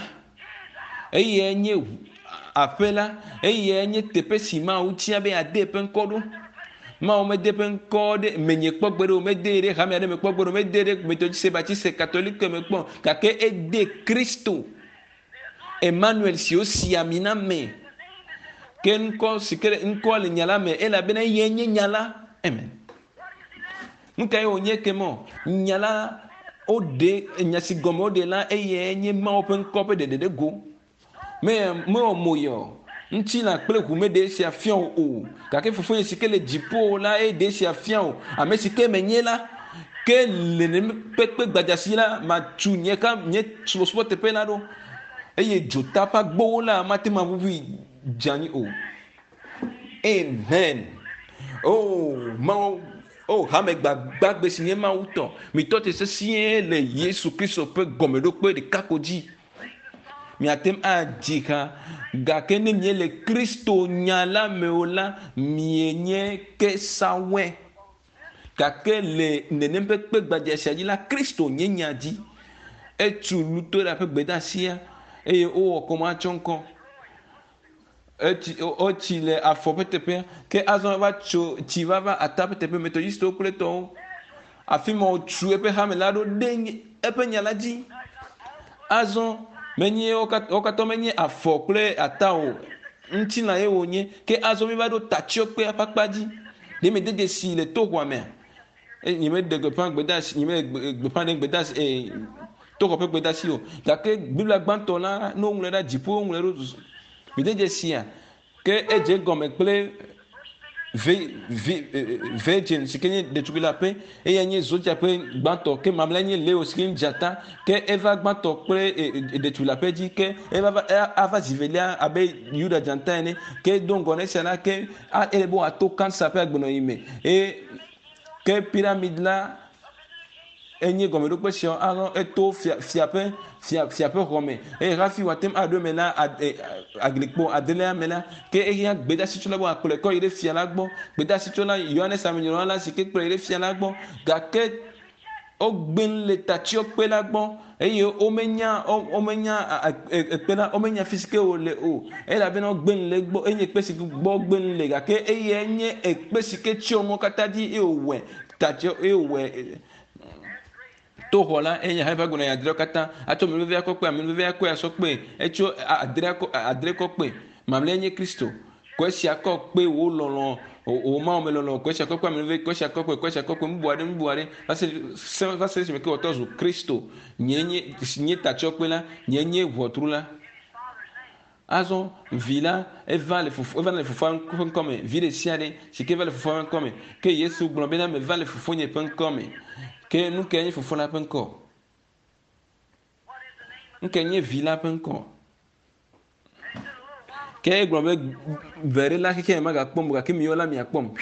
eyae nye aƒe la, eyae nye teƒe si Mawu tia be yeade eƒe ŋkɔ ɖo. Mawu mede eƒe ŋkɔ ɖe menye kpɔ gbeɖe o, medee ɖe hame aɖe me kpɔ gbeɖe o, medee ɖe Metodiste, Baptiste, Katolike me kpɔ o, gake ede Kristo, Emmanuel si wosi ami na me. Ke ŋkɔ si ke ŋkɔa le nya la me elabena eyae nye nya la. Amen. Nu kae wònye ke mɔ? Nya la woɖe nya si gɔme woɖe la eyae nye Mawu ƒe ŋkɔ ƒe ɖeɖe ɖe go. Me mewɔ mo yɔ ŋutilã kple ʋu meɖe esia fia wò o. Gake Fofonye si ke le dziƒo la ye ɖe esia fia wò. Ame si ke menye la, ke le nenem kpekpe gbadza si la, matu nye ka nye subɔsubɔ teƒe la ɖo eye dzota ƒe agbowo la mate ŋu aʋuʋui dze anyi o. Amen. Oh, Mawu, oh, hame gbagbagbe si nye Mawu tɔ, mitɔ te sesĩe le Yesu Kristo ƒe gɔmeɖokpe ɖeka ko dzi. Miate ŋu adzi ha, gake ne miele Kristo nya la me o la, mienye kesawɔe. Gake le nenem ƒe kpe gbadza sia dzi la, Kristo nye nya dzi. Etu Lutera ƒe gbedeasia eye wowɔ kɔmatsɔŋkɔ. Etsi wotsi le afɔ ƒe teƒea ke azɔ eva tso tsi va va ata ƒe teƒe Metodistwo kple etɔwo. Afi ma wòtu eƒe hame la ɖo ɖe eƒe nya la dzi. Azɔ menye wo katã menye afɔ kple ata o, ŋutilã ye wònye. Ke azɔ míva ɖo tatsyɔkpea ƒe akpa dzi. Ɖe mede dzesi le toxɔa mea? Nyemeɖe gbeƒã gbedeasi, nyemeɖe gbeƒã ɖe gbedeasi ee toxɔ ƒe gbedeasi o. Gake Biblia gbãtɔ la, ne woŋlɔe ɖa dziƒo woŋlɔe ɖo. Mede dzesia? Ke edze egɔme kple vi vi virgin si ke nye ɖetugbui la ƒe eya nye zodia ƒe gbãtɔ ke mamlɛ nye Leo si ke nye dzata ke eva gbãtɔ kple ɖetugbui la ƒe dzi ke eva va ava zi velia abe Yuda dzata ene ke do ŋgɔ na esia la ke ele be wòato kansa ƒe agbenɔɣi me eye ke piramid la enye gɔmeɖokpe sia azɔ eto fia fia ƒe fia fia ƒe xɔ me eye hafi wòate ŋu aɖo eme la aglikpo adelia me la ke ehiã gbedasitsola be wòakplɔe kɔ yi ɖe fia la gbɔ. Gbedasitsola Yohanes Amenyrɔla la si ke kplɔe yi ɖe fia la gbɔ gake wogbe le tatsyɔkpe la gbɔ eye womenya womenya ekpe la womenya fi si ke wòle o elabena wogbe le egbɔ enye kpe si gbɔ wogbe le gake eyae nye ekpe si ke tsyɔ nuwo katã dzi eye wòwɔe tatsyɔ eye wòwɔe to xɔ la eye hã eƒe agbenɔɣi adreawo katã atsɔ ame vevia kɔ kpe ame vevia kɔe asɔ kpe etsɔ adrea kɔ adre kɔ kpe mamlɛa nye Kristo kɔ esia kɔ kpe wò lɔlɔ wò Mawu me lɔlɔ kɔ esia kɔ kpe ame veve kɔ esia kɔ kpe kɔ esia kɔ kpe nubu aɖe nubu aɖe va se se va se esime ke wòtɔ zu Kristo nye nye nye tatsyɔkpe la nye nye ʋɔtru la. Azɔ Vi la eva le fofo eva le fofoa ƒe ŋkɔ me. Vi ɖe sia ɖe si ke va le fofoa ƒe ŋkɔ me. Ke Yesu gblɔ bena meva le fofonye ƒe ŋkɔ me. Ke nu kae nye fofo la ƒe ŋkɔ? Nu kae nye vi la ƒe ŋkɔ? Ke egblɔ be ve ɖe la xexea me magakpɔm o gake miwo la miakpɔm.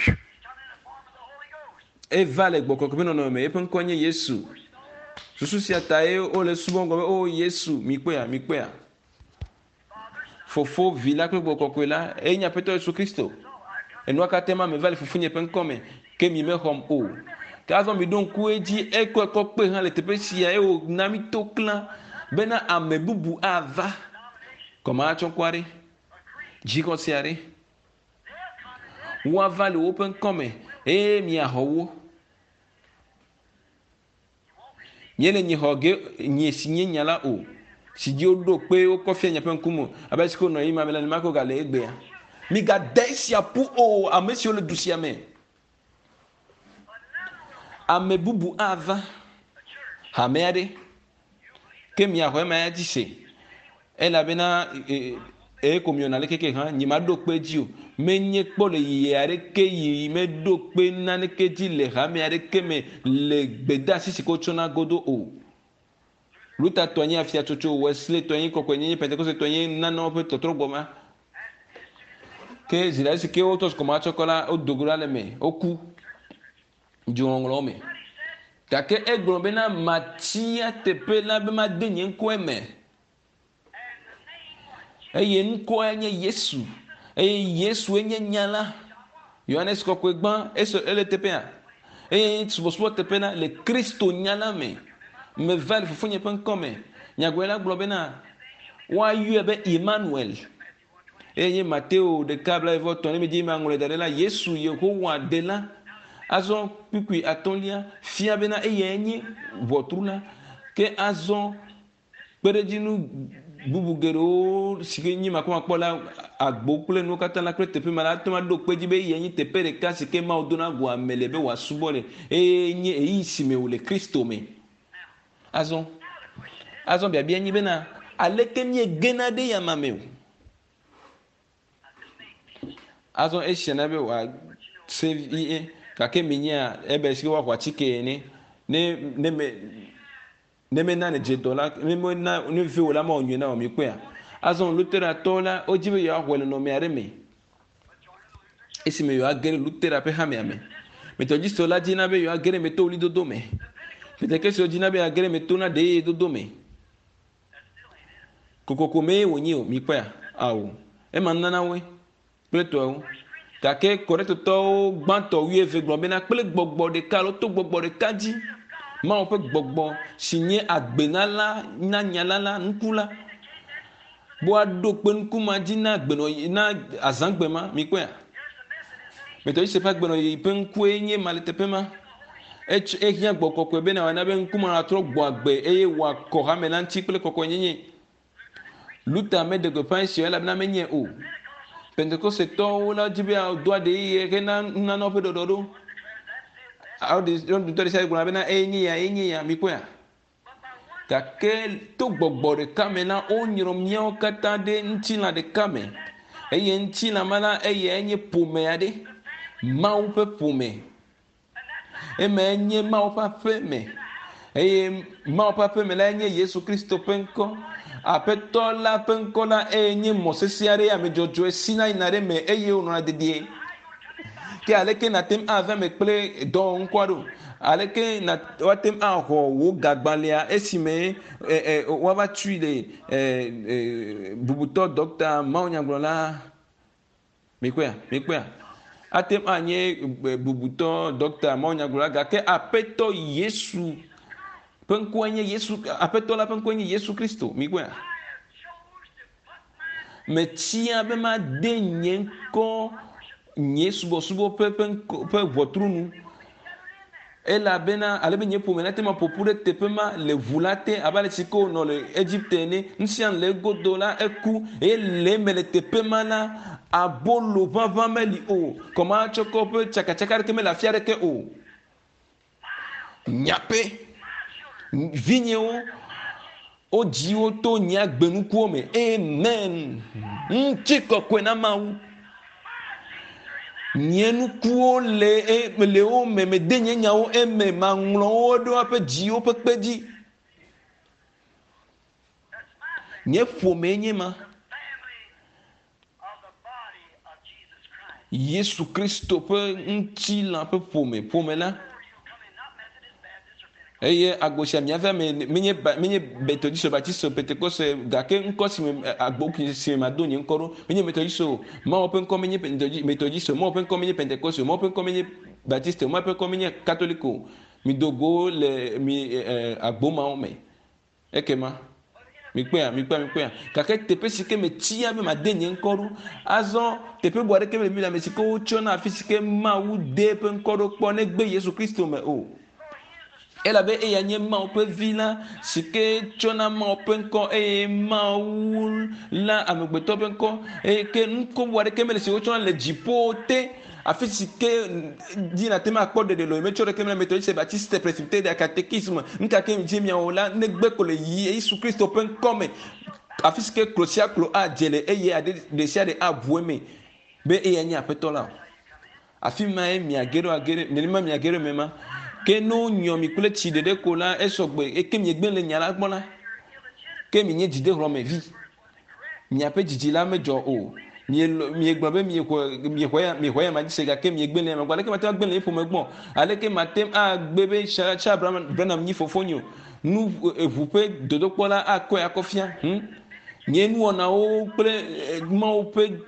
Eva le gbɔgbɔ kɔkɔe ƒe nɔnɔme me. Eƒe ŋkɔ nye Yesu. Susu sia tae wole subɔm gblɔ be o Yesu, mikpɔea, mikpɔea. Fofo, Vi la kple Gbɔgbɔ Kɔkɔe la, eye nye Aƒetɔ Yesu Kristo. Enua katã ma meva le Fofonye ƒe ŋkɔ me, ke mi mexɔm o. Ke azɔ miɖo ŋku edzi, ekɔe kɔ kpe hã le teƒe sia, eye wòna mi to klã bena ame bubu ava. Gɔmeatsɔkɔ aɖe, dzixɔse aɖe, woava le woƒe ŋkɔ me, eye miaxɔ wo. Míele nyi xɔ ge nye si nye nya la o, si dzi woɖo kpe wokɔ fia miaƒe ŋkume o, abe ale si ko wònɔ ɣeyiɣi ma me la, nenema ke wògale egbea. Migade esia ƒu o, ame siwo le du sia me. Ame bubu ava hame aɖe, ke miaxɔ ema ya dzi se. Elabena eye ko miɔna le keke hã, nyemaɖo kpe edzi o. Menye kpɔ le yiyi aɖeke yi meɖo kpe naneke dzi le hame aɖeke me le gbedeasi si ke wotsɔna godo o. Luther tɔ nye afiatsotso, Wesley tɔ nye kɔkɔenyenye, Pentekoste tɔ nye nanewo ƒe tɔtrɔgbɔ ma. Ke zi ɖe si ke wotɔ kɔmatsɔkɔ la, wodo go ɖa le eme, woku. Dzoŋɔŋlɔwo me. Gake egblɔ bena matia teƒe la be made nye ŋkɔe me. Eye ŋkɔe nye Yesu. Eye Yesue nye nya la. Yohanes kɔkɔe gbã eso ele teƒea. Eye subɔsubɔ teƒe la le Kristo nya la me. Meva le fofonye ƒe ŋkɔ me. Nyagblɔɖila gblɔ bena woayɔe be Emmanuel. Eye nye Mateo ɖeka blaeve ne medzi maŋlɔe da ɖe la, Yesu Yehowa ɖela. Azɔ kpukpui atɔ̃lia fia bena eyae nye ʋɔtru la. Ke azɔ kpeɖedzinu bubu geɖewo si ke nye makpɔmakpɔ la agbo kple nuwo katã la kple teƒe ma la ate ŋu aɖo kpe dzi be eyae nye teƒe ɖeka si ke Mawu dona go ame le be wòasubɔ le eye nye ɣeyiɣi si me wòle Kristo me. Azɔ azɔ biabia nye bena aleke míegena ɖe yama me o? Azɔ esia na be wòase vie gake minyea ebe si ke woaxɔ atike ene ne ne me ne mena ne dze dɔ la ne mena ne ve wò la mawɔ nyuie na wò mikpɔea. Azɔ Lutheratɔwo la wodzi be yewoaxɔe le nɔnɔme aɖe me esime yewoage ɖe Luthera ƒe hamea me. Methodistwo la dzina be yewoage ɖe eme to ɣlidodo me. Pentekostwo dzina be yeage ɖe eme to na ɖe dodo me. Kokoko mee wònye o mikpɔea? Ao. Ema nunana woe kple tɔewo. Gake Korintotɔwo gbãtɔ wuieve gblɔ bena kple gbɔgbɔ ɖeka alo to gbɔgbɔ ɖeka dzi Mawu ƒe gbɔgbɔ si nye agbenala na nyala la nuku la be woaɖo kpe nuku ma dzi na agbenɔyi na azãgbe ma mikpɔea? Methodiste ƒe agbenɔyi ƒe ŋkue nye ma le teƒe ma. Etsɔ ehiã gbɔ kɔkɔe bena wòana be ŋku ma natrɔ gbɔ agbe eye wòakɔ hame la ŋuti kple kɔkɔenyenye. Luther meɖe gbeƒã esia elabena menye o. Pentekostetɔwo la dzi be yewoado aɖe eye hena nunanawo ƒe ɖɔɖɔɖo. Awo ɖe sia ɖe gblɔna bena eye nye ya, eye nye ya, mikpɔea? Gake to gbɔgbɔ ɖeka me la, wonyrɔ míawo katã ɖe ŋutilã ɖeka me. Eye ŋutilã ma la, eyae nye ƒome aɖe. Mawu ƒe ƒome. Emae nye Mawu ƒe aƒe me. Eye Mawu ƒe aƒe me lae nye Yesu Kristo ƒe ŋkɔ. Aƒetɔ la ƒe ŋkɔ la eye nye mɔ sesẽ aɖe ame dzɔdzɔe sina yina ɖe eme eye wònɔna dedie. Ke aleke nàte ŋu ava eme kple dɔwɔŋkɔa ɖo? Aleke na woate ŋu axɔ wò gagbalẽa esime ɛ ɛ woava tui le ɛ ɛ bubutɔ ɖɔkta mawunyagblɔla? Mikpɔea? Mikpɔea? Ate ŋu anye bubutɔ ɖɔkta mawunyagblɔla gake Aƒetɔ Yesu ƒe ŋkɔe nye Yesu Aƒetɔ la ƒe ŋkɔe nye Yesu Kristo. Mikpɔea? Metia be made nye ŋkɔ nye subɔsubɔ ƒe ƒe ŋkɔ ƒe ʋɔtru nu elabena ale be nye ƒome nate ŋu aƒo ƒu ɖe teƒe ma le ʋu la te abe ale si ke wònɔ le Egipte ene. Nu sia nu le egodo la eku eye le eme le teƒe ma la abolo ʋaʋã meli o. Kɔmatsɔkɔ ƒe tsakatsaka aɖeke mele afi aɖeke o. Nyaƒe vinyewo wodzi wo to nye agbenukuwo me. Amen. Ŋutikɔkɔe na Mawu. Nye nukuwo le e le wo me mede nye nyawo eme maŋlɔ wo ɖe woaƒe dziwo ƒe kpe dzi. Nye ƒomee nye ma. Yesu Kristo ƒe ŋutilã ƒe ƒome ƒome la. Eye agbo sia miava me menye ba menye Methodiste, Baptiste, Pentecoste gake ŋkɔ si me agbo si me mado nye ŋkɔ ɖo menye Methodiste o. Mawu ƒe ŋkɔ menye Methodiste, Mawu ƒe ŋkɔ menye Pentecoste, Mawu ƒe ŋkɔ menye Baptiste, Mawu ƒe ŋkɔ menye Katoliko o. Mido go le mi ɛ agbo mawo me. Ekema mikpɔea mikpɔea mikpɔea gake teƒe si ke metia be made nye ŋkɔ ɖo azɔ teƒe bu aɖeke mele Biblia me si ke wotsɔna afi si ke Mawu de eƒe ŋkɔ ɖo kpɔ negbe Yesu Kristo me o. Elabe eya nye Mawu ƒe vi la si ke tsɔna Mawu ƒe ŋkɔ eye Mawu la amegbetɔ ƒe ŋkɔ eye ke ŋkɔ bu aɖeke mele si wotsɔna le dziƒo te afi si ke dzi nàte ŋu akpɔ ɖeɖe le o metsɔ ɖeke mele Methodiste, Baptiste, Presbyterian, Catéchisme nuka ke dzi miawɔ la negbe ko le Yesu Kristo ƒe ŋkɔ me afi si ke klo sia klo adze le eye aɖe ɖe sia ɖe aʋu eme be eya nye aƒetɔ la o. Afi mae miage ɖo age ɖe nenema miage ɖo eme ma. Ke ne wonyɔ mi kple tsi ɖeɖe ko la esɔgbe eke miegbe le nya la gbɔ la ke mienye dzidehlɔ̃mevi. Miaƒe dzidzi la medzɔ o. Miegblɔ be miexɔ miexɔ ya ma dzi se gake miegbe le ya ma gbɔ. Aleke mate ŋu agbe le nye ƒome gbɔ? Aleke mate ŋu agbe be Charles Branham nyi fofonye o? Nu eʋu ƒe dodokpɔ la akɔe akɔ fia. Hm? Nye nuwɔnawo kple Mawu ƒe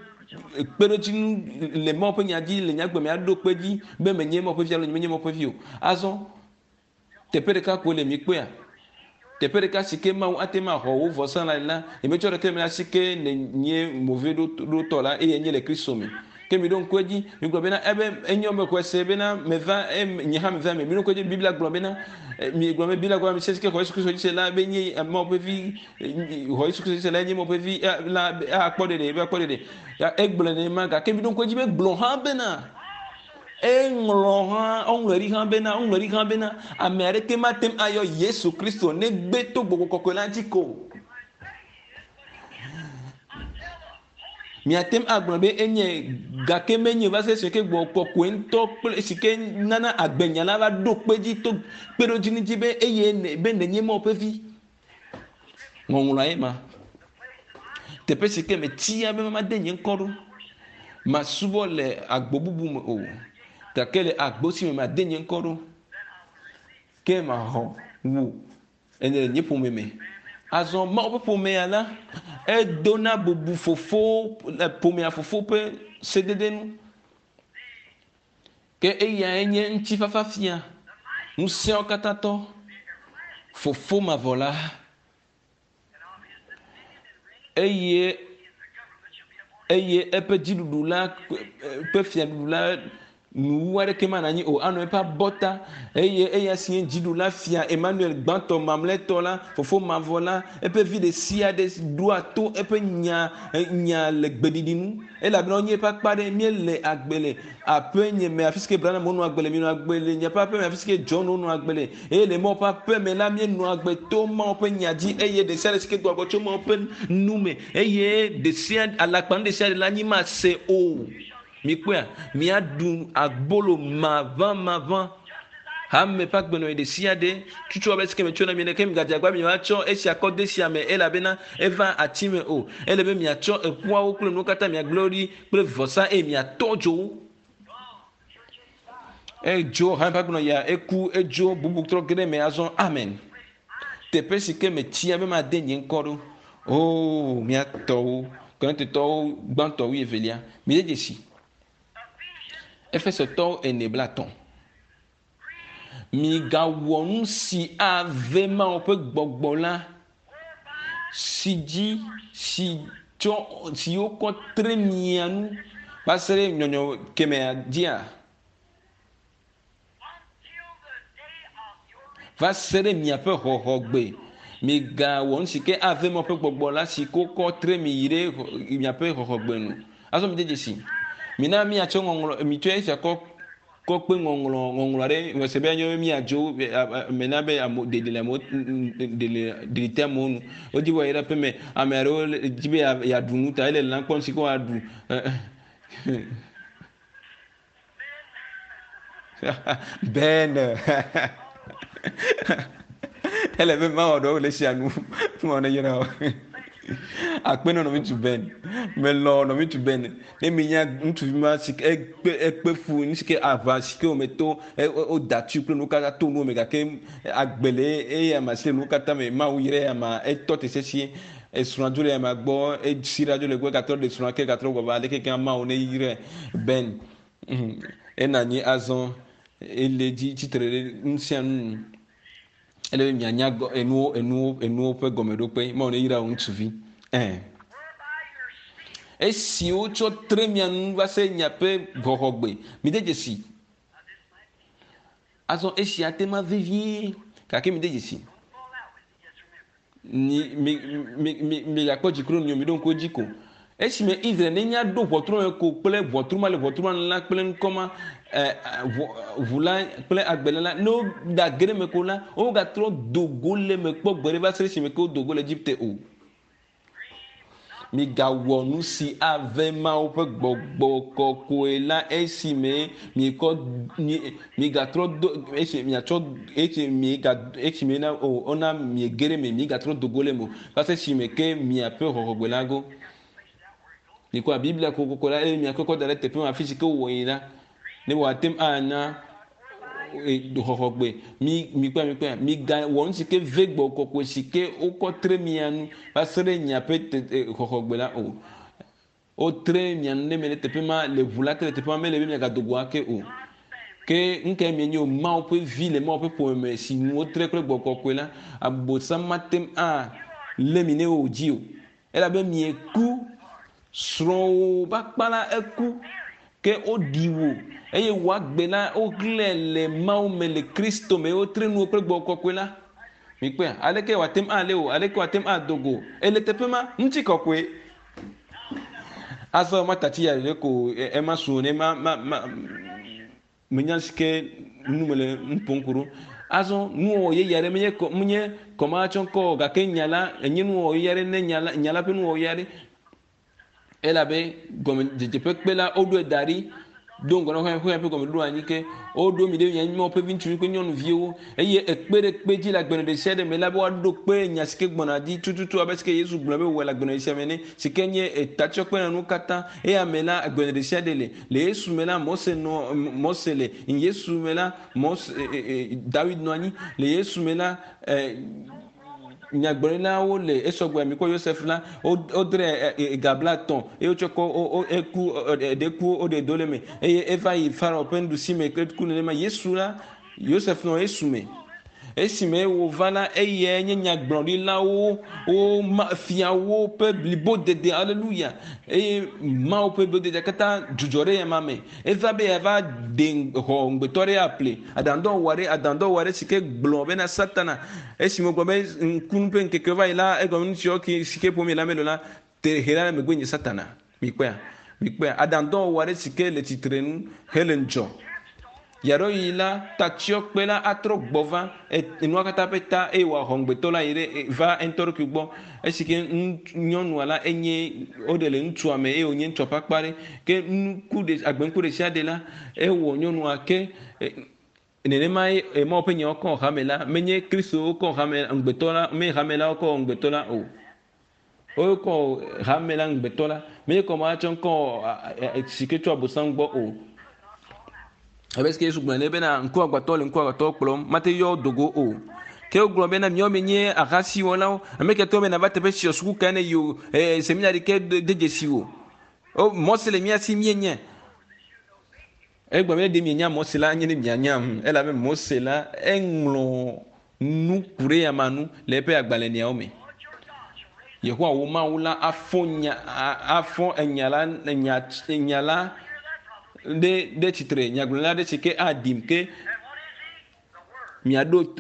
kpeɖodzinu le Mawu ƒe nya dzi le nye agbe me aɖo kpe dzi be menye Mawu ƒe vi alo nyemenye Mawu ƒe vi o. Azɔ teƒe ɖeka koe le mikpɔea? Teƒe ɖeka si ke Mawu ate ŋu axɔ wò vɔsa la le la, nyemetsɔ ɖeke le eme la si ke nènye moveɖotɔ la eye nye le Kristo me. Ke miɖo ŋku edzi, migblɔ bena ebe enyo mexɔe se bena meva nye hã meva eme. Miɖo ŋku edzi Biblia gblɔ bena miegblɔ be Biblia gblɔ be ame si ke xɔ Yesu Kristo dzi se la be nye Mawu ƒe vi xɔ Yesu Kristo dzi se la nye Mawu ƒe vi la akpɔ ɖeɖe be akpɔ ɖeɖe. Egblɔe nenema gake miɖo ŋku edzi be gblɔ hã bena eŋlɔ hã eŋlɔe ɖi hã bena eŋlɔe ɖi hã bena ame aɖeke mate ŋu ayɔ Yesu Kristo negbe to gbɔgbɔ kɔkɔe la dzi ko. Miate ŋu agblɔ be enye gake menye va se esi ke gbɔ kɔkɔe ŋutɔ kple esi ke nana agbenya la va ɖo kpe dzi to kpeɖodzinu dzi be eye be nènye Mawu ƒe vi. Ŋɔŋlɔa ye ma. Teƒe si ke metia be made nye ŋkɔ ɖo. Masubɔ le agbo bubu me o. Gake le agbo si me made nye ŋkɔ ɖo. Ke maxɔ wò Enye nye ƒome me. Azɔ Mawu ƒe ƒomea la, edona bubu fofo le ƒomea fofo ƒe sedede nu. Ke eyae nye ŋutifafa fia, ŋusẽwo katã tɔ, fofo mavɔ la. Eye eye eƒe dziɖuɖu la ƒe fiaɖuɖu la nuwu aɖeke manɔ anyi o anɔ eƒe abɔta eye eya si nye dziɖula fia Emmanuel gbãtɔ mamlɛtɔ la fofo mavɔ la eƒe vi ɖe sia ɖe ɖoa to eƒe nya nya le gbeɖiɖi nu elabena wonye eƒe akpa ɖe míele agbe le aƒe nye me afi si ke Branham wonɔ agbe le míenɔ agbe le nye ƒe aƒe me afi si ke John wonɔ agbe le eye le Mawu ƒe aƒe me la míenɔ agbe to Mawu ƒe nya dzi eye ɖe sia ɖe si ke doa go tso Mawu ƒe nu me eye ɖe sia alakpanu ɖe sia ɖe la anyi mase o. Mikpɔea, míaɖu abolo maʋãmaʋã hame ƒe agbenɔɣi ɖe sia ɖe tutu abe esike metsɔ na mi ene ke migadze agbagba miatsɔ esia kɔ de esia me elabena eva ati me o. Ele be miatsɔ eƒuawo kple nuwo katã miagblẽ wo ɖi kple vɔsa eye miatɔ dzo wo. Edzo hame ƒe agbenɔɣia eku edzo bubu trɔ ge ɖe eme azɔ. Amen. Teƒe si ke metia be made nye ŋkɔ ɖo. Oo, mía tɔwo, Korintotɔwo gbãtɔ wuievelia. Mide dzesi. Efesotɔwo ene blaetɔ̃. Migawɔ nu si ave Mawu ƒe gbɔgbɔ la si dzi si tsɔ si wokɔ tre mia nu va se ɖe nyɔnyɔ kemɛa dzia? Va se ɖe miaƒe xɔxɔgbe. Migawɔ nu si ke ave Mawu ƒe gbɔgbɔ la si wokɔ tre mi yi ɖe miaƒe xɔxɔgbe nu. Azɔ mide dzesi. Mina míatsɔ ŋɔŋlɔ mitsɔe esia kɔ kɔ kpe ŋɔŋlɔ ŋɔŋlɔ aɖe mese be anyo be míadzo me na be amewo ɖeɖi le amewo ɖeɖi ɖeɖi te amewo nu. Wodi be woayi ɖe aƒe me. Ame aɖewo di be yeaɖu nu ta ele lã kpɔm si ke woaɖu. Ben ele be mawɔ ɖewo le esia nu mawɔ ne yra o akpe ne nɔvi ŋutsu Ben melɔ nɔvi ŋutsu Ben ne mi nya ŋutsuvi ma si ke ekpe ekpe fu nu si ke aʋa si ke wome to woda tui kple nuwo katã to nuwo me gake agbe le eya ma si le nuwo katã me Mawu yra eya ma etɔ te sesĩe esrɔ̃a dzo le eya ma gbɔ esi ɖa dzo le egbɔ egatrɔ ɖe srɔ̃a ke egatrɔ gbɔ va aleke ke Mawu ne yrae Ben ena anyi azɔ ele dzi tsitre ɖe nu sia nu nu. Ele be mianya enuwo enuwo enuwo ƒe gɔmeɖokpe. Mawu ne yra wò ŋutsuvi. Ɛ. Esi wotsɔ tre mia nu va se miaƒe xɔxɔgbe. Mide dzesi. Azɔ esia te ma vevie gake mide dzesi. Mi mi mi mi migakpɔ dziku ɖe nu miɖo ŋku edzi ko. Esime Israel nenya ɖo ʋɔtru me ko kple ʋɔtru ma le ʋɔtru ma nu la kple ŋkɔ ma ɛ ʋɔ ʋu la kple agbele la ne woda ge ɖe eme ko la wogatrɔ do go le eme kpɔ gbeɖe va se ɖe esime ke wodo go le Egipte o. Migawɔ nu si ave Mawu ƒe gbɔgbɔ kɔkɔe la esime miekɔ migatrɔ do esi miatsɔ esi miega esi miena o wona miege ɖe eme migatrɔ do go le eme o va se esime ke miaƒe xɔxɔgbe la go. Mikpɔa Biblia kokoko la eye miakɔe kɔ da ɖe teƒe ma afi si ke wowɔ yi la ne wòate ŋu ana xɔxɔgbe. Mi mikpɔe mikpɔe miga wɔ nu si ke ve gbɔ kɔkɔe si ke wokɔ tre mia nu va se ɖe miaƒe xɔxɔgbe la o. Wotre mia nu ɖe me ɖe teƒe ma le ʋu la te le teƒe ma mele be miagado go ake o. Ke nu kae mienye o? Mawu ƒe vi le Mawu ƒe ƒome me si nu wotre kple gbɔgbɔ kɔkɔe la, Abosam mate ŋu alé mi ne wòdzi o. Elabe mieku, srɔ̃wò ƒe akpa la eku, ke woɖi wò eye wò agbe la woxlẽe le Mawu me le Kristo me wotre nuwò kple gbɔgbɔ kɔkɔe la. Mikpɔea? Aleke wòate ŋu alé wò? Aleke wòate ŋu ado go? Ele teƒe ma, ŋutikɔkɔe. Azɔ matati ya ɖeɖe ko ema su ne ma ma ma menya si ke nu mele nu ƒom ku ɖo. Azɔ nuwɔwɔ yeye aɖe menye kɔ menye kɔmatsɔ ŋkɔ o gake nya la enye nuwɔwɔ yeye aɖe ne nya la nya la ƒe nuwɔwɔ yeye aɖe. Elabe gɔmedzedze ƒe kpe la woɖoe da ɖi do ŋgɔ na xexea ƒe gɔmeɖoɖo anyi ke woɖo mi ɖe mia Mawu ƒe viŋutsuvi kple nyɔnuviwo eye ekpe ɖe kpe dzi le agbenɔ ɖe sia ɖe me la be woaɖo kpe nya si ke gbɔna dzi tututu abe si ke Yesu gblɔ be wòwɔe le agbenɔ ɖe sia me ene si ke nye etatsiɔkpe na nuwo katã eya me la agbenɔ ɖe sia ɖe le le Yesu me la Mose nɔ Mose le Yesu me la Mose Dawid nɔ anyi le Yesu me la Nyagblɔɖilawo le esɔgbe amikpɔ Yosef la, wodre ga blatɔ̃ eye wotsɔ kɔ eku eɖe ku woɖe do le eme eye eva yi Farao ƒe nuɖusi me ku nenema. Yesu la, Yosef nɔ Yesu me. Esime wòva la, eyae nye nyagblɔɖilawo wo fiawo ƒe blibodede. Aleluya! Eye Mawu ƒe blibodede katã dzudzɔ ɖe ema me. Eva be yeava ɖe xɔ ŋugbetɔ aɖe aƒle aɖaŋudɔwɔwɔ aɖe, aɖaŋudɔwɔwɔ aɖe si ke gblɔ bena Satana, esime wògblɔ be ŋkunu ƒe ŋkekewo va yi la, egɔme nu siwo ke si ke ƒom yele mele o la, te he ɖa megbe nye Satana. Mikpɔea? Mikpɔea? Aɖaŋudɔwɔwɔ aɖe si ke le tsitre nu hele ŋudzɔ. Yaɖɔɣi la, tatsyɔkpe la atrɔ gbɔ va enua katã ƒe ta eye wòaxɔ ŋugbetɔ la yi ɖe va eŋutɔ ɖokui gbɔ. Esi ke nyɔnua la enye woɖe le ŋutsua me eye wònye ŋutsua ƒe akpa ɖe. Ke nuku ɖe agbeŋku ɖe sia ɖe la, ewɔ nyɔnua ke nenema ye Mawu ƒe nyawo kɔ hame la. Menye Kristo wokɔ hame ŋugbetɔ la, menye hame la wokɔ ŋugbetɔ la o. Wokɔ hame la ŋugbetɔ la. Menye kɔ matsɔ ŋkɔ si ke tso Abosam gbɔ o. Abe si ke Yesu gblɔ ene bena ŋkuagbãtɔ le ŋkuagbãtɔ kplɔm, mate yɔ do go o. Ke wogblɔ bena miawo mienye ahasiwɔlawo, ame ke tɔ be nava teƒe sia suku kae ne yi o, ee seminari ke de dzesi o. O Mose le mía si míenye. Egblɔ be ɖe mienya Mose la anye ne mianyam elabe Mose la eŋlɔ nu ku ɖe ama nu le eƒe agbalẽniawo me. Yehowa wò Mawu la afɔ nya afɔ enya la nya nya la ɖe ɖe tsitre nyagblɔɖila ɖe si ke aɖim ke miaɖo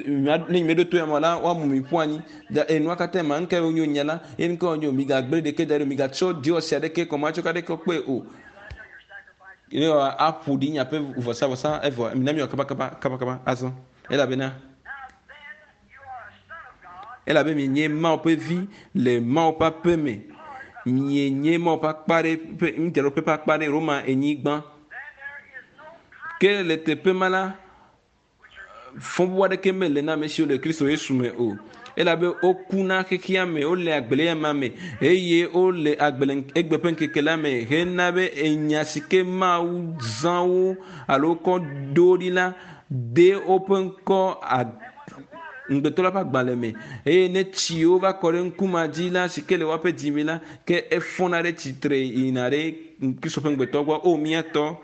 ne miaɖo to ya me la woamu mi ƒu anyi da enua katã ma nuka wonyo nya la ye nuka wonyo migagblẽ ɖeke da ɖi migatsɔ diɔsi aɖeke kɔmatsɔ aɖeke kpe o ne aƒo ɖi miaƒe vɔsavɔsa evɔ mina miwɔ kabakaba kabakaba azɔ elabena elabe mienye Mawu ƒe vi le Mawu ƒe aƒe me. Mienye Mawu ƒe akpa ɖe ƒe ŋudzraɖoƒe ƒe akpa ɖe Roma enyigba. Ke le teƒe ma la, fɔbubu aɖeke mele na ame siwo le Kristo Yesu me o. Elabe woku na xexea me, wole agbe le ema me eye wole agbe le egbe ƒe ŋkeke la me hena be enya si ke Mawu zã wo alo kɔ ɖo ɖi la de woƒe ŋkɔ ŋugbetɔ la ƒe agbalẽ me eye ne tsiwo va kɔ ɖe ŋkuma dzi la si ke le woaƒe dzime la ke efɔna ɖe tsitre yina ɖe Kristo ƒe ŋugbetɔ gbɔ. O mía tɔ,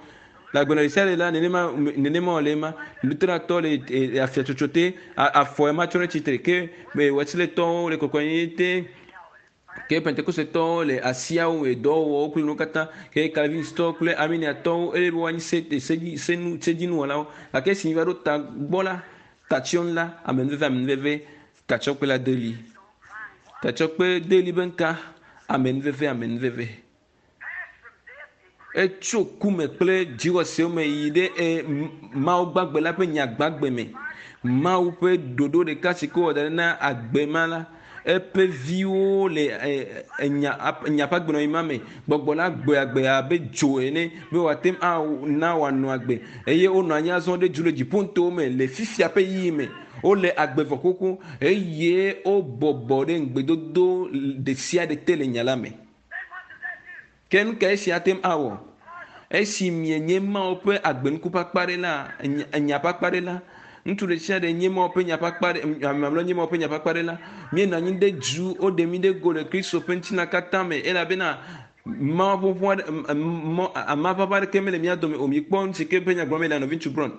le agbenɔ ɖe sia ɖe la nenema nenema wòle ema. Luteratɔ le afiatsotso te, afɔ ema tsɔ ɖe tsitre ke Wɛsiletɔwo le kɔkɔenyenye te. Ke Pentekostetɔwo le asiawo me dɔwɔwɔwo kple nuwo katã. Ke Calvinistɔwo kple Arminiatɔwo eye be woanyi se sedzi senu sedzinuwɔlawo. Gake esi míva ɖo ta gbɔ la, tatsyɔnu la, amenuveve amenuveve tatsyɔkpe la de li. Tatsyɔkpe de li be ŋka amenuveve amenuveve. Etso ku me kple dziwɔsewo me yi ɖe e, Mawu gbagbe la ƒe nya gbagbe me. Mawu ƒe ɖoɖo ɖeka si ke wɔ da ɖi na agbe ma la, eƒe viwo le enya enya ƒe agbenɔɣi ma me. Gbɔgbɔ la gbɔe agbe abe dzo ene be wòate ŋu ana wòanɔ agbe eye wonɔ anyi azɔ ɖe dzu le dziƒonutowo me le fifia ƒe ɣeyiɣi me. Wole agbe vɔ xoxo eye wobɔbɔ ɖe ŋugbedodo ɖe sia ɖe te le nya la me. Ke nu kae esia ate ŋu awɔ? Esi mienye Mawu ƒe agbenuku ƒe akpa ɖe la, nya ƒe akpa ɖe la, ŋutsu ɖe sia ɖe nye Mawu ƒe nya ƒe akpa ɖe, ame mamlɛwo nye Mawu ƒe nya ƒe akpa ɖe la, míenɔ anyi ɖe du, woɖe mí ɖe go le Kristo ƒe ŋutilã katã me elabena Mawu ƒoƒo aɖe, mɔ, amaʋaʋã aɖeke mele mía dome o. Mikpɔ nu si ke ƒe nya gblɔm mele nɔviŋutsu Brown.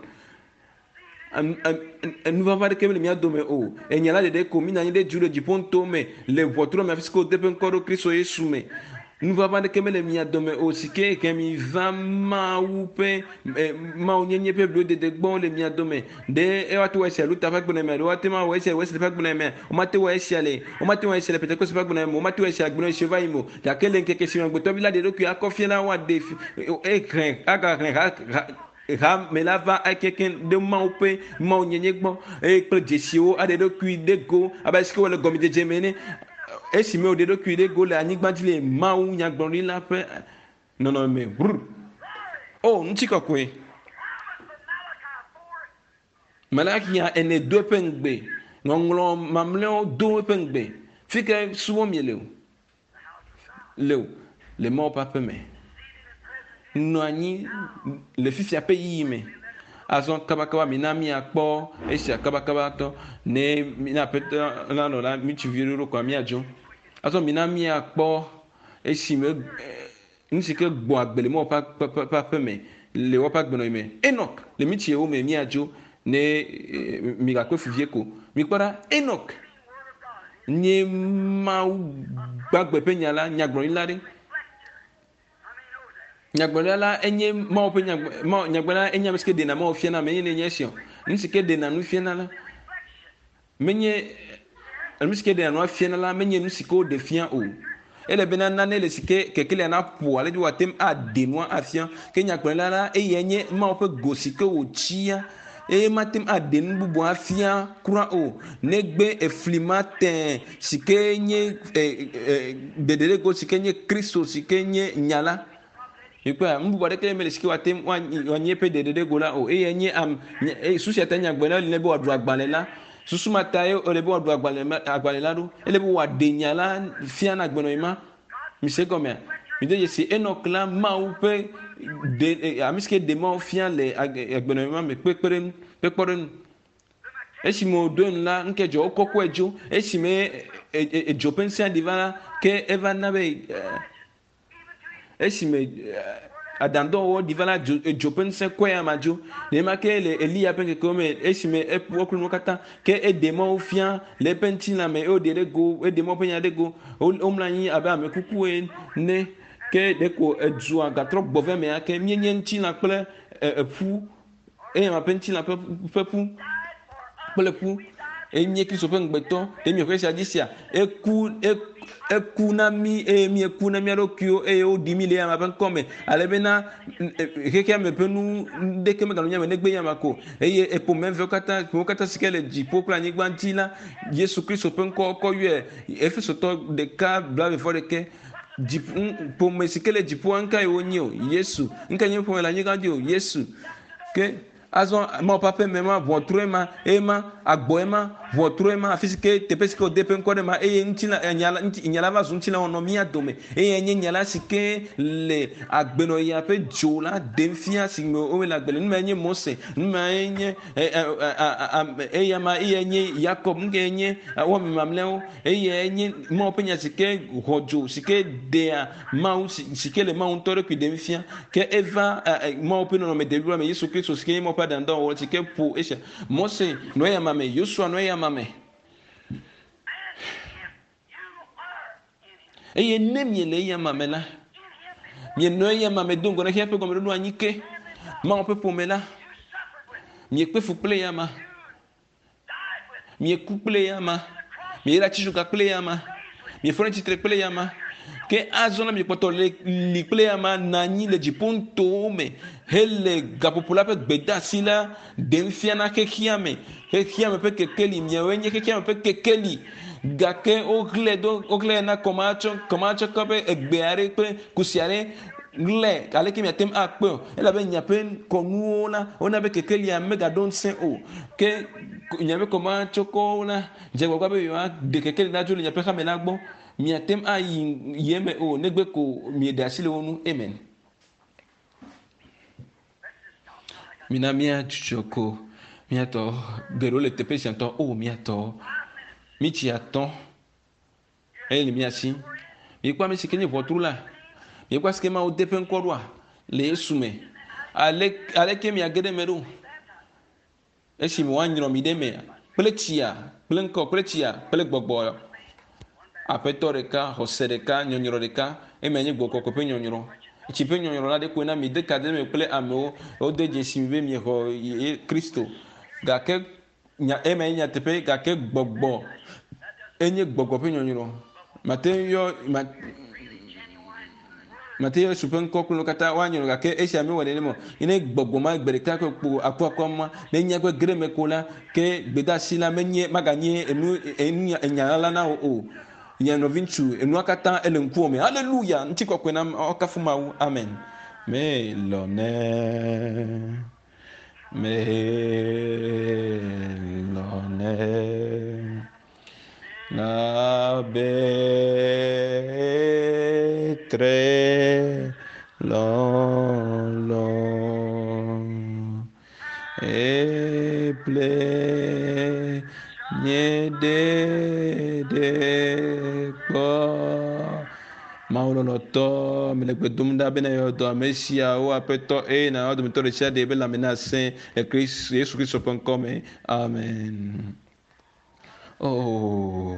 Nuʋaʋã aɖeke mele mía dome o. Enya la ɖeɖe ko mínɔ anyi ɖe du le dziƒo ŋutɔwo me le ʋɔtru me afi si ke wode eƒe ŋkɔ ɖo Kristo Yesu me. Nuʋaʋã aɖeke mele mia dome o si ke he mi va Mawu ƒe Mawunyenye ƒe blodede gbɔ le mia dome. Ɖe woate ŋu awɔ esia Luther ƒe agbenɔɣi mea? Ɖe woate ŋu awɔ esia le Wesley ƒe agbenɔɣi mea? Womate ŋu awɔ esia le womate ŋu awɔ esia le Pentekoste ƒe agbenɔɣi me o. Womate ŋu awɔ esia le agbenɔɣi siwo va yi me o. Gake le ŋkeke si me Amegbetɔvi la ɖe eɖokui akɔ fia la, woaɖe ehlẽ agahlẽ ha ha hame la va ekeke ɖe Mawu ƒe Mawunyenye gbɔ eye kple dzesiwo aɖe eɖokui ɖe go abe ale si ke wòle gɔmedzedze me ene. Esime wòɖe eɖokui ɖe go le anyigba dzi le Mawu nyagblɔɖila ƒe nɔnɔme me. Brr. O, ŋutikɔkɔe! Malakia ene do eƒe ŋugbe. Ŋɔŋlɔ mamlɛawo do eƒe ŋugbe. Fi ke subɔm miele o. Le o. Le Mawu ƒe aƒe me. Nɔ anyi le fifia ƒe yiyi me. Azɔ kabakaba mina míakpɔ esia kabakaba tɔ ne mina aƒetɔ la nɔ la ŋutsuvi ɖoɖo kɔa míadzo. Azɔ mina míakpɔ esime Nu si ke gbɔ agbe le Mawu ƒe aƒe me le woƒe agbenɔɣi me. Enɔk le mí tsiwo me míadzo ne migakpe fu vie ko. Mikpɔ ɖa, Enɔk nye Mawu gbagbe ƒe nya la, nyagblɔɖila ɖe. Nyagblɔɖila la enye Mawu ƒe nyagblɔɖila enye ame si ke ɖena Mawu fiana ame eye ne nye esi o. Nu si ke ɖena nu fiana la Menye nu si ke ɖea nua fiana la menye nu si ke woɖe fia o. Ele bena nane le si ke kekelia naƒo ale be wòate ŋu aɖe nua afia. Ke nyagblɔɖila la eyae nye Mawu ƒe go si ke wòtsia eye mate ŋu aɖe nu bubu afia kura o negbe efli ma tẽ si ke nye ɖeɖeɖego si ke nye Kristo si ke nye nya la. Mikpɔa, nu bubu aɖeke mele si ke wòate ŋu wòanye eƒe ɖeɖeɖego la o. Eyae nye am, nye, eye susu sia ta nyagblɔɖila li ne be wòaɖu agbalẽ la. Susu ma tae wòle be wòaɖu agbalẽ ma, agbalẽ la ɖo. Ele be wòaɖe nya la fia na agbenɔɣi ma. Mise egɔmea? Mide dzesi Enɔk la, Mawu ƒe ɖe, ame si ke ɖe Mawu fia le agbenɔɣi ma me kpekpeɖeŋu, ƒe kpɔɖeŋu. Esime wòɖo enu la, nu ke dzɔ, wokɔkɔe dzo. Esime edzo ƒe ŋusẽ ɖi va la, ke eva na be Esime adãdɔwɔwɔ ɖi va la, dzo, dzo ƒe ŋusẽ kɔe ama dzo. Nenema ke le Eliya ƒe ŋkekewo me, esime eƒo eklo nuwo katã, ke eɖe Mawu fia le eƒe ŋutilã me eye wòɖe ɖe go, eɖe Mawu ƒe nya ɖe go. Womlɔ anyi abe ame kuku ene. Ke ɖeko edua gatrɔ gbɔ va eme ake. Míenye ŋutilã kple eƒu. Eya ƒe ŋutilã ƒe ƒe ƒu kple ƒu. Eye míe Kristo ƒe ŋugbetɔ. Ɖe miexɔe sia dzi sia? Eku, eku na mí eye míeku na mía ɖokuiwo eye woɖi mí le eya ƒe ŋkɔ me. Ale bena xexea me ƒe nu ɖeke meganɔ mía me negbe eya ko. Eye eƒome vewo katã, ƒomewo katã si ke le dziƒo kple anyigba dzi la, Yesu Kristo ƒe ŋkɔ wokɔ yɔe. Efesotɔ ɖeka blaeve-vɔ-ɖekɛ. Dziƒo, ƒome si ke le dziƒoa, nukae wonye o? Yesu. Nukae nye ƒome le anyigba dzi o? Yesu. Ke azɔ Mawu ƒe aƒe me ma, ʋɔtrue ma, eye ma, agbɔe ma, ʋɔtrue ma, afi si ke teƒe si ke wòde eƒe ŋkɔ ɖe ma, eye ŋutilã, nya la, ŋuti, nya la va zu ŋutilã wònɔ mía dome. Eye nye nya la si ke le agbenɔɣia ƒe dzo la ɖem fia si me wole agbe le. Nu mae nye Mose, nu mae nye eya ma, eyae nye Yakob, nu kae nye wɔme mamlɛawo. Eyae nye Mawu ƒe nya si ke xɔ dzo, si ke ɖea Mawu, si ke le Mawu ŋutɔ ɖokui ɖem fia. Ke eva Mawu ƒe nɔnɔme debliboa me, Yesu Kristo si ke nye Mawu ƒe aɖaŋudɔwɔwɔ si ke ƒo esia. Mose nɔ eya ma me, Yosua nɔ eya ma me. Eye ne miele eya ma me la, mienɔ eya ma me do ŋgɔ na xexea ƒe gɔmeɖoɖo anyi ke. Mawu ƒe ƒome la, miekpe fu kple eya ma. Mieku kple eyama. Mieyra atitsoga kple eyama. Miefɔ ɖe tsitre kple eyama. Ke azɔ la miekpɔtɔ le li kple eyama nɔ anyi le dziƒo nutowo me hele gaƒoƒo la ƒe gbedeasi la ɖem fia na xexea me. Xexea me ƒe kekeli, miawoe nye xexea me ƒe kekeli. Gake woxlẽe do, woxlẽe na kɔmatsɔ, kɔmatsɔkɔ ƒe egbe aɖe kple kusi aɖe ɣlɛ aleke miate ŋu akpɔe o elabe miaƒe kɔnuwo la wona be kekelia megaɖo ŋusẽ o ke miaƒe kɔmatsɔkɔwo la dze agbagba be yewoaɖe kekeli la dzo le miaƒe hame la gbɔ. Miate ŋu ayi yi eme o negbe ko mieɖe asi le wo ŋu. Amen. Mina míadzudzɔ ko míatɔ geɖewo le teƒe sia ŋutɔ. O míatɔ, mítsi atɔ eye le mía si. Miekpɔ ame si ke nye ʋɔtru la. Miekpɔ asi ke Mawu de eƒe ŋkɔ ɖoa le Yesu me. Ale aleke miage ɖe eme ɖo? Esime woanyrɔ mi ɖe emea kple tsia, kple ŋkɔ, kple tsia, kple gbɔgbɔ. Aƒetɔ ɖeka, xɔse ɖeka, nyɔnyrɔ ɖeka. Ema nye gbɔgbɔ kɔkɔe ƒe nyɔnyrɔ. Tsi ƒe nyɔnyrɔ la ɖekoe na mi de ka ɖe eme kple amewo. Wode dzesi mi be miexɔ Kristo. Gake nya ema nye nyateƒe gake gbɔgbɔ enye gbɔgbɔ ƒe nyɔnyrɔ. Mate ŋu yɔ ma, Mate ŋu Yesu ƒe ŋkɔ kple nuwo katã woanyrɔ gake esia mewɔ nenema o. Ne gbɔgbɔ ma gbe ɖeka ko kpo akuakua ma ne nya ƒe ge ɖe eme ko la, ke gbedeasi la menye maganye enu enu enya ɣaɣla na wò o. Nye nɔviŋutsu, enua katã ele ŋkuwò me. Aleluya! Ŋutikɔkɔe na woakafu Mawu. Amen. Melɔ̃nɛ. Melɔ̃nɛ. Labe tre lɔlɔ eple nye ɖeɖe kpɔ. Mawu lɔlɔtɔ, mele gbe dom ɖa bena yɔ dɔ ame siawo Aƒetɔ eye nàyɔ dometɔ ɖe sia ɖe be lãme nasẽ le Yesu Kristo ƒe ŋkɔ me. Amen. Oh,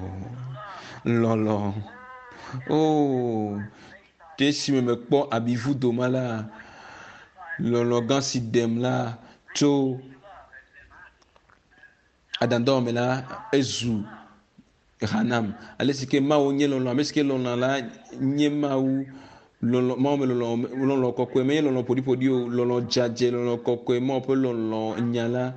lɔlɔ. Oh, ke esime mekpɔ abivudo ma la, lɔlɔ gã si ɖem la tso adãdɔ me la, ezu ha nam. Ale si ke Mawu nye lɔlɔ, ame si ke lɔlɔ la nye Mawu. Lɔlɔ, Mawu me lɔlɔ, lɔlɔ kɔkɔe menye lɔlɔ ƒoɖiƒoɖi o, lɔlɔ dzadzɛ, lɔlɔ kɔkɔe, Mawu ƒe lɔlɔ nya la.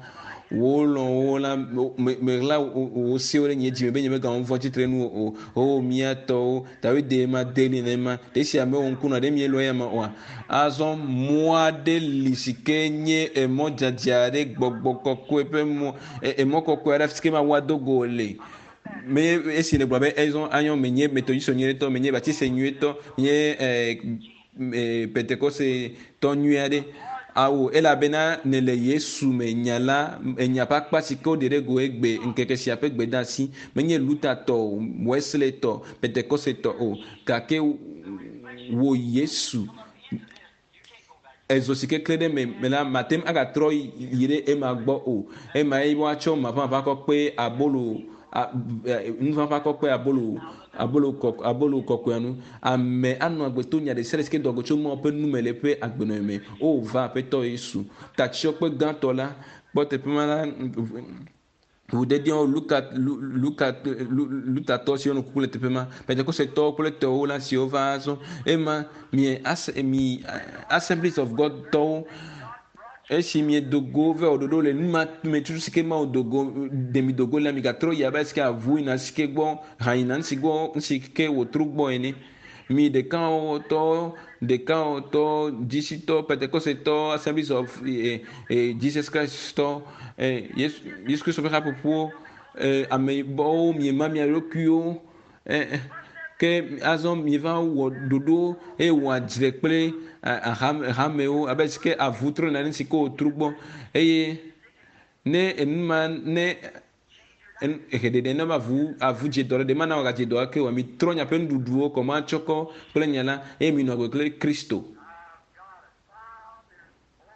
Wò lɔ̃wo la, me, meɣla wò sewo ɖe nye dzime be nyemegawɔ nu vɔ̃ tsitre nu o. O mía tɔwo, Dawid ma de nenema. Ɖe esi amewo ŋku nɔ ɖe mielɔ eya ma oa? Azɔ mɔ aɖe li si ke nye emɔ dzadzɛ aɖe, gbɔgbɔ kɔkɔe ƒe mɔ, emɔ kɔkɔe aɖe afi si ke Mawu ado go le. Me esi nègblɔ be ezɔ anyɔ menye metodistɔ nyuietɔ, menye batiste nyuietɔ, menye eh, pentekoste tɔ nyui aɖe. Awo, elabena nèle Yesu me nya la, enya ƒe akpa si ke woɖe ɖe go egbe ŋkeke sia ƒe gbedeasi. Menye Luther tɔ o, Wesley tɔ, Pentekoste tɔ o, gake wò Yesu Ezo si keklẽ ɖe eme me la, mate ŋu agatrɔ yi ɖe ema gbɔ o. Emae woatsɔ maʋamaʋã kɔ kpe abolo, nuʋaʋã kɔ kpe abolo, abolo kɔ, abolo kɔkɔea nu. Ame anɔ agbe to nya ɖesiaɖe si ke doa go tso Mawu ƒe nu me le eƒe agbenɔɣi me. O, va Aƒetɔ Yesu, tatsyɔkpe gãtɔ la, kpɔ teƒe ma la, Ʋudedeawo, Luka, Lu, Luka, Lu, Lutatɔ siwo nɔ kuku le teƒe ma, Pentekostetɔwo kple tɔwo la siwo va azɔ. Ema mi, as, mi Assemblies of God tɔwo, esi miedo go vɛ wɔ ɖoɖo le nu ma me tutu si ke Mawu do go, ɖe mi do go la, migatrɔ yi abe si ke avu yina si ke gbɔ, ha yina nu si gbɔ, nu si ke wòtro gbɔ ene. Mi ɖekawɔtɔ, ɖekawɔtɔ, dzisitɔ, Pentekostetɔ, Assemblies of eh, eh, Jesus Christ tɔ, eh, Yesu, Yesu Kristo ƒe haƒoƒowo, eh, ameyibɔwo, miema mia ɖokuiwo, eh, eh, ke azɔ mieva wɔ ɖoɖo eye wɔ adzre kple eh, hamewo abe si ke avu trɔ nane si ke wòtro gbɔ eye ne enu ma ne Ehe ɖeɖe ne avu avu dze dɔ ɖe ɖe mana wòagadze dɔ ake oa? Mitrɔ miaƒe nuɖuɖuwo kɔmatsɔkɔ kple nya la eye minɔ agbe kple Kristo.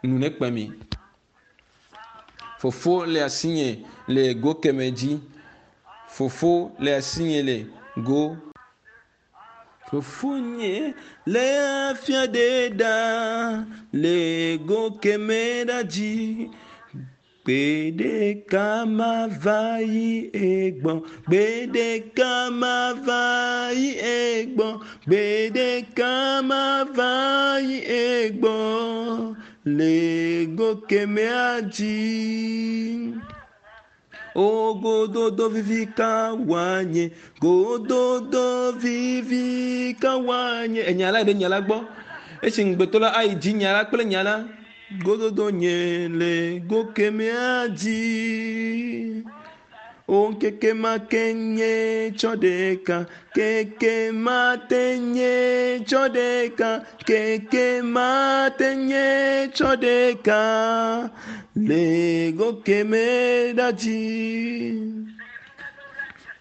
Nu nekpe mi. Fofo le asinye le go keme dzi. Fofo le asinye le go. Fofonye le afia ɖe ɖa le go keme ɖa dzi. Gbe ɖeka mava yi egbɔ, gbe ɖeka mava yi egbɔ, gbe ɖeka mava yi egbɔ le go kemea dzi. O gododo vivi ka wòanye, gododo vivi ka wòanye. Enya la ɖe nya la gbɔ. Esi ŋugbetɔ la ayi dzi nya la kple nya la, gododo nye le go kemɛa dzi. O ŋkeke ma ke nye tsɔ ɖeka, keke ma te nye tsɔ ɖeka, keke ma te nye tsɔ ɖeka le go keme ɖa dzi.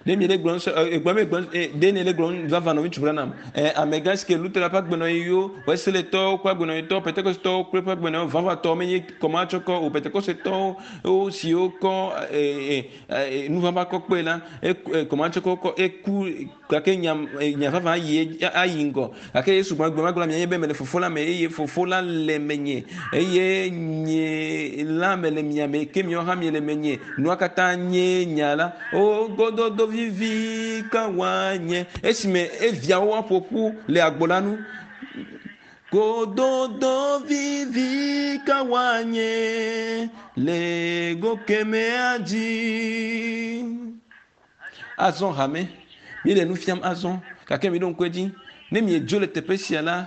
Ɖe mi le gblɔm sɔ egblɔm mi gblɔm ɖe ne le gblɔm vava nɔvi ŋutsu Branham ɛ amegã si ke Luther ƒe agbenɔɣiwo, Wesleytɔwo ƒe agbenɔɣitɔwo, Pentekostetɔwo kple ƒe agbenɔɣiwo vavãtɔwo menye kɔmatsɔkɔ o, Pentekostetɔwo wo siwo kɔ ɛ ɛ nuvava kɔ kpee la, kɔmatsɔkɔ kɔ eku gake nya nya vavã yi ayi ŋgɔ. Gake Yesu gblɔ gbe ma gblɔ mianye be mele Fofo la me eye Fofo la le menye eye nye la mele mia me ke miawo hã miele menye. Nua katã nye nya la. O gododo vivi ka woanye esime eviawo aƒo ƒu le agbo la nu. Gododo vivi ka woanye le go kemea dzi. Azɔ hame, míele nu fiam azɔ, gake miɖo ŋku edzi, ne miedzo le teƒe sia la,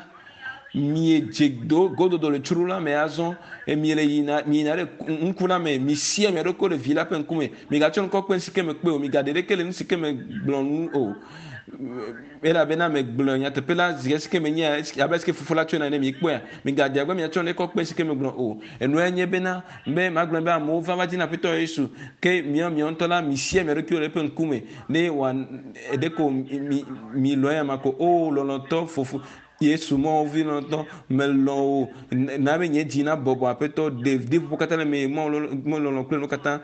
miedze do gododo le tsro la me azɔ, miele yina miyina ɖe ŋku la me, misia mia ɖokui ɖe vi la ƒe ŋkume, migatsɔ ŋkɔ kpe nu si ke mekpe o, migaɖe ɖeke le nu si ke megblɔ nu o. Elabena megblɔ nyateƒe la zi si ke menye abe si ke fofo la tsɔe na ene mikpɔea, migaɖe agbe miatsɔ ne kɔ kpe si ke megblɔ o. Enue nye bena be magblɔ be amewo va va dina Aƒetɔ Yesu ke miawo miawo ŋutɔ la misia mia ɖokuiwo le eƒe ŋkume ne wòa ɖeko mi mi lɔ̃ eya ma ko. O lɔlɔ̃tɔ fofo Yesu Mawu vi lɔlɔ̃tɔ melɔ̃ wò na be nye dzi nabɔbɔ Aƒetɔ ɖe ɖiƒoƒo katã le me Mawu lɔlɔ̃ kple nu katã.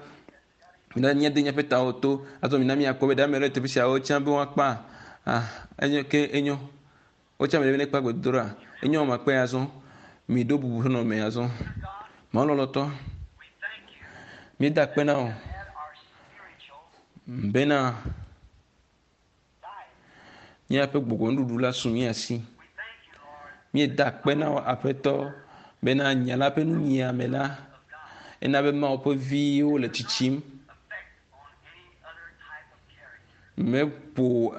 Mina míade míaƒe tawo to azɔ mina míakpɔ be ɖe ame aɖe le teƒe siawo tsã be woakpa. Ah, enyo ke enyo. Wotsã ame ɖe be nekpa gbedodoɖa. Enyo ame akpe azɔ. Miɖo bubu ƒe nɔnɔme azɔ. Mawu lɔlɔ̃tɔ, míeda akpe na wò bena míaƒe gbɔgbɔnuɖuɖu la su mía si. Míeda akpe na wò Aƒetɔ bena nya la ƒe nunyiame la ena be Mawu ƒe viwo le tsitsim. Meƒo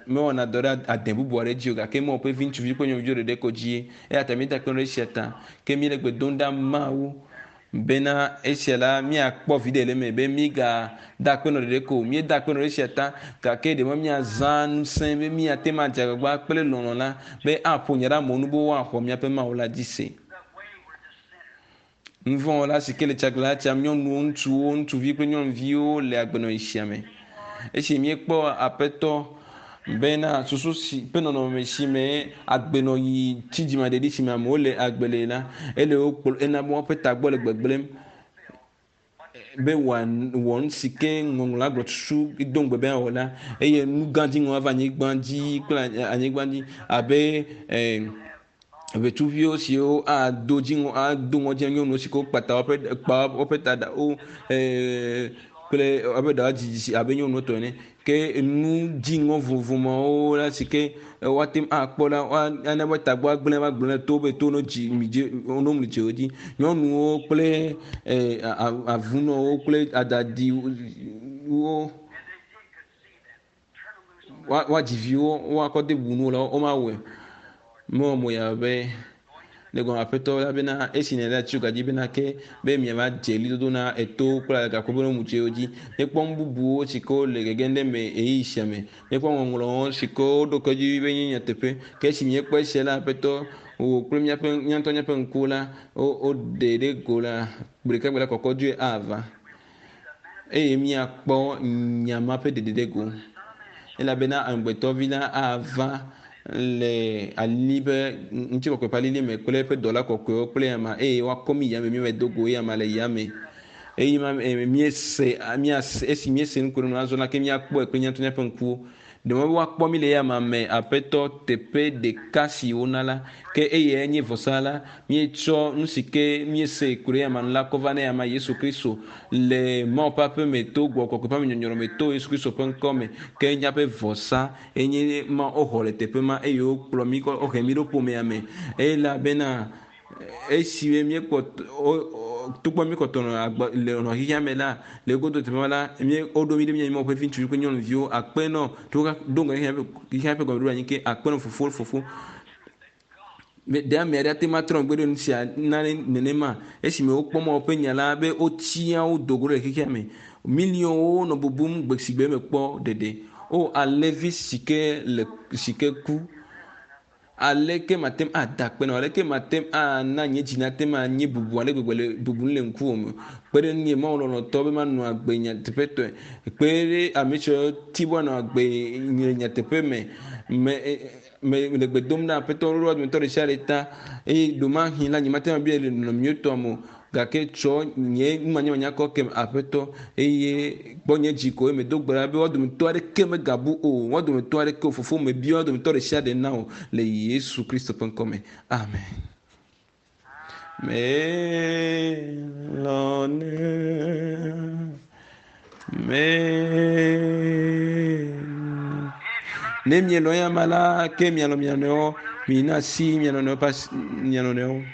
mewɔna dɔ ɖe ade bubu aɖe dzi o gake Mawu ƒe vi ŋutsuvi kple nyɔnuviwo ɖeɖe ko dzie. Eya ta míeda akpe ɖe esia ta. Ke míele gbe dom ɖa Mawu bena esia la míakpɔ viɖe le eme be mígada akpe nɔ ɖeɖe ko o. Míeda akpe nɔ ɖe esia ta gake ɖe me míazã ŋusẽ be míate ŋu adze agbagba kple lɔlɔ̃ la be aƒo nya ɖe amewo nu be woaxɔ míaƒe Mawu la dzi se. Nuvɔ̃wɔla si ke le tsaglalã tsam, nyɔnuwo, ŋutsuwo, ŋutsuvi kple nyɔnuviwo le agbenɔɣi sia me. Esi míekpɔ Aƒetɔ bena susu si ƒe nɔnɔme si me agbenɔɣi tsidzimaɖeɖi si me amewo le agbe le la, ele wo kplɔ, ena be woƒe tagbɔ le gbegblẽm be wòawɔ nu si ke ŋɔŋlɔa gblɔ susu do ŋugbe be awɔ la, eye nu gã dziŋɔ ava anyigba dzi kple anyigba dzi abe eh, ʋetsuviwo siwo ado dziŋɔ ado ŋɔdzi na nyɔnuwo si ke wokpa ta woƒe kpa woƒe ta ɖawo kple woƒe ɖawo dzidzi abe nyɔnuwo tɔ ene. Ke nu dziŋɔ vovovo mawo la si ke woate ŋu akpɔ la woana be tagbɔ agblẽ va gblẽ to be to no dzi mi dzi no mli dzi wo dzi. Nyɔnuwo kple avunɔwo kple adadiwo woadzi viwo woakɔ de bubu nu la womawɔe. Mewɔ mo yaa be le gɔme aƒetɔ la bena esi nèle atsi gadzi bena ke be miava dze ɣlidodo na etowo kple gakpo be nu dzi. Míekpɔ nu bubuwo si ke wole gegem ɖe eme ɣeyiɣi sia me. Míekpɔ ŋɔŋlɔwo si ke woɖo ke dzi be nye nyateƒe. Ke esi míekpɔ esia la aƒetɔ wò kple míaƒe mía ŋutɔ míaƒe ŋkuwo la woɖe ɖe go la gbeɖeka gbe la kɔkɔdzoe ava eye míakpɔ nya ma ƒe ɖeɖe ɖe go. Elabena amegbetɔvi la ava le ali ƒe ŋutikɔkɔe ƒe alili me kple eƒe dɔla kɔkɔewo kple ama eye woakɔ mí yame míava do go eye ama le yame. Eye ma míese míase esi míese nu ko ɖe nu azɔ la ke míakpɔe kple míaƒe míaƒe ŋkuwo. Ɖe mɔ be woakpɔ mí le eyama me Aƒetɔ teƒe ɖeka si wona la, ke eyae nye vɔsa la. Míetsɔ nu si ke míese ku ɖe eyama nu la kɔ va na eyama Yesu Kristo le Mawu ƒe aƒe me to Gbɔgbɔ Kɔkɔe ƒe amenyɔnyrɔ me to Yesu Kristo ƒe ŋkɔ me. Ke míaƒe vɔsa enye ma woxɔ le teƒe ma eye wokplɔ mí kɔ wohe mí ɖo ƒomea me elabena Esi míekpɔ togbɔ míekpɔtɔ nɔ agbe le nɔ xexea me la, le egodo teƒe ma la, mí woɖo mí ɖe mía Mawu ƒe vi ŋutsuvi kple nyɔnuviwo akpe nɔ to do ŋgɔ xexea ƒe xexea ƒe gɔmeɖoɖo anyi ke akpe nɔ fofo fofo. Ɖe ame aɖe ate ŋu atrɔ megbe ɖe nu sia nane nenema esime wokpɔ Mawu ƒe nya la be wotsia wo do go ɖe xexea me. Miliɔnwo nɔ bubum gbe si gbe mekpɔ ɖeɖe. O alẽvi si ke le si ke ku. Aleke mate ŋu ada akpe na wò? Aleke mate ŋu ana nye dzi nate ŋu anye bubu ale gbegbe le bubum le ŋkuwò me? Kpe ɖe ŋunye Mawu lɔlɔ̃tɔ be manɔ agbe nyateƒetɔe. Kpe ɖe ame siwo ti be woanɔ agbe le nyateƒe me. Me me le gbe dom na Aƒetɔ ɖoɖoa dometɔ ɖe sia ɖe ta eye ɖomahi la nyemate ŋu abia le nɔnɔme nyuietɔa me o. Gake tsɔ nye numanyamanya kɔ kem Aƒetɔ eye kpɔ nye dzi ko eye medo gbe ɖa be woa dometɔ aɖeke megabu o. Woa dometɔ aɖeke o. Fofo mebia woa dometɔ ɖe sia ɖe na wò le Yesu Kristo ƒe ŋkɔ me. Amen. Melɔ̃nɛ. Me. Ne mielɔ̃ ya ma la, ke mialɔ̃ mia nɔewo. Mina asi mia nɔnɔewo ƒe asi mia nɔnɔewo.